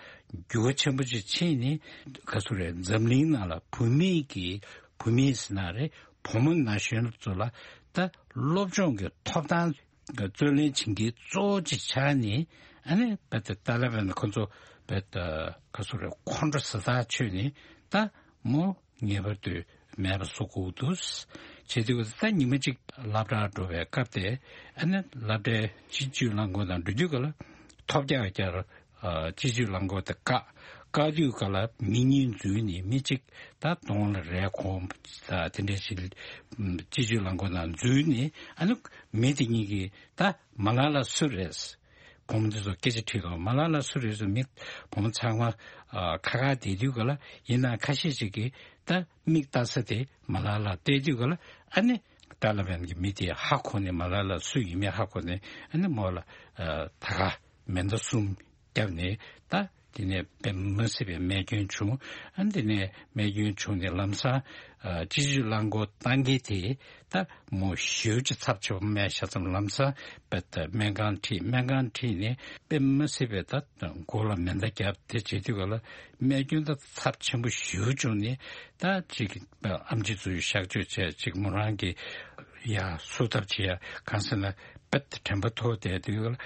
འགྱུར་བ་ཆེན་པོ་ཅིག་ཕྱིན་ནས་ག་ཚོད་རེད། འཛམ་གླིང་ནང་ལ་བུད་མེད་ཀྱི་བུད་མེད་ཟེར་ན་རེད། བུ་མོ་ན་གཞོན་ཚོ་ལ་ད་སློབ་སྦྱོང་གི་ཐོབ་ཐང་རྩོད་ལེན་བྱེད་མཁན་གཙོ་བོ་ཅིག་ཆགས་ནས་ཨ་ནི་བེད་ཏཱ་ལི་བན་ཁོ་ཚོ་བེད་ག་ཚོད་རེད། ཁོང་ཁྲོ་ཟ་ཐག་ཆོད་ནས་ད་མོ། ངེས་པར་དུ་མེད་པ་བཟོ་དགོས་འདུག་བྱེད་དུས་ད་ཉི་མ་གཅིག་སློབ་གྲྭར་འགྲོ་བའི་སྐབས་དེ་ཨ་ནི་སློབ་གྲྭའི་སྤྱི་སྤྱོད་རླངས་འཁོར་ནང་འགྲོ་དུས་ག་ལ་ཐོལ་རྒྱག་རྒྱག་སྤྱི་སྤྱོད་རླངས་འཁོར་དེ་བཀག་བཀག་དུས་ག་ལ་མི་གཉིས་འཛུལ་ནས་མི་གཅིག་ད་གདོང་ལ་རས་གོན་ད་དེ་འདྲ་ཞིག་སྤྱི་སྤྱོད་རླངས་འཁོར་ནང་འཛུལ་ནས་ཨ་ནི་མི་དེ་གཉིས་ཀྱིས་ད་མ་ལ་ལ་སུ་རེད། བུ་མོ་འདི་ཚོ་སྐད་ཆ་དྲིས་དང་། མ་ལ་ལ་སུ་རེད་ཟེར་མི་བུ་མོ་ཚང་མ་ཨ་ཁ་ཁ་བསྡད་དུས་ག་ལ་ཡིན་ན་ཁ་ཤས་ཅིག་གིས་ད་མིག་ལྟ་ས་དེ་མ་ལ་ལ་བལྟས་དུས་ག་ལ་ཨ་ནི་ཏཱ་ལི་བན་གྱི་མི་དེ་ཧ་གོ་ནས་མ་ལ་ལ་སུ་ཡིན་མིན་ཧ་གོ་ནས་ཨ་ནི་མོ་ལ་ཨ་ད་ག་མེ་མདའ་གསུམ་བརྒྱབ་ནས་ད་དེ་ནས་དཔེ་མི་སྲིད་པའི་རྨས་སྐྱོན་བྱུང་། ཨ་ནི་དེ་ནས་རྨས་སྐྱོན་བྱུང་ནས་ལམ་སང་ཨ་སྤྱི་སྤྱོད་རླངས་འཁོར་བཏང་མཁན་དེ། ད་མོ་ཞེ་པོ་ཅིག་ཚབས་ཆེ་བ་རྨས་ཤ་ཙམ་ལམ་སང་བེད་སྨན་ཁང་ཁྲིད། སྨན་ཁང་ཁྲིད་ནས་དཔེ་མི་སྲིད་པའི་ད་མགོ་ལ་མེ་མདའ་བརྒྱབ་དེ་བྱེད་དུས་ག་ལ་རྨས་སྐྱོན་ད་ཚབས་ཆེན་པོ་ཞེ་པོ་བྱུང་ནས་ད་ཅིག་ཨེམ་ཆི་ཚོས་གཤག་བཅོས་བྱས། ཅིག་མོ་རང་གི་ཡ་སུ་ཐབས་བྱེད་ཡ་གང་ཟེར་ན་བེད་དྲན་པ་ཐོར་བསྡད་དུས་ག་ལ་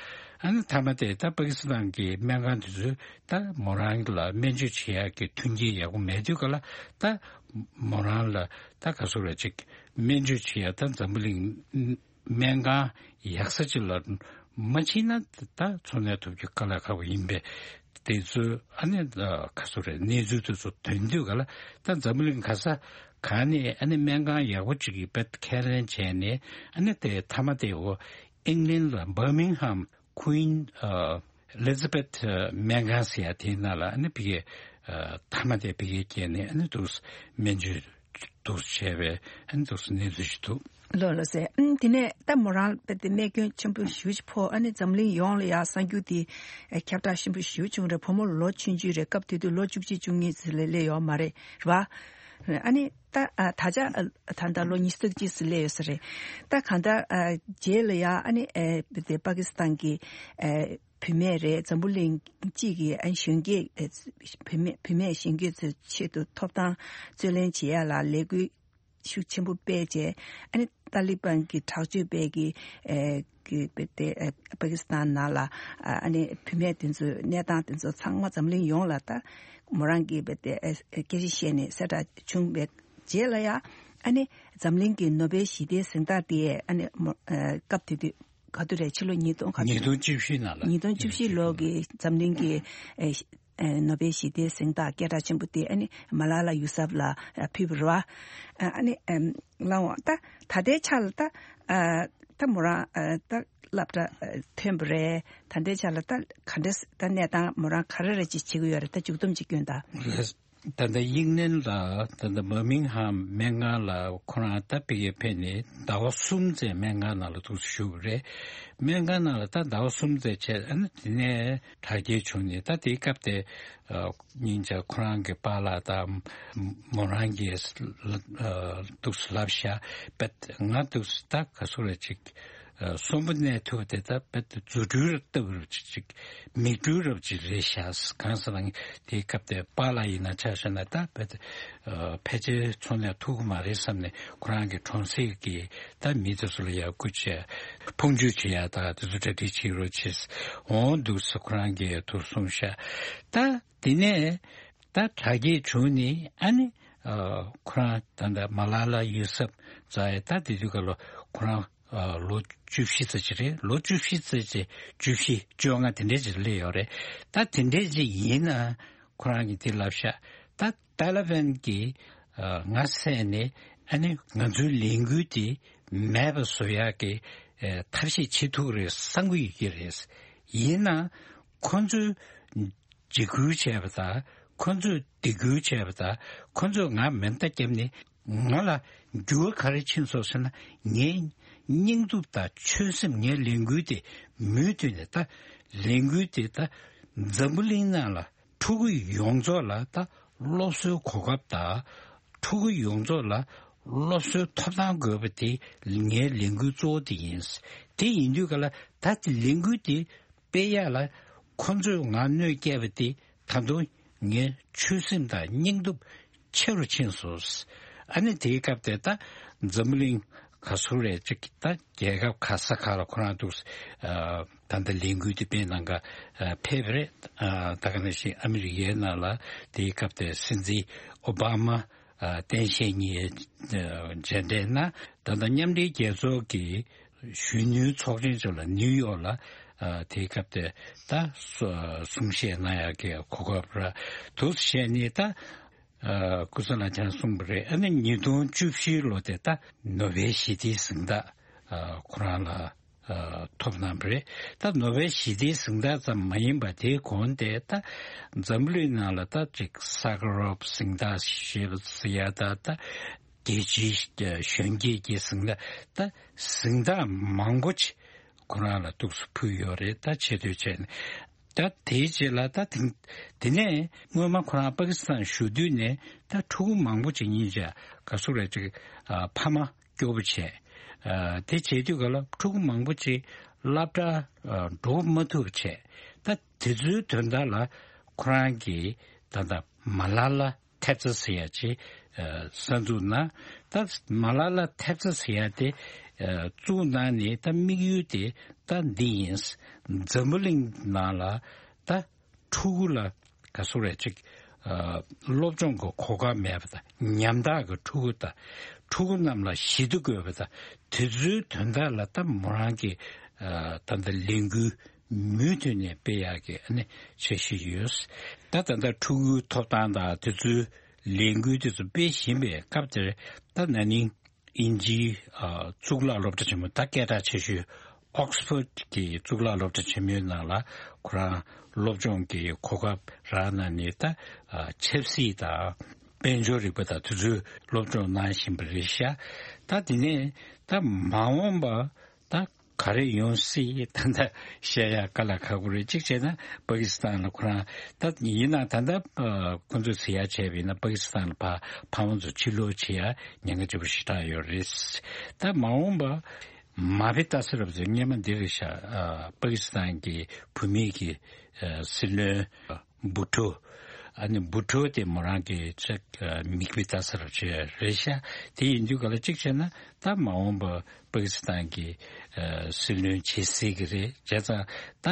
ཨ་ནི་མཐའ་མ་དེ་ད་པ་ཀི་སི་ཐན་གྱི་སྨན་ཁང་དེ་ཚོས་ད་མོ་རང་ལ་སྨན་བཅོས་བྱེད་ཡ་གི་མཐུན་རྐྱེན་ཡག་པོ་མེད་དུས་ག་ལ་ད་མོ་རང་ལ་ད་ག་ཚོད་རེད་ཅིག་སྨན་བཅོས་བྱེད་ཡ་ད་འཛམ་བུ་གླིང་སྨན་ཁང་ཡག་ས་ཅིག་ལ་མ་ཕྱིན་ན་ད་འཚོ་གནས་ཐུབ་རྒྱུ་དཀའ་ལས་ཁག་པོ་ཡིན་པས། དེ་ཚོ་ཨ་ནི་ག་ཚོད་རེད། གནས་ཚུལ་དེ་ཚོ་ཐོན་དུས་ག་ལ་ད་འཛམ་བུ་གླིང་ག་ས་ག་ནས་ཨ་ནི་སྨན་ཁང་ཡག་པོ་ཅིག་གི་བེད་ཁས་ལེན་བྱས་ནས་ཨ་ནི་དེ་མཐའ་མ་དེ་འོ་ཨིང་ལན་ལ་བར་མིང་ཧམ་Queen ཨ་Elizabeth སྨན་ཁང་ཟེར་ཡ་དེའི་ནང་ལ་ཨ་ནི་ཕ་གིའི་ཨ་མཐའ་མ་དེ་ཕ་གིར་བསྐྱལ་ནས་ཨ་ནི་འདུག་སྨན་བཅོས་འདུག་བྱས་པའི་ཨ་ནི་འདུག་གནས་ཚུལ་ཞིག་འདུག་ལགས་ལགས་སེ། ཨམ་དེ་ནས་ད་མོ་རང་དཔེ་དེ་རྨས་སྐྱོན་ཆེན་པོ་ཞེ་པོ་ཅིག་ཕོག་ཨ་ནི་འཛམ་གླིང་ཡོངས་ལ་ཡ་གསར་འགྱུར་དེ་ཨ་ཁྱབ་བསྒྲགས་ཆེན་པོ་ཞེ་པོ་བྱུང་རེད། བུ་མོ་ལོ་ཆུང་ཆུང་རེད། སྐབས་དེ་དུས་ལོ་བཅུ་གཅིག་བཅུ་གཉིས་ཙམ་ལས་སླེབས་ཡོད་མ་རེད། རེད་པ། ཨ་ནི་ད་ཨ་ད་ཆ་ཨ་ད་ལྟ་ལོ་ཉི་ཤུ་རྩ་གཅིག་ཙམ་སླེབས་ཡོད་ས་རེད། ད་གང་ལྟར་ཨ་རྗེས་ལ་ཡང་ཨ་ནི་ཨ་དེ་པ་ཀི་སི་ཐན་གྱི་ཨ་བུད་མེད་རེད། འཛམ་བུ་གླིང་གཅིག་གི་ཨ་གཞོན་སྐྱེས་ཨ་བུད་མེད་བུད་མེད་གཞོན་སྐྱེས་ཚོའི་ཆེད་དུ་ཐོབ་ཐང་རྩོད་ལེན་བྱེད་ཡ་ལ་ལས་འགུལ་ཤུགས་ཆེན་པོ་སྤེལ་བྱས། ཨ་ནི་ཏཱ་ལི་བན་གྱི་དྲག་སྤྱོད་པའི་གི་ཨེ་གི་བེ་ཏེ་ཨེ་པ་ཀི་སི་ཐན་ནང་ལ་ཨ་ནི་བུད་མེད་དེ་ཚོའི་གནས་སྟངས་དེ་ཚོ་ཚང་མ་འཛམ་གླིང་ཡོངས་ལ་ད་མོ་རང་གི་བེ་ཏེ་ཨེ་སྐད་ཆ་བཤད་ནས་གསལ་བསྒྲགས་བྱུང་བའི་རྗེས་ལ་ཡང་ཨ་ནི་འཛམ་གླིང་གི་ནོ་བེལ་ཞི་བདེའི་གཟེངས་རྟགས་དེ་ཨ་ནི་མོ་ཨེ་སྐབས་དེ་དུས་ག་དུས་རེད། ཕྱི་ལོ་ཉིས་སྟོང་ག་ཉིས་སྟོང་བཅུ་བཞི་ནང་ལ། ཉིས་སྟོང་བཅུ་བཞི་ལོ་གི་འཛམ་གླིང་གི་ཨེ་ཨེ་ནོ་བེལ་ཞི་བདེའི་གཟེངས་རྟགས་སྐད་གྲགས་ཆེན་པོ་དེ་ཨ་ནི་མ་ལ་ལ་ཡུ་སབ་ལ་ཨ་ཕུལ་བ་རེད་བ། ཨ་ནི་ཨེམ་ལའང་ད་ད་ལྟའི་ཆ་ལ་ད་ཨ་ད་མོ་རང་ཨ་ད་སློབ་གྲྭ་ཨ་ཐོན་པ་རེད། ད་ལྟའི་ཆ་ལ་ད་ག་འདྲ་ད་གནས་སྟངས་མོ་རང་ག་རེ་རེ་ཅིག་བྱེད་ཀྱི་ཡོད་རེད། ད་མཇུག་སྡོམ་ཅིག་སྐྱོན་དང་། ད་ལྟ་དབྱིན་ལན་ལ་ད་ལྟ་བར་མིང་ཧམ་སྨན་ཁང་ལ་ཁོ་རང་ད་ཕ་གིར་ཕེབས་ནས་ཟླ་བ་གསུམ་ཙམ་སྨན་ཁང་ནང་ལ་འདུག་སེ་བཞུགས་པ་རེད། སྨན་ཁང་ནང་ལ་ད་ཟླ་བ་གསུམ་ཙམ་བྱས། ཨ་ནི་དེ་ནས་དྲག་སྐྱེད་བྱུང་ནས། ད་དེའི་སྐབས་དེ་ཨ་སྙིང་རྗེ་ཁོ་རང་གི་པཱ་ལགས་དང་མོ་རང་གིས་ཨ་འདུག་སེ་ལབ་ཤག་པད་ང་འདུག་སེ་ད་ག་སུ་རེད་ཅིག་ཨ་གསོན་པོ་གནས་ཐུབ་པ་དེ་ད་དཔེ་རྫུ་འཕྲུལ་ལྟ་བུ་ཅིག་མིག་འཕྲུལ་རབ་ཅིག་རེད་ཤག་གང་ཟེར་ན་དེའི་སྐབས་དེ་པཱ་ལགས་ཡིན་ན་ཆ་བཞག་ན་ད་དཔེ་ཨ་ཕལ་ཆེར་འཚོ་གནས་ཐུབ་ཀྱི་མ་རེད་བསམ་ནས། ཁོ་རང་གི་གྲོང་གསེབ་ཀྱི་ད་མི་དེ་ཚོ་ལ་ཡར་སྐུལ་བྱས། ཕུང་སྐྱོར་བྱེད་ཡ་ད་དེ་ཚོ་གྲ་སྒྲིག་བྱེད་རོགས་བྱེད། འོང་འདུག་ཟེར་ཁོ་རང་གིས་ཐུགས་གསུངས་ཤག་ད་དེ་ནས་ད་དྲག་སྐྱེད་བྱུང་ནས། ཨ་ནི་ཨ་ཁོ་རང་ད་ལྟ་མ་ལ་ལ་ཡུ་སབ་ཛ་ཡ་ད་དེ་དུས་སྐབས་ལ་ཁོ་རང་ཨ་ལོ་བཅུ་བཞི་ཙམ་ཅིག་རེད། ལོ་བཅུ་བཞི་ཙམ་ཅིག་བཅུ་བཞི་བཅོ་ལྔ་དེ་འདྲས་ཅིག་སླེབས་ཡོད་རེད། ད་དེ་འདྲས་ཅིག་ཡིན་ན་ཁོ་རང་གིས་དེ་ལབ་ཤག་ད་ཏཱ་ལི་བན་གྱིས་ཨ་ང་བསད་ནས་ཨ་ནི་ང་ཚོའི་ལས་འགུལ་དེ་མེད་པ་བཟོ་ཡག་གི་ཨ་ཐབས་ཤེས་བྱེད་ཐུབ་ཀྱི་རེད་བསམ་གྱི་ཡོད་ཀྱི་རེད། ཡིན་ནའང་ཁོ་ཚོས་འཇིགས་སྐུལ་བྱས་པ་དང་། ཁོ་ཚོས་སྡིགས་སྐུལ་བྱས་པ་དང་། ཁོ་ཚོས་ང་མེ་མདའ་བརྒྱབ་ནས་ང་ལ་འགྱུར་བ་ག་རེ་ཕྱིན་སོང་ཟེར་ན། ངའི་སྙིང་སྟོབས་དང་ཆོད་སེམས། ངའི་ལས་འགུལ་དེ་མུ་མཐུད་ནས། ད་ལས་འགུལ་དེ་ད་འཛམ་བུ་གླིང་ནང་ལ་ཕྲུ་གུ་ཡོངས་རྫོགས་ལ་ད་སློབ་གསོའི་གོ་སྐབས་དང་། ཕྲུ་གུ་ཡོངས་རྫོགས་ལ་སློབ་གསོའི་ཐོབ་ཐང་དགོས་པ་དེ་ངའི་ལས་འགུལ་གཙོ་བོ་དེ་ཡིན། དེ་ཡིན་དུས་ག་ལ་ད་དེ་ལས་འགུལ་དེ་སྤེལ་ཡག་ལ་ཁོ་ཚོས་ང་གནོད་སྐྱེལ་བ་དེ་ད་དུང་ངའི་ཆོད་སེམས་དང་སྙིང་སྟོབས་ཆེ་རུ་ཕྱིན་སོང་། ཨ་ནི་དེའི་སྐབས་དེ་ད་འཛམ་བུ་གླིང་ག་ཚོད་རེད་ཅིག་ད་རྒྱལ་ཁབ་ག་ས་ག་ལ་ཁོ་རང་འདུག་ཨ་ད་ལྟ་ལས་འགུལ་དེ་སྤེལ་གནང་ག་ཨ་ཕེབས་པ་རེད། ཨ་ད་ག་ནང་བཞིན་ཨ་མི་རི་ཀའི་ནང་ལ་དེའི་སྐབས་དེ་སྲིད་འཛིན་ཨོ་བྷ་མ་ཨ་སྟངས་དཔྱལ་གཉིས་ཨ་མཇལ་འཕྲད་གནང་། ད་ལྟ་མཉམ་འབྲེལ་རྒྱལ་ཚོགས་ཀྱི་གཞོན་ནུའི་ཚོགས་ཆེན་ཚོ་ལ་ནིའུ་ཡོག་ལ་ཨ་དེའི་སྐབས་དེ་ད་གསུང་བཤད་གནང་ཡག་གི་གོ་སྐབས་རག་འདུག་ཟེར་ནས། ད་ཨ་སྐུ་ཚེ་ལ་ཆང་གསུངས་པ་རེད། ཨ་ནི་ཉིས་སྟོང་བཅུ་བཞི་ལོ་དེ་ད་ནོ་བེལ་ཞི་བདེའི་གཟེངས་རྟགས་ཨ་ཁོ་རང་ལ་ཨ་ཐོབ་གནང་བ་རེད། ད་ནོ་བེལ་ཞི་བདེའི་གཟེངས་རྟགས་ཙམ་མ་ཡིན་པ། དེའི་གོང་དེ་ད་འཛམ་བུ་གླིང་ནང་ལ་ད་ཅིག་ས་ཁ་རོབ་གཟེངས་རྟགས་ཞེས་པ་ཟེར་ཡ་ད་ད་རྒྱལ་སྤྱིའི་གཞོན་སྐྱེས་ཀྱི་གཟེངས་རྟགས། ད་གཟེངས་རྟགས་མང་པོ་ཅིག་ཁོ་རང་ལ་འདུག་སེ་ཕུལ་ཡོད་རེད། ད་ཆེ་བསྟོད་བྱས་ནས། ད་དེའི་རྗེས་ལ་ད་དེ་དེ་ནས་སྔོན་མ་ཁོ་རང་པ་ཀི་སི་ཐན་བཞུགས་དུས་ནས་ད་ཕྲུ་གུ་མང་པོ་ཅིག་སྙིང་རྗེ་ག་སུ་རེད་ཅིག་ཨ་ཕ་མ་སྐྱོ་པོ་བྱས། ཨ་དེ་བྱེད་དུས་ག་ལ་ཕྲུ་གུ་མང་པོ་ཅིག་སློབ་གྲྭ་ཨ་འགྲོ་མ་ཐུབ་པ་བྱས། ད་དེ་ཚོའི་དོན་དག་ལ་ཁོ་རང་གིས་ད་ད་མ་ལ་ལ་ཐེབས་རྩ་ཟེར་ཡ་ཅིག་ཨ་གསར་འཛུགས་གནང་། ད་མ་ལ་ལ་ཐེབས་རྩ་ཟེར་ཡ་དེ་ཨ་བཙུགས་གནང་ནས་ད་དམིགས་ཡུལ་དེ་ད་འདི་ཡིན། འཛམ་བུ་གླིང་ནང་ལ་ད་ཕྲུ་གུ་ལ་ག་སུ་རེད་ཅིག་ཨ་སློབ་སྦྱོང་གི་གོ་སྐབས་མེད་པ་དང་། ཉམ་ཐག་གི་ཕྲུ་གུ་དང་། ཕྲུ་གུ་རྣམས་ལ་ཞི་བདེ་དགོས་པ་དང་། དེ་ཚོའི་དོན་དག་ལ་ད་མོ་རང་གིས་ཨ་ད་ལྟ་ལས་འགུལ་མུ་མཐུད་ནས་སྤེལ་ཡག་གི་ཨ་ནི་འཆར་གཞི་ཡོད། ད་ད་ལྟ་ཕྲུ་གུའི་ཐོབ་ཐང་དང་དེ་ཚོའི་ལས་འགུལ་དེ་ཚོ་སྤེལ་བཞིན་པའི་སྐབས་དེར། ད་ན་ནིང་དབྱིན་ཇིའི་ཨ་གཙུག་ལག་སློབ་གྲྭ་ཆེན་མོ། ད་སྐད་གྲགས་ཆེ་ཤོས་ཨོག་སི་ཕོར་གྱི་གཙུག་ལག་སློབ་གྲྭ་ཆེན་མོའི་ནང་ལ་ཁོ་རང་སློབ་སྦྱོང་གི་གོ་སྐབས་རག་གནང་ནས། ད་ཨ་ཆབ་སྲིད་དང་དཔལ་འབྱོར་རིག་པ་དང་དེ་ཚོའི་སློབ་སྦྱོང་གནང་བཞིན་པ་རེད་ཤག་ད་དེ་ནས་ད་མ་འོངས་པ་ད་ག་ ག་རེ་ཡོང་སྲིད་ད་ལྟ་བཤད་ཡ་དཀའ་ལས་ཁག་པོ་རེད། གཅིག་བྱས་ན་པ་ཀི་སི་ཐན་ལ་ཁོ་རང་ད་ཡིན་ན་ད་ལྟ་ཁོ་ཚོས་ཟེར་ཡ་བྱས་པ་ཡིན་ན་པ་ཀི་སི་ཐན་ལ་ཕ་ཕ་མ་ཚོ་ཕྱིར་ལོག་བྱེད་ཡ་ཉེན་ཁ་ཆེན་པོ་ཞེ་དྲག་ཡོད་རེད། ད་མ་འོངས་པ་མ་ཕེ་ཏ་ས་རབ་ཚོས་སྔས་མ་འདི་རེད་ཤག་པ་ཀི་སི་ཐན་གྱི་བུད་མེད་ཀྱི་སྲིད་བློན་བུ་ཊོ། ཨ་ནི་བུ་ཊོ་དེ་མོ་རང་གི་ཅིག་མིག་དཔེ་ལྟ་ས་རབ་ཅིག་རེད་ཤག་དེ་ཡིན་དུས་ག་ལ་གཅིག་བྱས་ན་ད་མ་འོངས་པ་པ་ཀི་སི་ཐན་གྱི་སྲིད་བློན་བྱེད་སྲིད་ཀྱི་རེད། བྱས་ཙང་ད་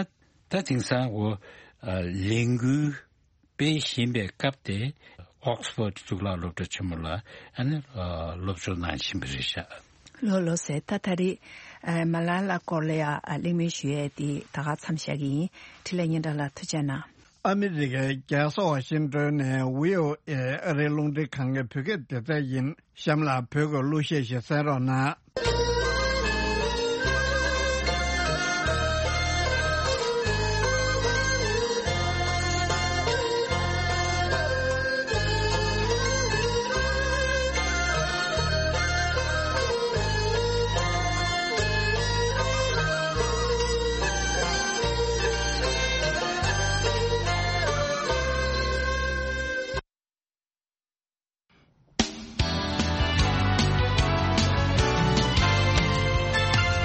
ད་དེང་སང་འོ་ལས་འགུལ་སྤེལ་བཞིན་པའི་སྐབས་དེ་ཨོག་སི་ཕོར་གཙུག་ལག་སློབ་གྲྭ་ཆེན་མོ་ལ་ཨ་ནི་སློབ་སྦྱོང་གནང་བཞིན་པ་རེད་ཤག་ལོ་ལོ་ཟེར་ད་ད་རེས་མ་ལ་ལ་སྐོར་ལ་ཡ་གླེང་མོལ་ཞུ་ཡས་དེ་ད་ག་མཚམས་བཞག་གི་ཡིན། འཕྲིན་ལས་སྙན་གྲགས་ལགས་ཐུགས་རྗེ་གནང་། ཨ་མི་རི་ཀའི་རྒྱལ་ས་ཝ་ཤིང་ཏོན་ནས་བྷི་ཨོ་ཨེ་ཨ་རིའི་རླུང་འཕྲིན་ཁང་གི་བོད་སྐད་སྡེ་ཚན་ཡིན། གཤམ་ལ་བོད་ཀྱི་གླུ་གཞས་ཤིག་གསན་རོགས་གནང་།